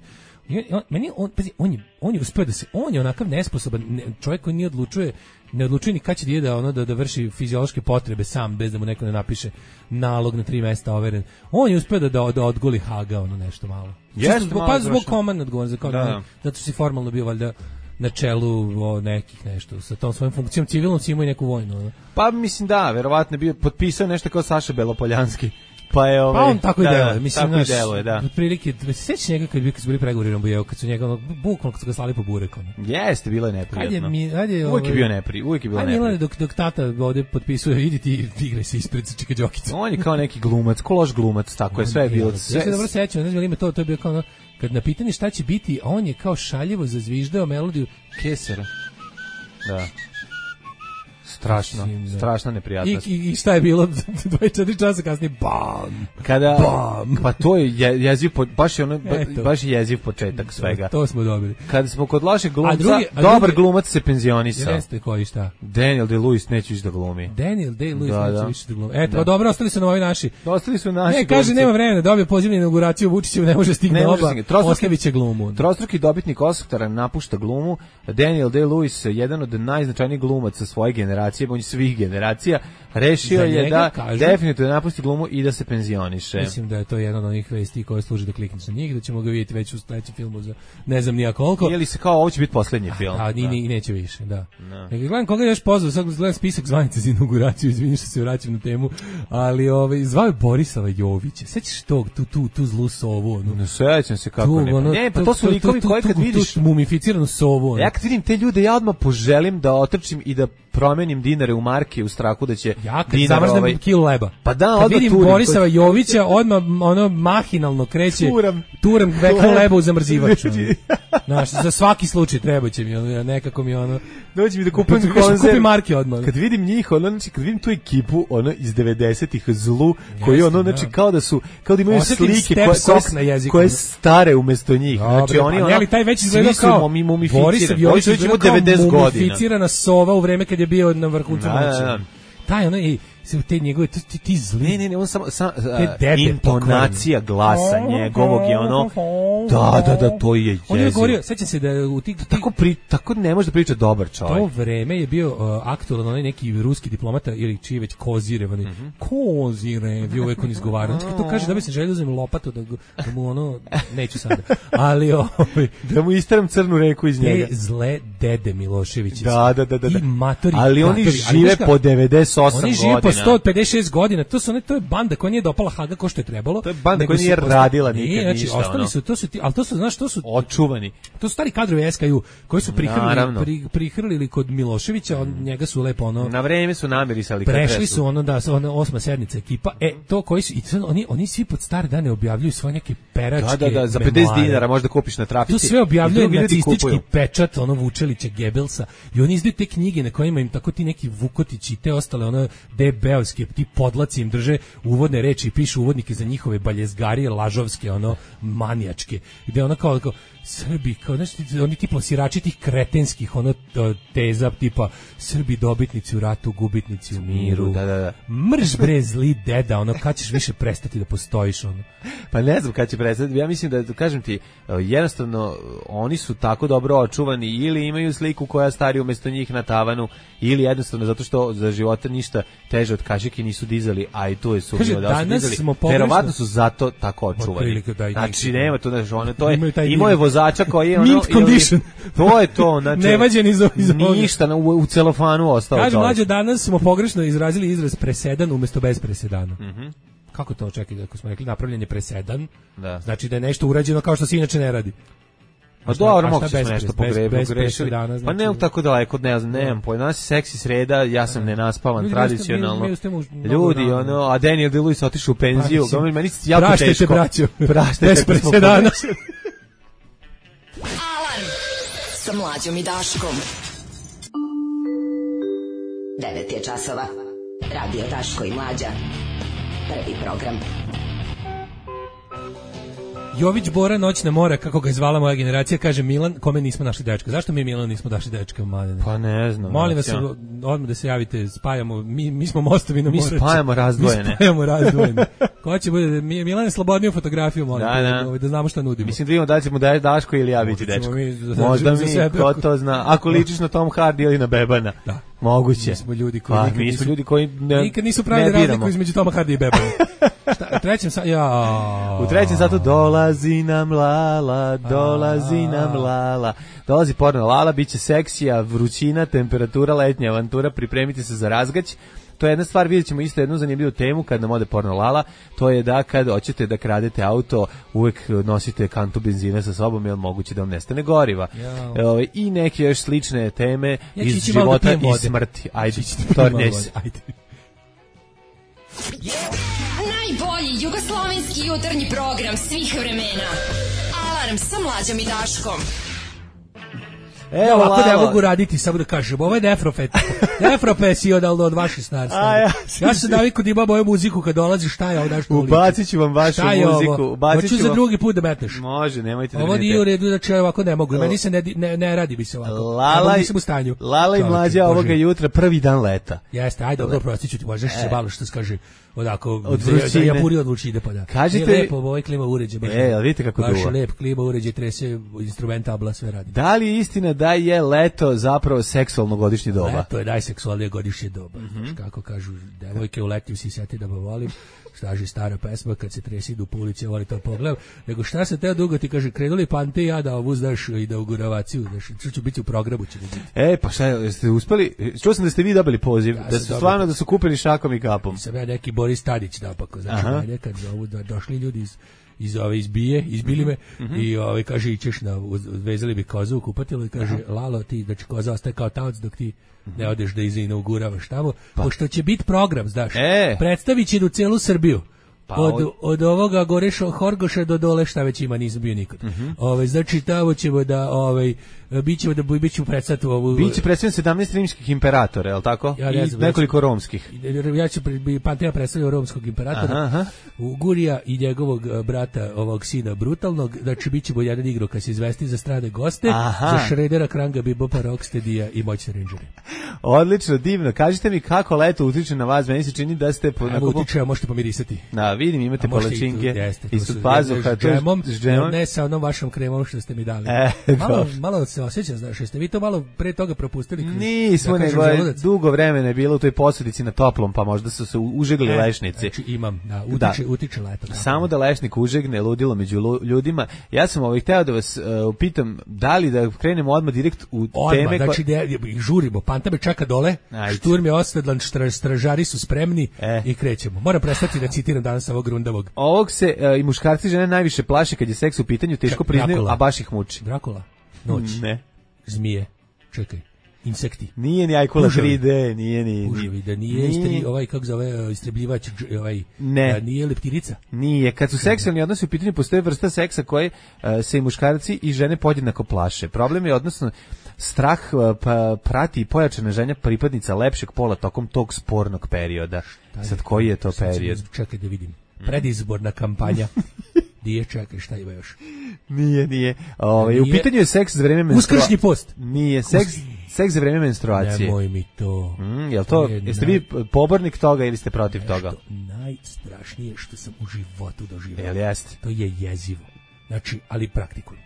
I on, on, meni on, pazi, on je, on je uspeo da se, on je onakav nesposoban ne, čovjek koji nije odlučuje, ne odlučuje ni kad će da ide da, ono, da, da vrši fiziološke potrebe sam, bez da mu neko ne napiše nalog na tri mesta overen. On je uspeo da, da, da odgoli Haga, ono nešto malo. Jeste, Čisto zbog, malo pa zbog završeno. komandne odgovornosti, kao Da, da, da. zato što si formalno bio valjda na čelu o, nekih nešto, sa tom svojom funkcijom civilnom si imao i neku vojnu. Ono. Pa mislim da, verovatno je bio potpisao nešto kao Saša Belopoljanski. Pa je ovaj Pa on tako i da, deluje, da, mislim, tako i znaš, deluje, da. otprilike, sećaš njega kad, bi- kad su bili pregovori u Rambujevu, kad su njega, ono, bukvalno kad su ga slali po burek, ono. Jeste, bilo je neprijatno. Ajde, mi, ajde, Uvijek je ovaj, bio nepri, uvijek je bilo Ajde, Milane, neprijatno. dok, dok tata ovde potpisuje, idi ti, igraj se ispred sa Čika Đokica. On je kao neki glumac, ko loš glumac, tako je, sve je bilo. Ja Sve, se dobro sećam, ne znam, ima to, to je bio kao ono, kad na pitanje šta će biti, a on je kao šaljivo zazviždao melodiju Kesera. Da. strašno, strašna neprijatnost. I, i, i šta je bilo dvadeset četiri časa kasnije, bam, kada, bam. Pa to je je, jeziv, po, baš je ono, ba, baš je jeziv početak svega. To, to smo dobili. Kada smo kod lošeg glumca, a drugi, a dobar drugi, glumac se penzionisao. Jeste koji šta? Daniel Day-Lewis neće više da glumi. Daniel Day-Lewis da, neće da. više da glumi. Eto, da. Dobro, ostali su na ovi naši. Ostali su naši. Ne, kaže, nema vremena, dobio poziv na inauguraciju, Vučićev ne može stigne oba, ostavit će glumu. Trostruki dobitnik Oscara napušta glumu. Daniel Day-Lewis, jedan od najznačajnijih glumaca svoje generacije, on svih generacija, rešio je da kažu, definitivno napusti glumu i da se penzioniše. Mislim da je to jedna od onih vesti koje služi da klikneš na njih, da ćemo ga vidjeti već u sledećem filmu za ne znam nija koliko. Ili se kao ovo će biti poslednji film. A, ni, ni, neće više, da. No. Dakle, gledam koga je još pozvao, sad gledam spisak zvanica za inauguraciju, izvini što se vraćam na temu, ali ovaj, zvao je Borisova Jovića. Sećaš tog, tu, tu, tu zlu sovu? Ono, ne sećam se kako tu, ne. Ono, ne, pa to su likovi koji kad vidiš tu mumificiranu sovu. Ono. Ja kad vidim te ljude, ja odmah poželim da otrčim i da promenim dinare u marke u strahu da će ja kad dinar zamrznem ovaj kilu leba. Pa da, kad vidim turim, Borisova koji... Jovića, odmah ono mahinalno kreće turam, turam kilo leba u zamrzivač. Znaš, za svaki slučaj treba će mi ono, nekako mi ono dođi mi da kupim konzerv, kupi marke odmah. Kad vidim njih, ono, znači kad vidim tu ekipu, ono iz devedesetih zlu, koji ono, znači kao da su, kao da imaju Osjetim slike koje, koje, koje stare umesto njih. Dobre, znači oni ono, ali taj već izgleda kao Borisov Jović izgleda kao mumificirana sova u vreme kad je bio na vrhuncu moći. Taj ono i te njegove ti, ti zli. Ne, ne, ne, on samo sam, intonacija glasa njegovog je ono. Da, da, da, to je jezivo. On je govorio, sećam se da u tih tako pri, tako ne može da priča dobar čovjek. To vreme je bio uh, aktualan onaj neki ruski diplomata ili čiji već Kozirev, on mm-hmm. Kozirev, bio uvek on izgovarao. Kad to kaže da bi se želio uzem lopatu da, da mu ono neću sada. Ali ovaj da mu istaram crnu reku iz njega. Te zle dede Milošević. Da, da, da, da. I matori. Ali oni matori, žive ali po devedeset osam godina. Oni žive po sto pedeset šest godina. To su one, to je banda koja nije dopala Haga kao što je trebalo. To je banda koja nije radila nikad znači, ništa. Ostali ono. su, to su ti, ali to su, znaš, to su očuvani. To su stari kadrovi S K U koji su prihrlili, pri, prihrlili kod Miloševića, on, njega su lepo ono. Na vreme su namirisali. Prešli su ono da ono osma sednica ekipa. E to koji su i to, oni oni svi pod stare dane objavljuju svoje neke peračke. Da, da, da, za pedeset dinara možda kupiš na trafici. To sve objavljuje nacistički pečat, ono Vučelića, Gebelsa i oni izdaju te knjige na kojima im tako ti neki Vukotići i te ostale ono debeovske ti podlaci im drže uvodne reči i pišu uvodnike za njihove baljezgarije lažovske ono manijačke gde ona kao, kao Srbi, kao, znači, oni ti plasirači tih kretenskih ono teza tipa Srbi dobitnici u ratu, gubitnici u miru. Da, da, da. Mrš bre zli deda, ono kad ćeš više prestati da postojiš ono. Pa ne znam kad će prestati. Ja mislim da kažem ti, jednostavno oni su tako dobro očuvani ili imaju sliku koja stari umesto njih na tavanu ili jednostavno zato što za života ništa teže od kašike nisu dizali, a i to je su da su dizali. Verovatno su zato tako očuvani. Da znači nema to znači ono to je imao je vozača koji je ono mint condition. To je to, znači nevađen iz iz ništa u, u celofanu ostalo. Kaže mlađe, danas smo pogrešno izrazili izraz presedan umjesto bez presedana. Mhm. Mm Kako to čekaj, ako smo rekli napravljen je presedan, da. Znači da je nešto urađeno kao što se inače ne radi. Pa dobro, mogu se nešto pogrešili. Znači, pa ne tako daleko, ne znam, nemam pojma. Danas je seksi sreda, ja sam nenaspavan, ljudi, tradicionalno. Mi, mi, mi ljudi, ono, a Daniel Day-Lewis otišao u penziju. Pa, meni je jako praštajte, teško. Braćo. Praštajte, bez presedana. Alarm sa Mlađom i Daškom. devet je časova. Radio Daško i Mlađa. Prvi program. Jović Bora, noćna mora, kako ga je zvala moja generacija, kaže Milan, kome nismo našli dečka. Zašto mi Milan nismo našli dečka? Mladene? Pa ne znam. Molim vas, odmah da se javite, spajamo, mi, mi smo mostovi na misleće. Spajamo razdvojene. Mi spajamo razdvojene. Ko će bude, Milan je slobodniju fotografiju, molim, da, da. Da, da znamo šta nudimo. Mislim da vidimo da će mu da Daško ili ja biti dečko. Možda mi, sebe, ko to zna. Ako ličiš na Tom Hardy ili na Bebana. Da. Moguće. Mi smo ljudi koji, pa, nikad, mi nisu, ljudi koji ne, nikad nisu pravili razliku između Toma Hardy i Bebana. Šta, u trećem sa, ja. U trećem satu dolazi nam Lala, dolazi nam Lala. Dolazi porno Lala, biće seksija, vrućina, temperatura, letnja avantura, pripremite se za razgać. To je jedna stvar, vidjet ćemo isto jednu zanimljivu temu kad nam ode porno Lala, to je da kad hoćete da kradete auto, uvek nosite kantu benzina sa sobom, jer moguće da vam nestane goriva. Ja. E, I neke još slične teme ja iz života i vode. Smrti. Ajde, tornjej se. Ajde. Najbolji jugoslovenski jutarnji program svih vremena. Alarm sa Mlađom i Daškom. Evo, ja ovako ne Lalo. mogu raditi, samo da kažem, ovo je nefrofet, nefrofesionalno od vaših stvari. A, ja ja sam navikao da ima moju muziku kad dolazi, šta je ovo nešto ulici. Ubacit ću vam vašu šta je muziku. Ovo? Ubacit Hoću ću za vam... drugi put da metneš. Može, nemojte da ovo brinete. nije u redu, znači ja ovako ne mogu, meni se ne, ne, ne radi bi se ovako. Lala, ja nisam u stanju. Lala i Mlađa ovoga jutra, prvi dan leta. Jeste, ajde, dobro, prostit ću ti, možeš se malo što se kaže, odako, od da ja buri od vrućine, pa da. Kažite, je lepo, ovo je klima uređaj, baš, e, ali vidite kako baš duva. lep klima uređaj, trese, instrumentabla, sve radi. Da li je istina da je leto zapravo seksualno godišnje doba? Leto je najseksualnije godišnje doba, mm-hmm. Znaš, kako kažu, devojke u letnju si seti da volim, staži stara pesma, kad se tresi do pulice, voli to pogled, nego šta se teo dugo ti kaže, krenuli pante ja da ovu znaš i da uguravaciju, znaš, što ću biti u programu, će biti. E, pa šta, jeste uspeli, čuo sam da ste vi dobili poziv, ja da su stvarno da su kupili šakom i kapom. Sam ja neki Boris Tadić napako, znači mene kad zovu da došli ljudi iz iz ove izbije, izbili me mm-hmm. i ove kaže ićeš na vezali bi kozu u kupatilo i kaže aha. Lalo ti znači koza ostaje kao taoc dok ti mm-hmm. ne odeš da inauguravaš tamo, pa. Pošto će biti program, znaš. E. Predstaviće u celu Srbiju. Pa od, od ovoga Goreša Horgoša do dole šta već ima, nisam bio nikad. Mm-hmm. Ove, znači tamo ćemo da ovaj bićemo da bićemo predstaviti ovu biće predstavljen sedamnaest rimskih imperatora, je l' tako? Ja ne znam, i nekoliko romskih. Ja ću Pantea predstavljati romskog imperatora. Aha, aha. Gurija i njegovog brata, ovog sina brutalnog, znači bićemo jedan igro kad se izvesti za strane goste, aha. Za Šredera, Kranga, Bibopa, Rocksteadija i Moćne Rangere. Odlično, divno. Kažite mi kako leto utiče na vas, meni se čini da ste po nekako utiče, možete pomirisati. Da, vidim, imate palačinke ispod pazuha, s džemom, ne sa onom vašom kremom što ste mi dali. E, malo, malo se osjeća, znaš, jeste vi to malo pre toga propustili? Nismo, nego je dugo vremena je bilo u toj posudici na toplom, pa možda su se užegli e, lešnici. Znači imam, da, utiče, da. utiče leto. Da. Samo da lešnik užegne, ludilo među ljudima. Ja sam ovaj hteo da vas uh, pitam, da li da krenemo odmah direkt u odmah, teme... Znači, ko... da žurimo, Panta me čeka dole, ajde. Šturm je osvedlan, štra, stražari su spremni e. I krećemo. Moram prestati da citiram danas ovog Grundavog. Ovog se uh, i muškarci žene najviše plaše kad je seks u pitanju, teško priznaju, a baš ih muči. Drakula, noć. Ne. Zmije, čekaj, insekti. Nije ni Ajkula tri D, nije ni... Uživi, da nije, nije. Istri, ovaj, kako zove, istrebljivač, ovaj, ne. Da nije leptirica. Nije, kad su seksualni odnosi u pitanju, postoje vrsta seksa koje uh, se i muškarci i žene podjednako plaše. Problem je, odnosno, strah uh, pa, prati i pojačana ženja pripadnica lepšeg pola tokom tog spornog perioda. Sad, koji je to period? Čekaj da vidim. Predizborna kampanja. Nije, čekaj, šta ima još? Nije, nije. Ove, nije. U pitanju je seks za vreme menstruacije. Uskršnji post. Nije, seks, seks za vreme menstruacije. Nemoj mi to. Mm, jel to, je jeste naj... vi pobornik toga ili ste protiv nešto toga? Najstrašnije što sam u životu doživio. Jel jeste? To je jezivo. Znači, ali praktikujem.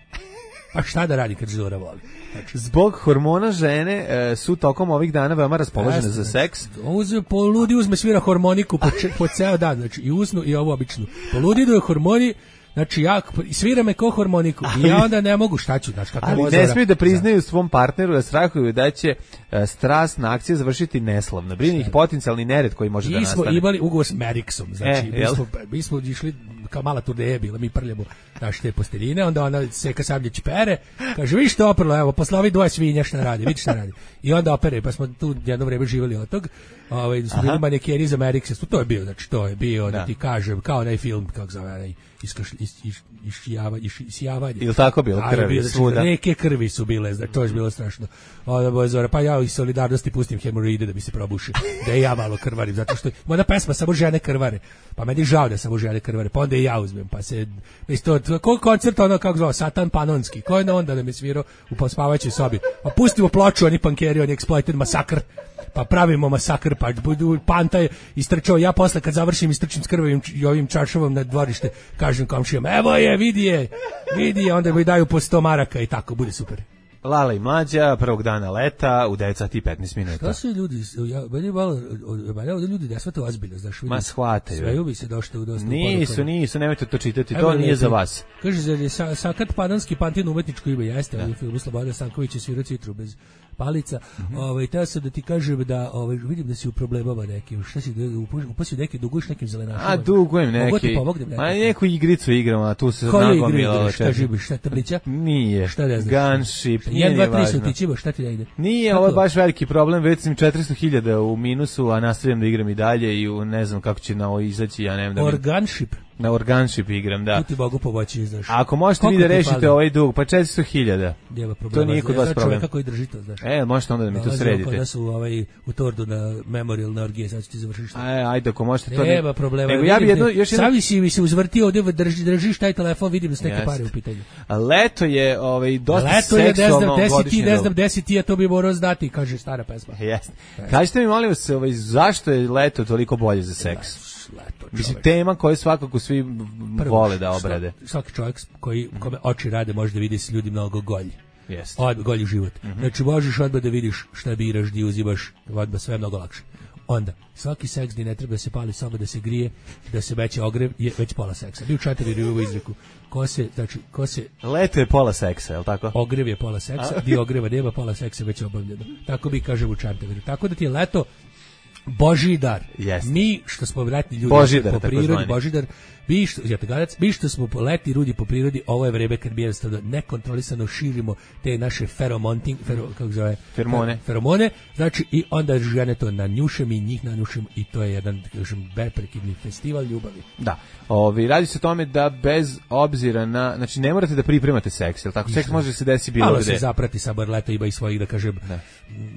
Pa šta da radi kad Zora voli? Znači, zbog hormona žene e, su tokom ovih dana veoma raspoložene za seks. Uzme, po ludi uzme svira hormoniku po, če, po ceo dan, znači i usnu i ovu običnu. Po ludi idu hormoni, znači ja svira me ko hormoniku ali, i ja onda ne mogu, šta ću, znači kako ali ne smiju da priznaju svom partneru da strahuju da će e, strasna akcija završiti neslavno. Brine ih potencijalni nered koji može I da nastane. Mi smo imali ugovor s Meriksom, znači e, mi, smo, mi smo išli kao mala turneja bila, mi prljamo naše te posteljine, onda ona seka Sabljić pere, kaže, vi što oprlo, evo, posle ovi dvoje svinja šta radi, vidi šta radi. I onda opere, pa smo tu jedno vreme živjeli od tog, ovaj, su bili manekeni za Meriksa, to je bio, znači, to je bio, da, da ti kažem, kao onaj film, kako zove, onaj, isijavanje. Ili tako bilo, krvi, bilo, svuda. Reke krvi su bile, znači, to je bilo strašno. Onda boje Zora, pa ja iz solidarnosti pustim hemoroide da bi se probušio, da ja malo krvarim, zato što moja pesma samo žene krvare, pa meni žao da samo žene krvare, pa onda i ja uzmem, pa se, isto, koji koncert ono, kako zvao, Satan Panonski, ko je onda da me svirao u pospavajućoj sobi, pa pustimo ploču, oni pankeri, oni Exploited Masakr, pa pravimo masakr, pa Panta je istrčao, ja posle kad završim istrčim s krvavim i ovim čaršavom na dvorište, kažem komšijama, evo je, vidi je, vidi je, onda mi daju po sto maraka i tako, bude super. Lala i Mlađa, prvog dana leta, u devet sati i petnaest minuta. Šta su ljudi, ja, meni malo, meni ovdje ljudi ne shvate ozbiljno, znaš, vidim. Ma shvataju. Sveju bi se došlo u dosta nisu, uporukama. Nisu, nemojte to čitati, to nije za vas. Kaže, zar je sa, Sakat Panonski Pantin umetničko ime, jeste, da. Ali film Slobodan Stanković je svirao citru bez palica. Mm-hmm. Ovaj teo sam da ti kažem da ovaj vidim da si u problemama nekim. Šta si upasio neki duguješ nekim zelenašima? A dugujem neki. Ma neku igricu igramo, a tu se nagomilalo. Šta živiš, šta tablića? Nije. Šta ne znaš? Gunship. jedan dva tri su tičivo, šta ti da ide? Nije, ovo je baš veliki problem, već sam četiristo hiljada u minusu, a nastavljam da igram i dalje i u, ne znam kako će na ovo izaći, ja ne znam da. Organship. Na organship igram, da. Tu ti Bogu pomoći, znaš. A ako možete vi da rešite ovaj dug, pa četiristo hiljada. To nije kod vas problem. Kako i drži to, znaš. E, možete onda da mi to sredite. Da su ovaj, u Tordu na Memorial na orgije, sad ću ti završiti. Aj, ajde, ako možete to... Nema problema. Nego ja bi jedno, još jedno... Savi si mi se uzvrtio ovdje, drži, držiš taj telefon, vidim da su neke pare u pitanju. A leto je ovaj, dosta leto je, seksualno godišnje godišnje. Ne znam, desi ti, a to bi morao znati, kaže stara pesma. Jeste. Kažite mi, molim vas, ovaj, zašto je leto toliko bolje za seks? Leto, mislim, tema koju svakako svi Prvo, vole da obrade. Svaki čovjek koji, kome oči rade može da vidi se ljudi mnogo golji. Jeste. Odmah golji život. Mm-hmm. Znači, možeš odmah da vidiš šta biraš, di uzimaš, odmah sve mnogo lakše. Onda, svaki seks gdje ne treba da se pali, samo da se grije, da se veće ogrev, je već pola seksa. Mi u Čantaviru imamo izreku. Ko se, znači, ko se... Leto je pola seksa, je li tako? Ogrev je pola seksa, dio ogreva nema, pola seksa već obavljeno. Tako bi kažem u Čantaviru. Tako da ti je leto Božji dar. Yes. Mi što smo letni ljudi Božidar, po prirodi, Božidar, mi što, jatagadac, mi što smo letni ljudi po prirodi, ovo je vreme kad mi jednostavno nekontrolisano širimo te naše feromonting, fero, kako zove, feromone. feromone, znači i onda žene to nanjušem i njih nanjušem i to je jedan, kažem, beprekidni festival ljubavi. Da, ovi, radi se o tome da bez obzira na, znači ne morate da pripremate seks, jel tako? Seks može se desiti bilo gde. Malo se zaprati, sabor leto ima i svojih, da kažem,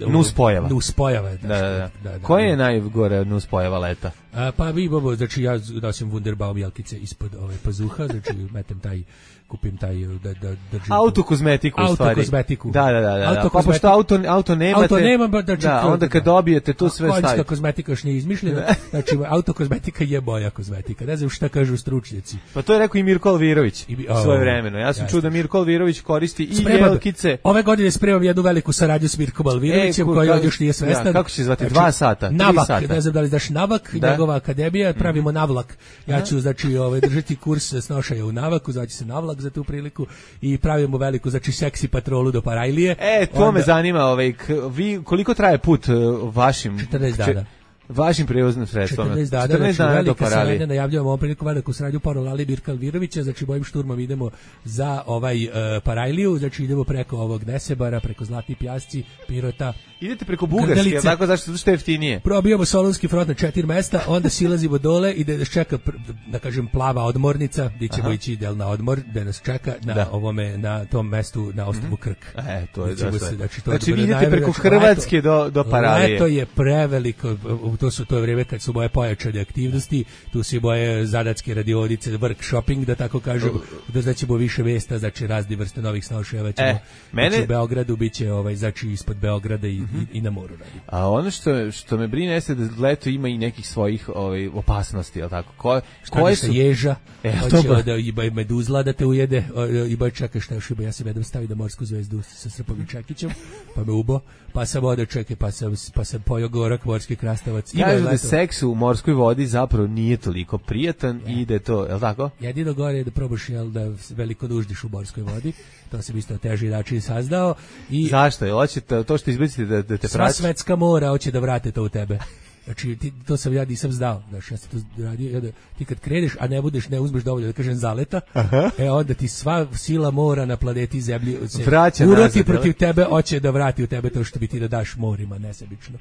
nuspojava. Nuspojava, da, da, da. da, da. Koje je najgore nuspojava leta? A, pa vi, bobo, znači ja nosim Wunderbaum jelkice ispod ove pazuha, znači metem taj, kupim taj, da, da držim... Autokozmetiku u stvari. Autokozmetiku. Da, da, da, da. Pa pošto auto, auto nemate... Auto nemam, znači... Da, onda kad dobijete tu sve stavite. Konjska kozmetika još nije izmišljena, znači autokozmetika je moja kozmetika, ne znam šta kažu stručnjaci. Pa to je rekao i Mirko Alvirović svoje vremeno. Ja sam čuo da Mirko Alvirović koristi i jelkice. Ove godine spremam jednu veliku saradnju s Mirkom Alvirovićem, koji on još nije svestan. Kako će zvati? Dva sata, tri sata. Ne znam da li znaš Navak, njegova akademija, pravimo Navlak. Ja ću, znači, ovaj, držati kurs snošaja u Navaku, zvaće se Navlak za tu priliku i pravimo veliku, znači, seksi patrolu do Parajlije. E, to me zanima, ovaj, vi, koliko traje put vašim... četrnaest dana. Vašim prevoznim sredstvom. četrnaest dana, četrnaest dana znači, do Paralije. Najavljujemo ovom priliku veliku saradnju Parolali Mirka Alvirovića, znači bojim šturmom idemo za ovaj uh, Parajliju, znači idemo preko ovog Nesebara, preko Zlatni Pjasci, Pirota. Idete preko Bugarske, tako zašto što je jeftinije? Probijamo Solunski front na četiri mesta, onda silazimo dole i da nas čeka, da kažem, plava odmornica, gdje ćemo Aha. ići del na odmor, da nas čeka na da. ovome, na tom mestu, na ostrvu Krk. E, to je dosta. Se, znači, to znači vi idete preko Hrvatske do, do Paralije. Leto je preveliko, to su to je vrijeme kad su moje pojačane aktivnosti, tu su moje zadatske radionice, workshopping, da tako kažem, da znaćemo više mjesta, znači razne vrste novih snošajeva ćemo, e, mene... znači u Beogradu biće ovaj, znači ispod Beograda i, mm-hmm. i, i na moru radi. A ono što, što me brine jeste da leto ima i nekih svojih ovaj, opasnosti, jel tako? Ko, koje su... ježa, e, hoće da i meduzla da te ujede, i boj čeka šta još ima, ja sam jednom stavio da morsku zvezdu sa Srpom i Čekićem, pa me ubo, pa sam ovdje čekaj, pa sam, pa sam pojao gorak, morski krastavac. Kažu da seks u morskoj vodi zapravo nije toliko prijatan ja. i da je to, je li tako? Jedino gore je da probaš, jel, da veliko nuždiš u morskoj vodi, to sam isto teži način saznao. I zašto? Jel hoće to što izbacite da, da te sva praći? Sva svetska mora hoće da vrate to u tebe. Znači, ti, to sam ja nisam znao, znači, ja sam to radio, ja da, ti kad kreneš, a ne budeš, ne uzmeš dovoljno, da kažem, zaleta, Aha. e onda ti sva sila mora na planeti Zemlji se vraća uroti nazad, protiv tebe, hoće da vrati u tebe to što bi ti da daš morima, nesebično.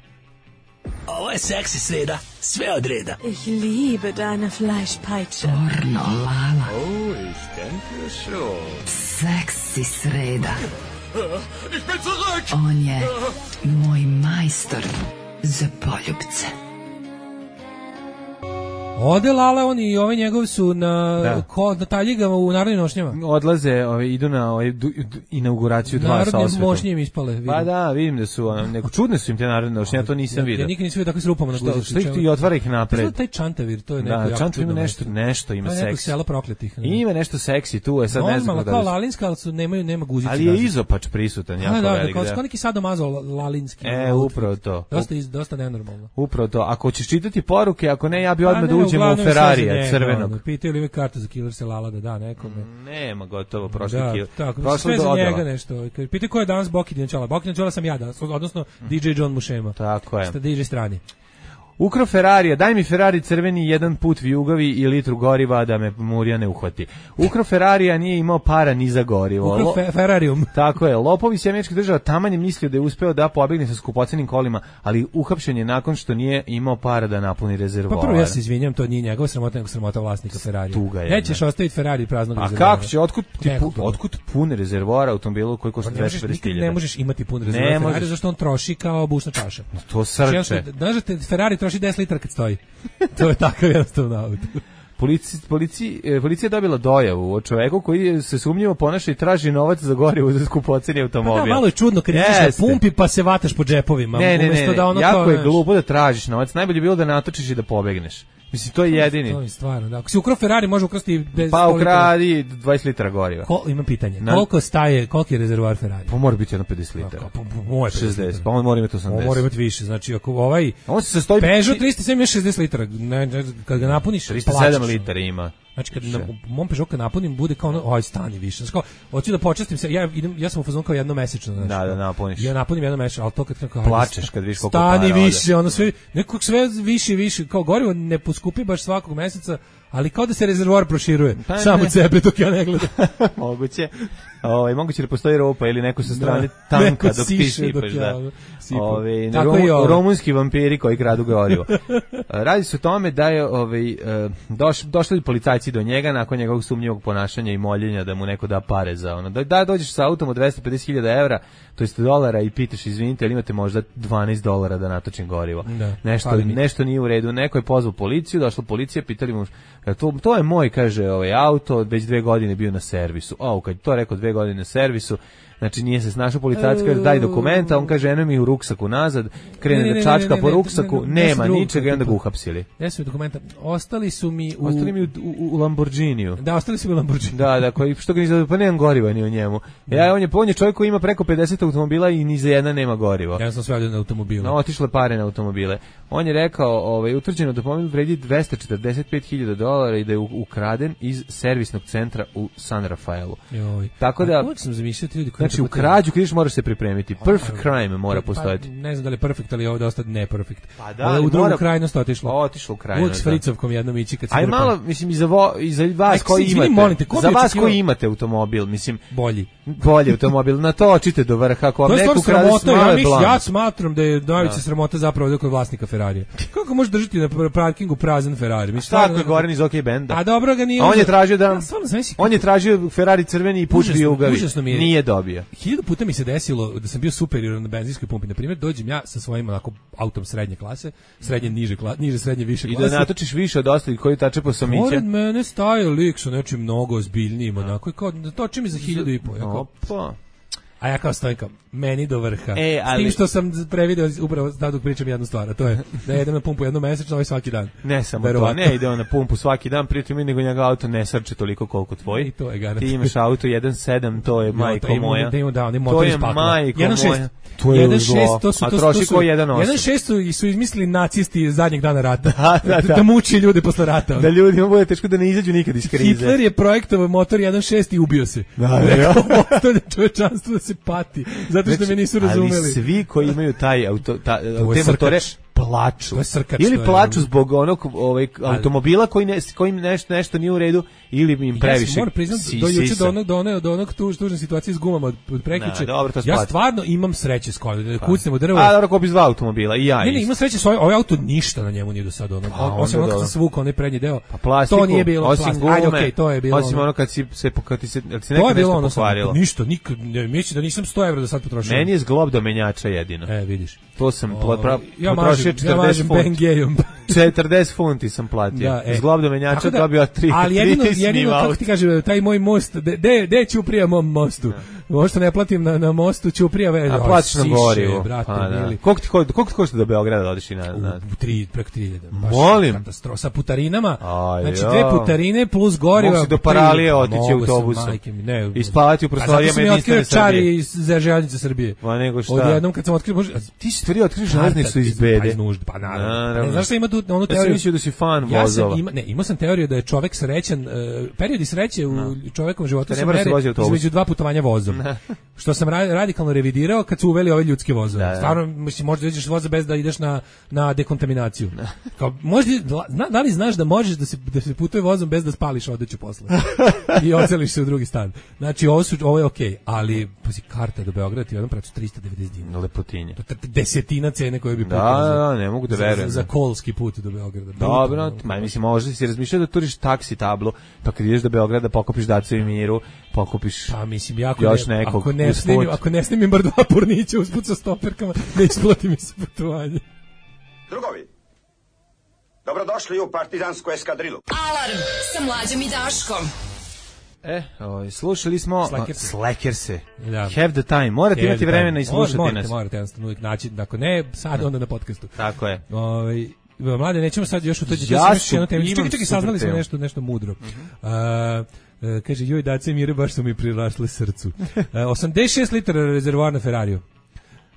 Ovo je seksi sreda, sve od reda. Ich liebe deine Fleischpeitsche. Pornolala. Oh, ich denke schon. Seksi sreda. Ich bin zurück! On je moj majstor za poljubce. Ode Lala, oni i ove njegovi su na, da. ko, na taljigama u narodnim nošnjama. Odlaze, ove, idu na ove, du, du, inauguraciju dva sa osvetom. Narodne mošnje im ispale. Vidim. Pa da, vidim da su, ono, neko, čudne su im te narodne nošnje, ja to nisam ja, vidio. Ja nikad nisam vidio tako s rupama na guzicu. Što ih ti otvara ih napred? To taj Čantavir, to je neko da, jako Čantavir čudno. Ima nešto, nešto ima seksi. seksi. Neko selo prokletih. Ne. Ima nešto seksi tu, je sad no, ne znam. Normalno, kao Lalinska, ali su, nemaju, nema guzice. Ali je izopač prisutan, jako da, velik. Da, kao neki sadomazo Lalinski. E, upravo to. Dosta, dosta nenormalno. Upravo to. Ako ćeš čitati poruke, ako ne, ja bi odmah da uđem u Ferrarija crvenog. Pitaju li me kartu za Killer se Lala da da nekome. Nema, gotovo, prošli da, Killer. Tako, prošli za njega nešto. Pitaju ko je danas Boki Dinčala. Boki Dinčala sam ja danas, odnosno D J John Mušema. Tako je. Sta D J strani. Ukro Ferrarija, daj mi Ferrari crveni, jedan put vijugavi i litru goriva da me Murija ne uhvati. Ukro Ferrarija nije imao para ni za gorivo. Ukro fe, Ferrarijum. Tako je, lopovi iz američkih država taman je mislio da je uspeo da pobegne sa skupocenim kolima, ali uhapšen je nakon što nije imao para da napuni rezervoar. Pa prvo ja se izvinjam, to nije njegova sramota, nego sramota vlasnika Ferrarija. Tuga je. Nećeš ostaviti Ferrari praznog A rezervoara. kako će, otkud, ti pu, otkud pun rezervoar automobilu koji košta dvesta pedeset hiljada? Ne možeš imati pun rezervoar Ferrari, zašto on troši kao bušna čaša. To srče. Znaš da Ferrari troši deset litara kad stoji. To je takav jednostavno auto. Polici, polici, policija je dobila dojavu o čoveku koji se sumnjivo ponaša i traži novac za gorivo za skupoceni automobil. Pa da, malo je čudno kad ideš na pumpi pa se vataš po džepovima. Ne, ne, ne, ne. Da ono jako to, je glupo da tražiš novac. Najbolje je bilo da natočiš i da pobegneš. Mislim, to je jedini. To je stvarno, da. Ako si ukro Ferrari, može ukrasti bez... Pa ukradi dvadeset litara goriva. Ko, imam pitanje. Na... Koliko staje, koliki je rezervoar Ferrari? Pa mora biti jedno pedeset litara. Pa, pa, šezdeset, pa on mora imati osamdeset. On mora imati više, znači ako ovaj... On se sastoji... Peugeot tristo sedam ima šezdeset litara, ne, ne, kad ga napuniš, tristo sedam litara ima. Znači kad na mom Peugeot kad napunim bude kao ono, aj stani više. Znači kao hoću da počestim se. Ja idem, ja sam u fazonu kao jednomesečno, znači. Da, da napuniš. Ja napunim jednomesečno, al to kad kao plačeš kad vidiš koliko para. Stani više, ono sve nekako sve više i više, kao gorivo ne poskupi baš svakog meseca, ali kao da se rezervoar proširuje. Pa samo od sebe dok ja ne gledam. Moguće. Ovaj moguće da postoji ropa ili neko sa strane da, tanka dok ti sipaš, da. Ovaj rom, rumunski vampiri koji kradu gorivo. Radi se o tome da je ovaj doš, došli policajci do njega nakon njegovog sumnjivog ponašanja i moljenja da mu neko da pare za ono. Da, da dođeš sa autom od dvesta pedeset hiljada evra, to jest dolara i pitaš izvinite, ali imate možda dvanaest dolara da natočim gorivo. Da, nešto nešto nije u redu. Neko je pozvao policiju, došla policija, pitali mu to, to je moj, kaže, ovaj auto, već dve godine bio na servisu. O, kad to rekao dve godine na servisu, znači nije se snašao policajac, kaže daj dokumenta, on kaže eno mi u ruksaku nazad, krene ne, ne, da čačka ne, ne, po ruksaku, ne, ne, ne, nema ničega i onda ga uhapsili. Ja sam dokumenta, ostali su mi u... Ostali mi u, u, u Lamborghiniju. Da, ostali su mi u Lamborghiniju. Da, da, koji, što ga ni za, pa nemam goriva ni u njemu. Ja, on je, on je čovjek koji ima preko pedeset automobila i ni za jedna nema gorivo. Ja sam sve na automobile. No, otišle pare na automobile. On je rekao, ovaj, utvrđeno da automobil vredi dvesta četrdeset pet hiljada dolara i da je ukraden iz servisnog centra u San Rafaelu. Joj. Tako da, uvijek sam zamišljao ti ljudi koji... Znači, u krađu kriš moraš se pripremiti. Perfect crime mora pa, postojati. Ne znam da li je perfect, ali je ovo dosta ne perfect. Pa da, ali u drugu mora... krajnost otišlo. Otišlo u krajnost. Uvijek s fricovkom jednom ići kad se... Aj malo, mislim, i za, vo, i za vas Aj, koji imate, molite, za vas koji imate automobil, mislim... Bolji. Bolji automobil, natočite do vrha, ako vam neko ukrade smale blan. Ja smatram da je najveća sramota zapravo da kod vlasnika Ferrarija. Kako može držati na parkingu prazan Ferrari? Mislim, tako je Goran iz OK Benda. A dobro ga nije... On je tražio da... On je tražio Ferrari crveni i put vijugavi. Nije dobio. Hiljadu puta mi se desilo da sam bio superior na benzinskoj pumpi. Na primjer, dođem ja sa svojim onako autom srednje klase, srednje niže klase, niže srednje više klase. I da natočiš više od ostalih koji tače po somiće. Pored mene staje lik sa nečim mnogo ozbiljnijim, onako, i kao, toči mi za hiljadu i po. Opa. A ja kao stojim kao, meni do vrha. E, ali... S tim što sam prevideo upravo da dok pričam jednu stvar, a to je da jedem na pumpu jednom mesečno, ovaj svaki dan. Ne samo Verovatno. To, ne ide on na pumpu svaki dan, pritom nego njega auto ne srče toliko koliko tvoj. I to je garant. Ti imaš auto jedan sedam, to je majko no, to moja. Da, da, da, to je majko jedan šest. Moja. To je jedan šest, to su, a to, troši to su, ko jedan osam. jedan šest su, su izmislili nacisti zadnjeg dana rata. Da, da, da. da muči ljude posle rata. Da ljudima bude teško da ne izađu nikad iz krize. Hitler je projektovao motor jedan šest i ubio se. Da, da. Ostavlja čovečanstvo da se pati. Zato što me nisu razumeli. Ali svi koji imaju taj auto, ta, te motore plaču. Srkač, ili plaču zbog onog ovaj, automobila koji ne, kojim nešto, nešto nije u redu ili im previše. Ja moram priznati do juče do onog, do onog, do onog tuž, tužne situacije s gumama od, od prekjuče. Ja stvarno imam sreće s kojom da kucnem u drvo. A dobro, ko bi dva automobila i ja. Ne, ne, imam sreće s ovaj, ovaj auto ništa na njemu nije do sada ono. Pa, osim ono kad sam svukao onaj prednji deo. Pa plastiku, to nije bilo osim gume. Ajde, okej, okay, to je bilo. Osim ono kad si se pokati se, jel se nekad nešto pokvarilo. Ništa, nikad, ne, mislim da nisam sto evra do sad potrošio. Meni je zglob do menjača jedino. E, vidiš. To sam potrošio četrdeset četrdeset funti sam platio. Da, e. Zglob do menjača da, dobio tri. Ali jedino, jedino kako ti kaže, taj moj most, de, de ćuprija mom mostu. Možda ne platim na, na mostu ćuprija veze. A platiš na gorivo. Brate, pa, da. Koliko ti, koliko ti košta do Beograda da odeš i na... na... U, tri, preko tri hiljade. Molim. Katastrofa. Sa putarinama. Aj, znači dve putarine plus goriva. Mogu si do Paralije otići autobusom. I spavati u prostorijama jedinstvene Srbije. Čari iz željeznice Srbije. Pa nego šta. Odjednom kad sam otkrio... Ti si tvrdio otkriš železnicu iz bede. Pa naravno. Znaš šta ima tu onu teoriju? Ja sam mislio da si fan vozova. Ne, imao sam teoriju da je čovek srećan, periodi sreće u čovekovom životu se meri između dva putovanja vozom. Što sam ra- radikalno revidirao kad su uveli ove ljudske vozove. Da, da. Stvarno, mislim, možda ideš voza bez da ideš na, na dekontaminaciju. Kao, možda, da, da li znaš da možeš da se, da se putuje vozom bez da spališ odeću posle? I oceliš se u drugi stan. Znači, ovo, su, ovo je okej, okay, ali pazi, karta do Beograda ti u jednom pracu trista devedeset dinara. Lepotinje. To je desetina cene koje bi da, da, da, ne mogu da verujem. Za, za kolski put do Beograda. Dobro, ma mislim, možda si razmišljao da turiš taksi tablu, pa kad ideš do Beograda pokupiš Dacu i Miru, pokupiš pa, mislim, jako još ne, nekog ako ne snimim, ako ne snimim bar dva pornića usput sa stoperkama, ne isplati mi se putovanje. Drugovi, dobrodošli u partizansku eskadrilu. Alarm sa Mlađom i Daškom. E, ovaj, slušali smo Slackerse. Slackerse. Da. Have the time. Morate Have imati vremena i slušati morate, nas. Morate, jednostavno uvijek naći, ako ne, sad onda na podcastu. Tako je. Ovaj, Mlade, nećemo sad još u to. Ja su, čekaj, čekaj, saznali smo nešto, nešto mudro. Mm-hmm. Uh, uh, kaže, joj, Dace i Mire, baš su mi prirasle srcu. Uh, osamdeset šest litara rezervoar na Ferrariju.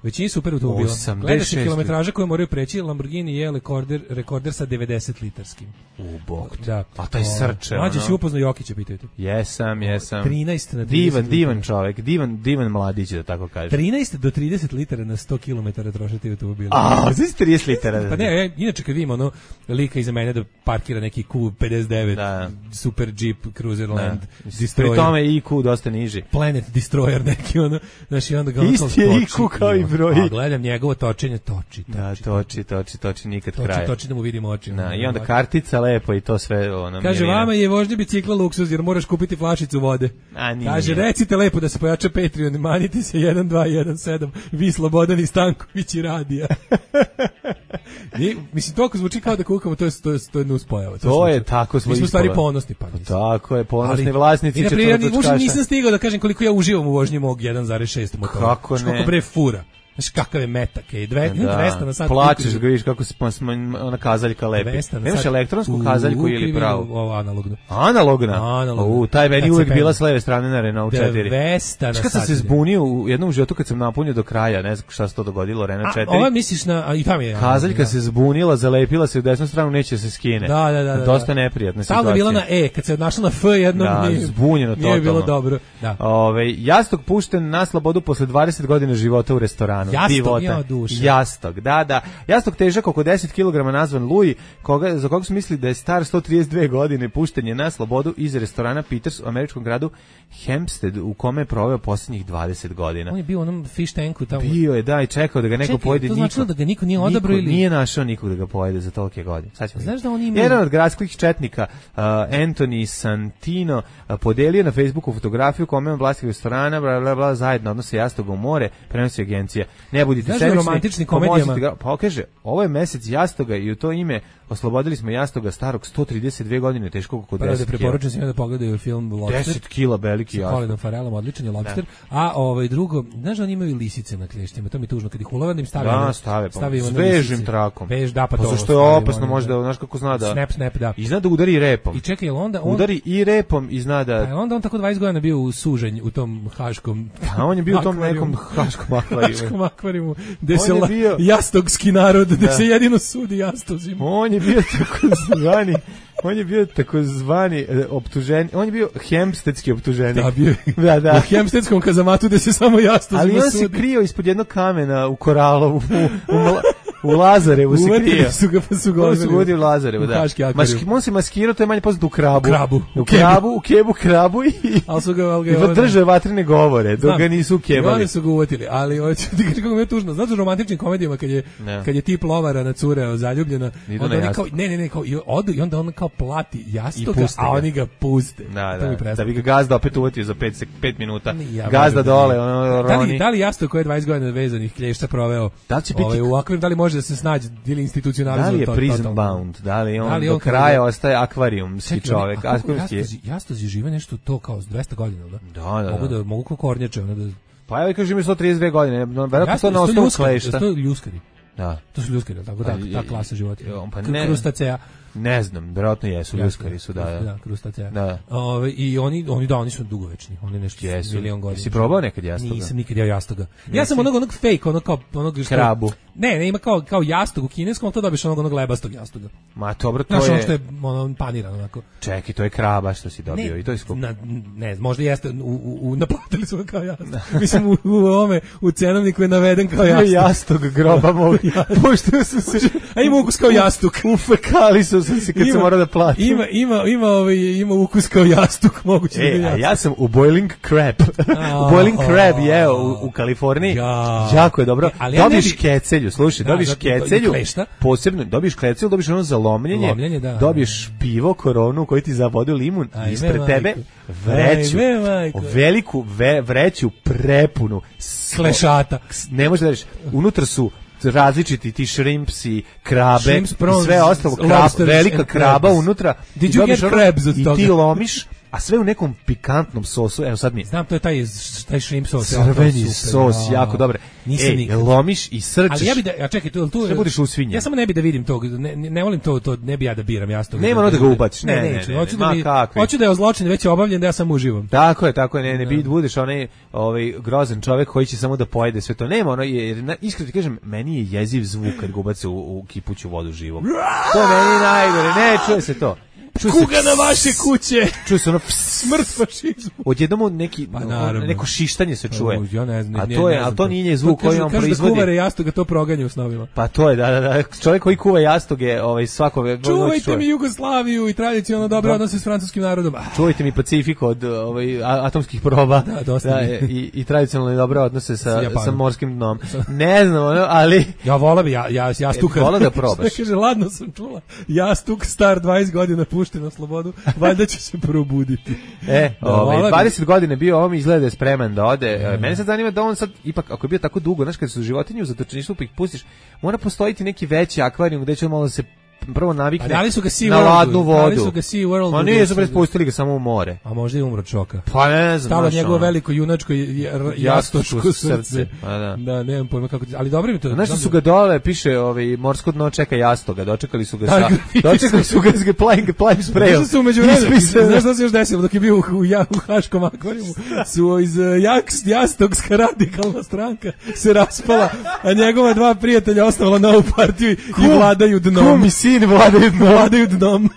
Većini super automobila. Gledaš kilometraža koju moraju preći, Lamborghini je rekorder, rekorder sa devedeset litarskim. U bog. Da. A taj srče. Mlađe si upoznao Jokića, pitajte. Jesam, jesam. trinaest na trideset divan, litara. divan čovjek, divan, divan mladić, da tako kaže. trinaest do trideset litara na sto kilometara trošiti automobila. A, znači trideset litara. Pa ne, ja, inače kad vidim ono lika iza mene da parkira neki Q pedeset devet, da. Super Jeep, Cruiserland, Destroyer. Pri tome I Q dosta niži. Planet Destroyer neki ono, znači onda ga ono isti je I Q kao i broj. A gledam njegovo točenje, toči, toči. Da, toči, toči, toči, nikad toči, kraja. Toči da mu vidimo oči. Da, i onda kartica lepo i to sve ono. Kaže, milina. vama je vožnja bicikla luksuz jer moraš kupiti flašicu vode. A, nije. Kaže, recite lepo da se pojača Patreon, manite se jedan dva jedan sedam, vi Slobodan i Stanković i Radija. I, mislim, to ako zvuči kao da kukamo, to je, to je, to je nuspojava. To, to je tako smo mi smo stvari ponosni. Pa, tako je, ponosni ali, vlasnici četvrtočkaša. Nisam stigao da kažem koliko ja uživam u vožnji mog jedan zarez šest motora. Kako ne? Kako bre fura. Znaš kakav je metak, je dvesta na sat. Plačeš ga, vidiš kako se ona kazaljka lepi. Nemaš elektronsku kazaljku ili pravu? Ovo analogno. Analogna? Analogno. U, taj meni uvijek bila s leve strane na Renault četiri. dvesta na sat. Kad sam se zbunio u jednom životu kad sam napunio do kraja, ne znam šta se to dogodilo, Renault četiri. Ova misliš na, i tam je. Kazaljka se zbunila, zalepila se u desnu stranu, neće se skine. Da, da, da. Dosta neprijatna situacija. Stalno bila na E, kad se našla na F jednom, da, nije, zbunjeno totalno. Nije bilo dobro. Da. Ove, jastok pušten na slobodu posle dvadeset godina života u restoranu. Jastok, ja duše. Jastok, da, da. Jastok težak oko deset kilograma nazvan Louis, koga, za koga su mislili da je star sto trideset dve godine, pušten je na slobodu iz restorana Peters u američkom gradu Hempstead, u kome je proveo posljednjih dvadeset godina. On je bio u onom fish tanku tamo. Bio je, da, i čekao da ga neko Čekaj, pojede. To značilo da ga niko nije odabrao ili... Nije našao nikog da ga pojede za tolike godine. Znaš da on ima... Jedan od gradskih četnika, uh, Anthony Santino, uh, podelio na Facebooku fotografiju kome on vlasnik restorana, bla, bla, bla, zajedno odnose jastoga u more, prenosi agencija. Ne budite sebični. Romantični komedijama. Ga, pa kaže, ovo je mesec jastoga i u to ime oslobodili smo jastoga starog sto trideset dve godine, teškog oko deset kila. Preporučujem svima da pogledaju film Lobster. deset kila veliki jastok. Sa Colinom Farrellom, odličan je Lobster. Da. A ovaj drugo, znaš da oni imaju lisice na klještima, to mi je tužno, kad ih ulove da im stave. Da, stave, pa s vežim trakom. Vež, da, pa, pa to. Zašto je opasno, možda, znaš kako zna da... Snap, snap, da. I zna da udari repom. I čekaj, onda on... Udari i repom i zna da... Pa onda on tako dvadeset godina bio u suženj u tom haškom... A on je bio u tom nekom haškom akvarijumu. Haškom akvarijumu, gde se jastogski narod, gde se jedino sudi jastozima. On je bio tako zvani... On je bio takozvani e, optuženi, on je bio hempstedski optuženik. Da, bio da, da. U hempstedskom kazamatu gde se samo jasno ali on sudi. se krio ispod jednog kamena u Koralovu, u, u, u, u Lazarevu se krio. Su ga, pa su ga on su godi u Lazarevu, da. Maski, on se maskirao, to je manje poznato u krabu. Krabu. U krabu, u kebu, krabu i, ali su ga, ali ga, i drže vatrene govore, dok ga nisu ukebali. Oni su ga uvotili, ali hoću ti kažem kako mi je tužno. Znaš u romantičnim komedijama kad je, ne. kad je tip lovara na cure zaljubljena, onda oni kao, ne, ne, ne, kao, i, odu, i onda on kao plati jastoga, a oni ga puste. Da, da, da bi ga gazda opet uvatio za pet minuta. Ja, gazda dole, ono, da li, da li jastok koji je dvadeset godina vezanih klješća proveo da će biti, ovaj, u akvarijum, da li može da se snađe ili institucionalizuje? Da li je to, prison to, to, bound? Da li on, da li on do kraja je, ostaje akvarijumski čovjek? Jastozi, jastozi žive nešto to kao dvesta godina, da? Da, da. Mogu da, mogu kao kornjače, ono da... Pa evo kažem sto trideset dve godine, verovatno to na osnovu klešta. To je ljuskari. Da. To su ljuskari, tako da, ta klasa životinja. Pa ne. Krustacea. Ne znam, verovatno jesu, ljuskari su, da, da. Da, krustaceja. Da. Ove, I oni, oni, da, oni su dugovečni, oni nešto jesu. Milion godina. Jesi probao nekad jastoga? Nisam nikad jeo jastoga. Ja sam onog, onog fake, onog kao, onog što... Krabu. Ne, ne, ima kao, kao jastog u kineskom, to dobiš onog, onog lebastog jastoga. Ma, dobro, to znaš, je... ono što je ono, paniran, onako. Čekaj, to je kraba što si dobio ne, i to je skup. Na, ne, možda jeste, u, u, u, naplatili su ga kao jastog. Mislim, u, u ome, u cenovniku je naveden kao jastog. Jastog groba mogu. Pošto su se... A ima ukus kao jastuk. Ufekali su se kad se mora da plati. Ima, ima, ima, ovaj, ima ukus kao jastuk, moguće e, da a ja sam u Boiling Crab. u Boiling Crab jeo u, u Kaliforniji. Ja. Jako je dobro. E, dobiš ja bi... kecelju, slušaj, da, dobiš da, kecelju. Klešta. Posebno, dobiš kecelju, dobiš ono za lomljenje. Lomljenje, da. Dobiš pivo, koronu koji ti zavodi limun. Ajme, ispred majko. tebe vreću. Ajme, veliku ve, vreću prepunu. Klešata. Ne može da reći. Unutra su različiti ti shrimpsi, krabe, Shrimps, prawns, sve ostalo, krab, velika kraba unutra. Did you get crabs od i toga? ti lomiš, a sve u nekom pikantnom sosu. Evo sad mi... Znam, to je taj, taj shrimp sos. Crveni sos, jako dobre. Nisam Ej, nikad. lomiš i srčeš. Ali ja bi da, a čekaj, tu, tu sve budeš usvinjen. Ja samo ne bi da vidim to, ne, ne volim to, to ne bi ja da biram jasnog. Nema ono da ga ubaciš. Ne, ne, ne, ne, neću, ne, hoću ne, da mi, kakvi. hoću da je zločin već obavljen, da ja samo uživam. Tako je, tako je, ne, ne, bi budeš onaj ovaj grozan čovjek koji će samo da pojede sve to. Nema ono, jer iskreno ti kažem, meni je jeziv zvuk kad ga ubace u, u kipuću vodu živog. To meni najgore, ne, čuje se to. Čuje Kuga se, na vaše kuće. Čuje se ono smrt fašizmu. Odjednom neki pa, neko šištanje se čuje. Ja ne znam, a to je, a to nije zvuk koji on proizvodi. Kaže da kuvare jastoga to proganja u snovima. Pa to je, da, da, da. Čovjek koji kuva jastoge, ovaj svako čuvajte mi Jugoslaviju i tradicionalno dobre odnose s francuskim narodom. Čuvajte mi Pacifik od ovaj atomskih proba. Da, dosta. Da, i i tradicionalno dobre odnose sa sa morskim dnom. Ne znam, ali ja vola bi ja ja ja stukam. Vola da probaš. Kaže ladno sam čula. Ja stuk star dvadeset godina pušten na slobodu, valjda će se probuditi. E, ovaj dvadeset godina bio, on izgleda da je spreman da ode. Mm. Mene sad zanima da on sad ipak ako je bio tako dugo, znaš kad su životinje u zatočeništvu pa ih pustiš, mora postojiti neki veći akvarijum gde će on malo da se prvo navikne da li su ga sea na ladnu vodu. Da li su ga Sea World? Ma nije, su pustili ga samo u more. A možda i umro čoka. Pa ne znam. Stalo njegovo veliko junačko jastočko srce. Pa da. Da, nemam pojma kako. Ali dobro mi to. Znaš su ga dole, piše ovaj morsko dno čeka jastoga, dočekali su ga sa. Dočekali su ga s playing playing sprayom. Znaš su međuvremenu. Znaš šta se još desilo dok je bio u u Haškom akvarijumu? Su iz Jaks Jastogska radikalna stranka se raspala, a njegova dva prijatelja ostavila novu partiju i vladaju dnom. Sin vladaju dnom. Vladaju dnom.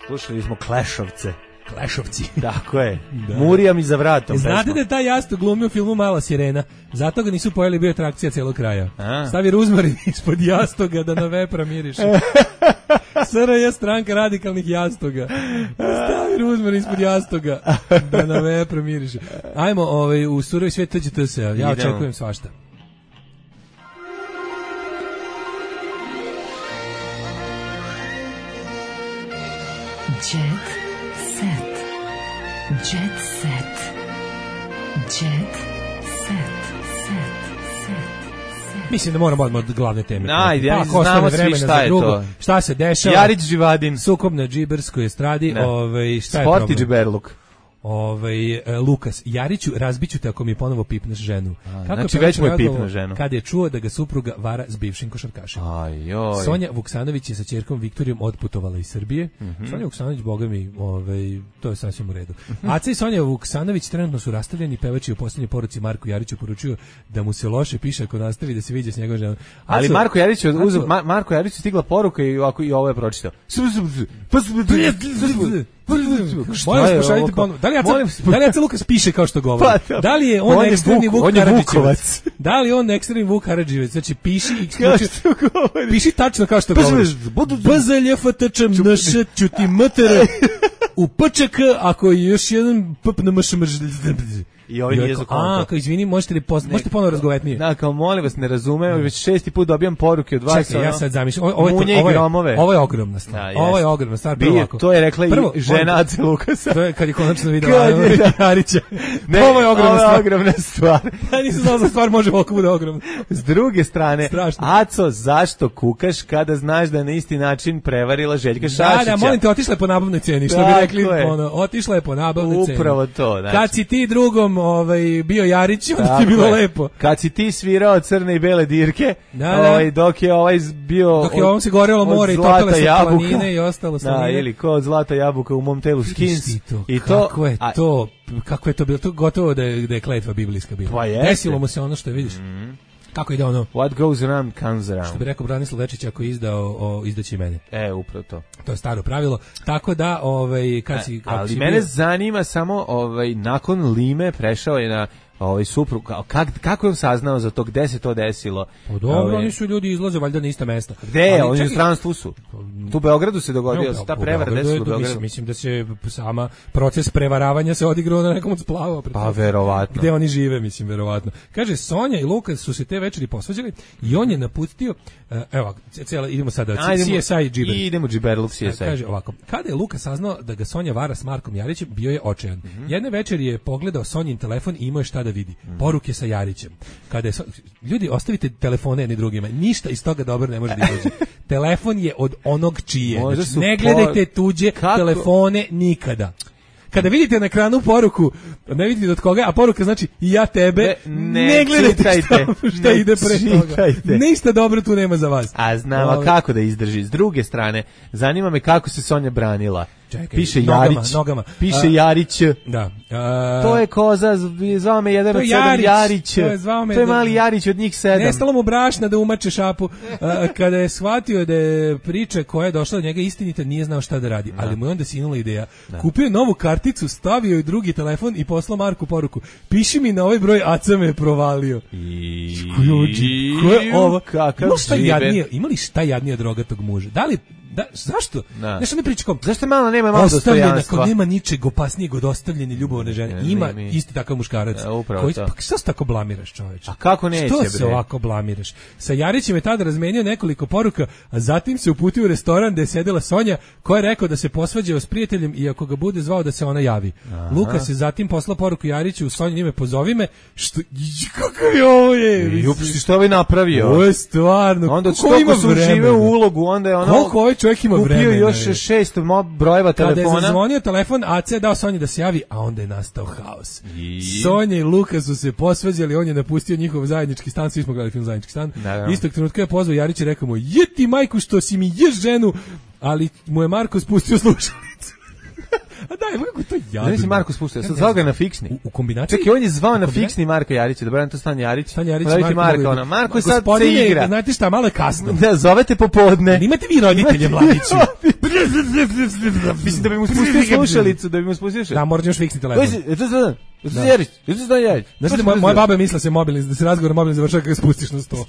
Slušali smo Klešovce. Klešovci. Tako je. Da. Murija mi za vratom. Znate pesma. da je taj jastog glumio u filmu Mala sirena. Zato ga nisu pojeli, bio atrakcija celog kraja. A. Stavi ruzmarin ispod jastoga da na vepra miriše. S R J stranka radikalnih jastoga. Stavi ruzmarin ispod jastoga da na vepra miriše. Ajmo ovaj, u surovi svijet T Ć T S-a. Ja Idemo. Očekujem svašta. Jet set. Jet set. Jet set. Set. Set. Mislim da moramo odmah od glavne teme. Ajde, ja pa, znamo svi šta je to. Šta se dešava? Jarić Živadin. Sukob na džiberskoj estradi. Ovaj, šta je Sporti problem? džiberluk. Ovaj Lukas Jariću, razbiću te ako mi ponovo pipneš ženu. A, kako znači već mu je pipnuo ženu. Kad je čuo da ga supruga vara s bivšim košarkašem. Ajoj. Sonja Vuksanović je sa ćerkom Viktorijom otputovala iz Srbije. Mm -hmm. Sonja Vuksanović, boga mi, ovaj, to je sasvim u redu. Aca i Sonja Vuksanović trenutno su rastavljeni, pevač je u posljednjoj poruci Marku Jariću poručio da mu se loše piše ako nastavi da se viđa s njegovom ženom. Ali Aco, Marko Jarić je uzeo, Mar, Marko Jarić je stigla poruka i ovako i ovo je pročitao. Molim vas, pošaljite ponovno. Da li Aca, da li Aca Lukas piše kao što govori? Pa, da li je on, on ekstremni Vuk, Vuk Karadžićevac? Da li on ekstremni Vuk Karadžićevac? Znači, piši i piši tačno kao što govori. B Z L F T Č M N Š ćuti M T R u P Č K ako je još jedan P P N M Š M Ž. I ovaj nije za konto. A, kao izvini, možete li poz... možete ponovo razgovetnije? Da, kao molim vas, ne razumem, već šesti put dobijam poruke od vas. Čekaj, ja sad zamišljam. Ovo, ovo, je, ovo, je, ovo je ogromna stvar. Da, ovo je ogromna stvar. Prvo ovako. To je rekla prvo, i žena Ace Lukasa. To je kad je konačno videla Jarića. Ne, ovo je ogromna ovo stvar. Ovo je ogromna stvar. Ja nisam znao za stvar može ovako bude ogromna. S druge strane, strašno. Aco, zašto kukaš kada znaš da na isti način prevarila Željka Šašića? Da, da, molim te, otišla je po nabavnoj ceni, što bi rekli, ono, otišla je po nabavnoj ceni. Upravo to, znači. Kad si ti drugom ovaj, bio Jarić, onda ti je bilo lepo. Kad si ti svirao crne i bele dirke, da, da. Ovaj, dok je ovaj bio... Dok je ovom se gorelo more i topile se planine i ostalo slanine. Da, ili ko od zlata jabuka u mom telu skins. To, I kako to, je a, to, kako je to bilo, to gotovo da je, da je kletva biblijska bila. Pa jeste. Desilo mu se ono što vidiš. Mm-hmm. Kako ide ono? What goes around comes around. Što bi rekao Branislav Lečić, ako je izdao, o, izdaći mene. E, upravo to. To je staro pravilo. Tako da, ovaj, kad si... A, ali si mene bio... zanima samo, ovaj, nakon Lime prešao je na ovaj suprug, kak, kako je on saznao za to, gde se to desilo? O dobro, ove... oni su ljudi izlaze valjda na ista mesta. Gde je? Oni u stranstvu su. Tu u Beogradu se dogodio, ta prevara desila u Beogradu. Mislim, mislim da se sama proces prevaravanja se odigrao na nekom od splava. Pa verovatno. Gde oni žive, mislim, verovatno. Kaže, Sonja i Lukas su se te večeri posvađali i on je napustio, uh, evo, cijela, idemo sada, C S I Džiber. Idemo Džiberluk C S I. Kaže ovako, kada je Lukas saznao da ga Sonja vara s Markom Jarićem, bio je očajan. Mm-hmm. Jedne večeri je pogledao Sonjin telefon i imao je šta da vidi. Poruke sa Jarićem. Kada je so... Ljudi, ostavite telefone jedni drugima. Ništa iz toga dobro ne može da izađe. Telefon je od onog čije. Znači, ne gledajte tuđe Kako? telefone nikada. Kada vidite na ekranu poruku, ne vidite od koga, a poruka znači i ja tebe, ne, ne gledajte šta, šta ide pre toga. Ništa dobro tu nema za vas. A znam, a kako da izdrži? S druge strane, zanima me kako se Sonja branila. Čekaj, piše nogama, Jarić, nogama. piše a, Jarić. Da. A, to je koza, zvao me jedan od sedam Jarić. To je, to je mali Jarić od njih sedam. Nestalo mu brašna da umače šapu. A, kada je shvatio da je priča koja je došla do njega istinita, nije znao šta da radi. Da. Ali mu je onda sinula ideja. Da. Kupio je novu karticu, stavio je drugi telefon i poslao Marku poruku. Piši mi na ovaj broj, Aca me je provalio. I... Ko je ovo? Kakav žive. Imali šta jadnije od rogatog muža? Da li Da, zašto? Da. Nešto mi priča kom? Zašto malo nema malo dostojanstva? Kako nema ničeg opasnijeg od ostavljene ljubavne žene. Ne, Ima ne, isti takav muškarac. Ja, koji, pa što se tako blamiraš, čoveče? A kako neće, što bre? se ovako blamiraš? Sa Jarićem je tada razmenio nekoliko poruka, a zatim se uputio u restoran gde je sedela Sonja, koja je rekao da se posvađao s prijateljem i ako ga bude zvao da se ona javi. Aha. Luka se zatim poslao poruku Jariću u Sonji ime pozovi me, što kakav je ovo je? Jupi, što je napravio? Ovo je stvarno. Onda što su žive u ulogu, onda je ono koliko ovaj čovjek ima vremena. Kupio još šest brojeva telefona. Kada je zazvonio telefon, Aca je dao Sonji da se javi, a onda je nastao haos. I... Sonja i Luka su se posvađali, on je napustio njihov zajednički stan, svi smo gledali film Zajednički stan. Naravno. Istog trenutka je pozvao Jarić i rekao mu, je ti majku što si mi ješ ženu, ali mu je Marko spustio slušalicu. A daj, kako to jadno. Ne si Marko spustio, sad zvao ga na fiksni. U, u kombinaciji. Čekaj, on je zvao na fiksni Marka Jarića, dobro, to Stan Jarić. Stan Jarić, Marko, Marko, ona. Marko sad se igra. Znate šta, malo je kasno. Da, zovete popodne. Imate vi roditelje mladići. Mislim da bi mu spustio slušalicu, da bi mu spustio slušalicu. Da, moraš još fiksni telefon. Da. Jarić, Jarić, Stan Jarić. Znači, moja, moja baba misla se mobilni, da se razgovor mobilni završava kada ga spustiš na sto.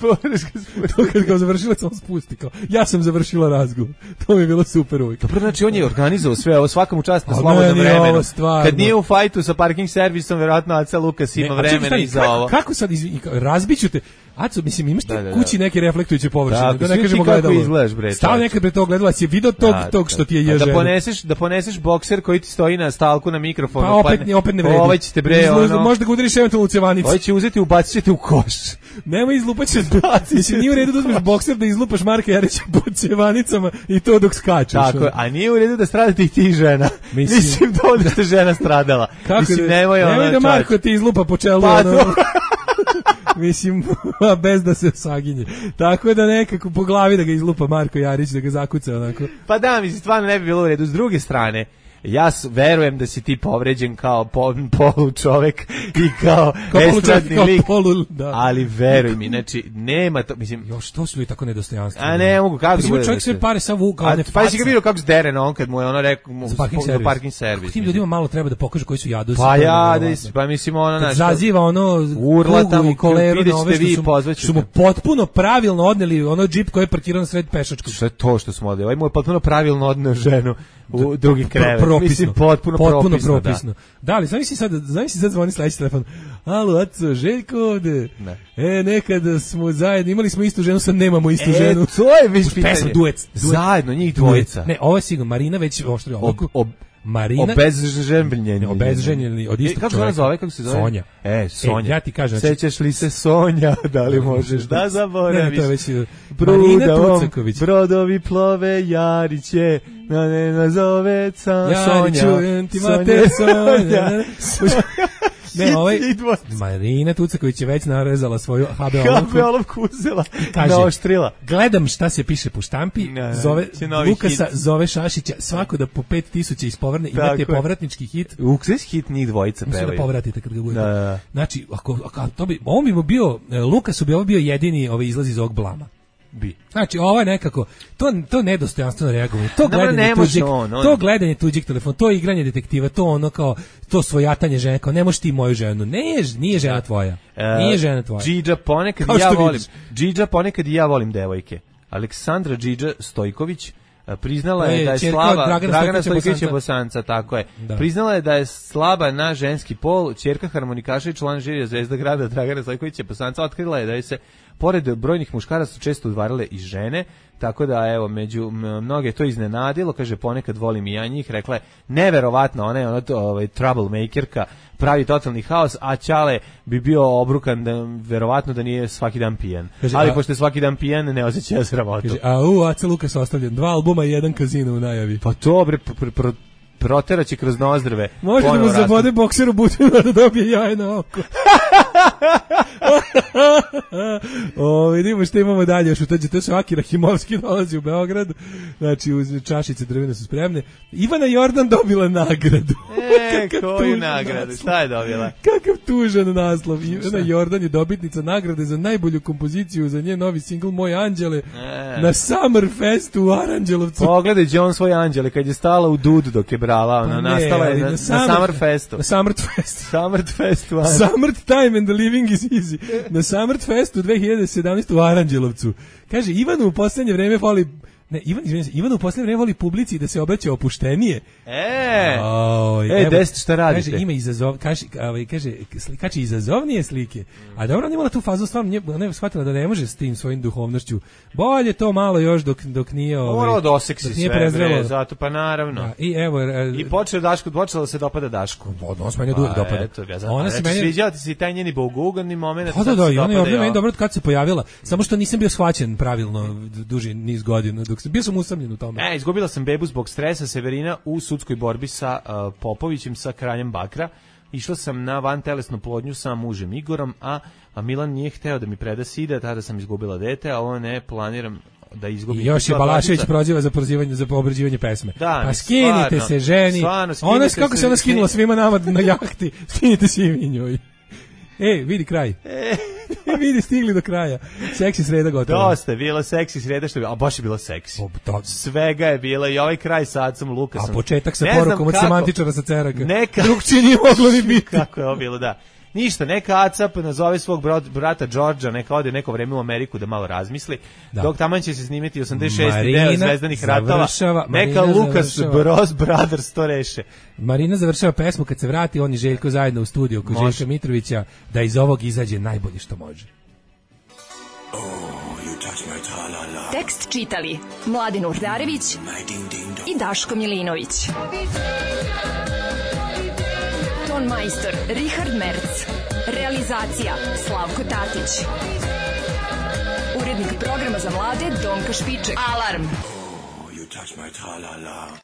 To kad ga završilac on spusti kao. Ja sam završila razgovor. To mi je bilo super uvijek. Dobro, znači on je organizovao sve ovo, svakom čast na slobodnom vremenu. Kad nije u fajtu sa parking servisom, verovatno Aca Lukas ima ne, vremena i za ovo. Kako sad iz, razbiću te? Aco, mislim, imaš ti da, da, kući neke reflektujuće površine, da, da ne kažemo gledalo. Izgledaš, bre. Stao nekad pre tog gledala, si video tog, da, tog što ti je ježeno. Da poneseš, da poneseš bokser koji ti stoji na stalku na mikrofonu. Pa opet, pa, opet ne vredi. Ovaj će te bre, Izlu, ono... Možda ga udariš eventualno u cevanicu. Ovaj će uzeti, ubacit će te u koš. Nema izlupaće. Mislim, nije u redu da uzmeš bokser da izlupaš Marka Jarića po cevanicama i to dok skačeš. Tako je, a nije u redu da stradate i ti žena. Mislim, mislim da da ste žena stradala. Kako mislim, nemoj ono. Nemoj da Marko ti izlupa po čelu. Pa ono. Mislim, bez da se saginje. Tako da nekako po glavi da ga izlupa Marko Jarić, da ga zakuca onako. Pa da, mislim, stvarno ne bi bilo u redu. S druge strane, ja verujem da si ti povređen kao po, polu čovek i kao estradni lik, polu, da. Ali veruj mi, znači, nema to, mislim... Još, to su li tako nedostojanstveni? A ne, mogu, kako... Pa čovjek sve pare sa vuka, one faca. Pa si ga vidio kako zdere na on, kad mu je ono rekao, za parking servis. Parking servis. Kako tim ljudima malo treba da pokažu koji su jadosi. Pa ja, da is, pa mislim ono... Kad zaziva ono urla tamo, i koleru na ove što su, su mu potpuno pravilno odneli ono džip koji je parkiran sred pešačkog. Sve to što smo odeli, ovaj mu je potpuno pravilno odneo ženu u drugi krevet. Propisno, mislim, potpuno, potpuno propisno. propisno. Da, da li, znam si sad, znam si sad zvoni sledeći telefon. Alo, Aco, Željko ovde. Ne. E, nekada smo zajedno, imali smo istu ženu, sad nemamo istu e, ženu. to je već pitanje. Pesma, duet, duet. Zajedno, njih dvojica. Ne, ovo je sigurno, Marina već oštri ovako. Ob, ob, Marina obezženjeni. Obezženjeni od istog kako čovjeka. Se zove, kako se zove? Sonja. E, Sonja. E, ja ti kažem, znači, sećaš li se Sonja, da li možeš da zaboraviš? Ne, ne, to je već Marina Tucaković. Brodovi plove, Jariće, na ne nazove Sonja. Jari, čujem ti mater Sonja. Ne, ovaj, Marina Tucaković je već narezala svoju ha be olovku. ha be olovku uzela, kaže, naoštrila. Gledam šta se piše po štampi, Ne, zove, Lukasa, hit. zove Šašića, svako da po pet tisuća ispovrne, imate povratnički hit. Ukses hit njih dvojica pevaju. Mislim da povratite kad ga budete. Da, da. Znači, ako, ako, to bi, on bi mu bio, Lukasu bi ovo bio jedini ovaj izlaz iz ovog blama. Bi. Znači, ovo je nekako, to, to nedostojanstveno reagovanje, to gledanje ne tuđeg, on, on. to gledanje tuđeg telefona, to igranje detektiva, to ono kao, to svojatanje žene, kao ne možeš ti moju ženu, ne, nije žena tvoja, nije žena tvoja. Džidža ponekad i ja volim, Džidža ponekad i ja volim devojke. Aleksandra Džidža Stojković priznala je, je da je slaba Dragana, Dragana Stojkovića Bosanca, tako je. Da. Priznala je da je slaba na ženski pol, ćerka harmonikaša i član žirija Zvezda grada Dragana Stojkovića Bosanca otkrila je da je se pored brojnih muškaraca često udvarale i žene, tako da evo među mnoge to iznenadilo, kaže ponekad volim i ja njih, rekla je neverovatno, ona je ona to ovaj troublemakerka, pravi totalni haos, a Ćale bi bio obrukan da verovatno da nije svaki dan pijan. Kaže, ali a, pošto je svaki dan pijan, ne osjeća sramotu. Kaže, a u Aca Lukas ostavljen, dva albuma i jedan kazino u najavi. Pa to bre pr, pr, pr, proteraće kroz nozdrve. Može da mu zabode bokser u butinu da dobije jaje na oko. O, vidimo što imamo dalje, još utađe, to se Aki Rahimovski dolazi u Beograd, znači uz čašice drvene su spremne. Ivana Jordan dobila nagradu. E, koju nagradu, šta je dobila? Kakav tužan naslov. Ivana Jordan je dobitnica nagrade za najbolju kompoziciju za njen novi singl Moj anđele e. na Summerfestu u Aranđelovcu. Pogledaj John svoj anđele, kad je stala u Dud dok je brala, ona pa ne, nastala je na, na, Summer, na Summerfestu. Na Summerfestu. Summerfestu. Summer time and the living is easy. Na Summerfestu dve hiljade sedamnaeste. u Aranđelovcu. Kaže, Ivanu u poslednje vreme voli Ne, Ivan, Ivan u poslednje vreme voli publici da se obraća opuštenije. E, oh, e, deset šta radite? Kaže, ima izazov, kaže, ovaj, kaže, kači izazovnije slike. A dobro, ona imala tu fazu, stvarno, ona je shvatila da ne može s tim svojim duhovnošću. Bolje to malo još dok, dok nije... Ovaj, moralo da oseksi sve, bre, zato pa naravno. Da, i evo... E, I počeo Daško, počela da se dopada Dašku. Odnos meni pa, dopada. Eto, ja znam, ona se meni... Sviđala ti se i taj njeni boguganni moment. Pa da, da, i ona je ovdje meni dobro kad se pojavila. Samo što nisam bio shvaćen pravilno duži niz godina, dok bio sam usamljen u tome. E, izgubila sam bebu zbog stresa. Severina u sudskoj borbi sa uh, Popovićem, sa kraljem Bakra. Išla sam na vantelesnu plodnju sa mužem Igorom, a, a Milan nije hteo da mi preda sida, tada sam izgubila dete, a ovo ne planiram da izgubim. I još je Balašević proziva za prozivanje, za obrađivanje pesme. Da, pa skinite stvarno, se ženi. Stvarno, ona, kako se ona skinula svima nama na jahti, skinite se i njoj. E, vidi kraj. E, vidi, stigli do kraja. Seksi sreda gotovo. Dosta je bila seksi sreda, što je, a baš je bila seksi. O, svega je bila i ovaj kraj sad sam Lukasom. A početak sa porukom od semantičara sa ceraka. Neka... Drugčije nije moglo ni biti. Kako je ovo bilo, da. Ništa, neka Acap nazove svog brata Đorđa, neka ode neko vreme u Ameriku da malo razmisli, da. Dok taman će se snimiti osamdeset šesti deo Zvezdanih ratova, neka Lukas Bros Brothers to reše. Marina završava pesmu, kad se vrati on i Željko zajedno u studiju kod Željka Mitrovića, da iz ovog izađe najbolje što može. Oh, tekst čitali Mladen Urdarević i Daško Milinović. Ton majstor Richard Merc. Realizacija Slavko Tatić. Urednik programa za mlade Donka Špiček. Alarm! Oh, you touch my tra-la-la.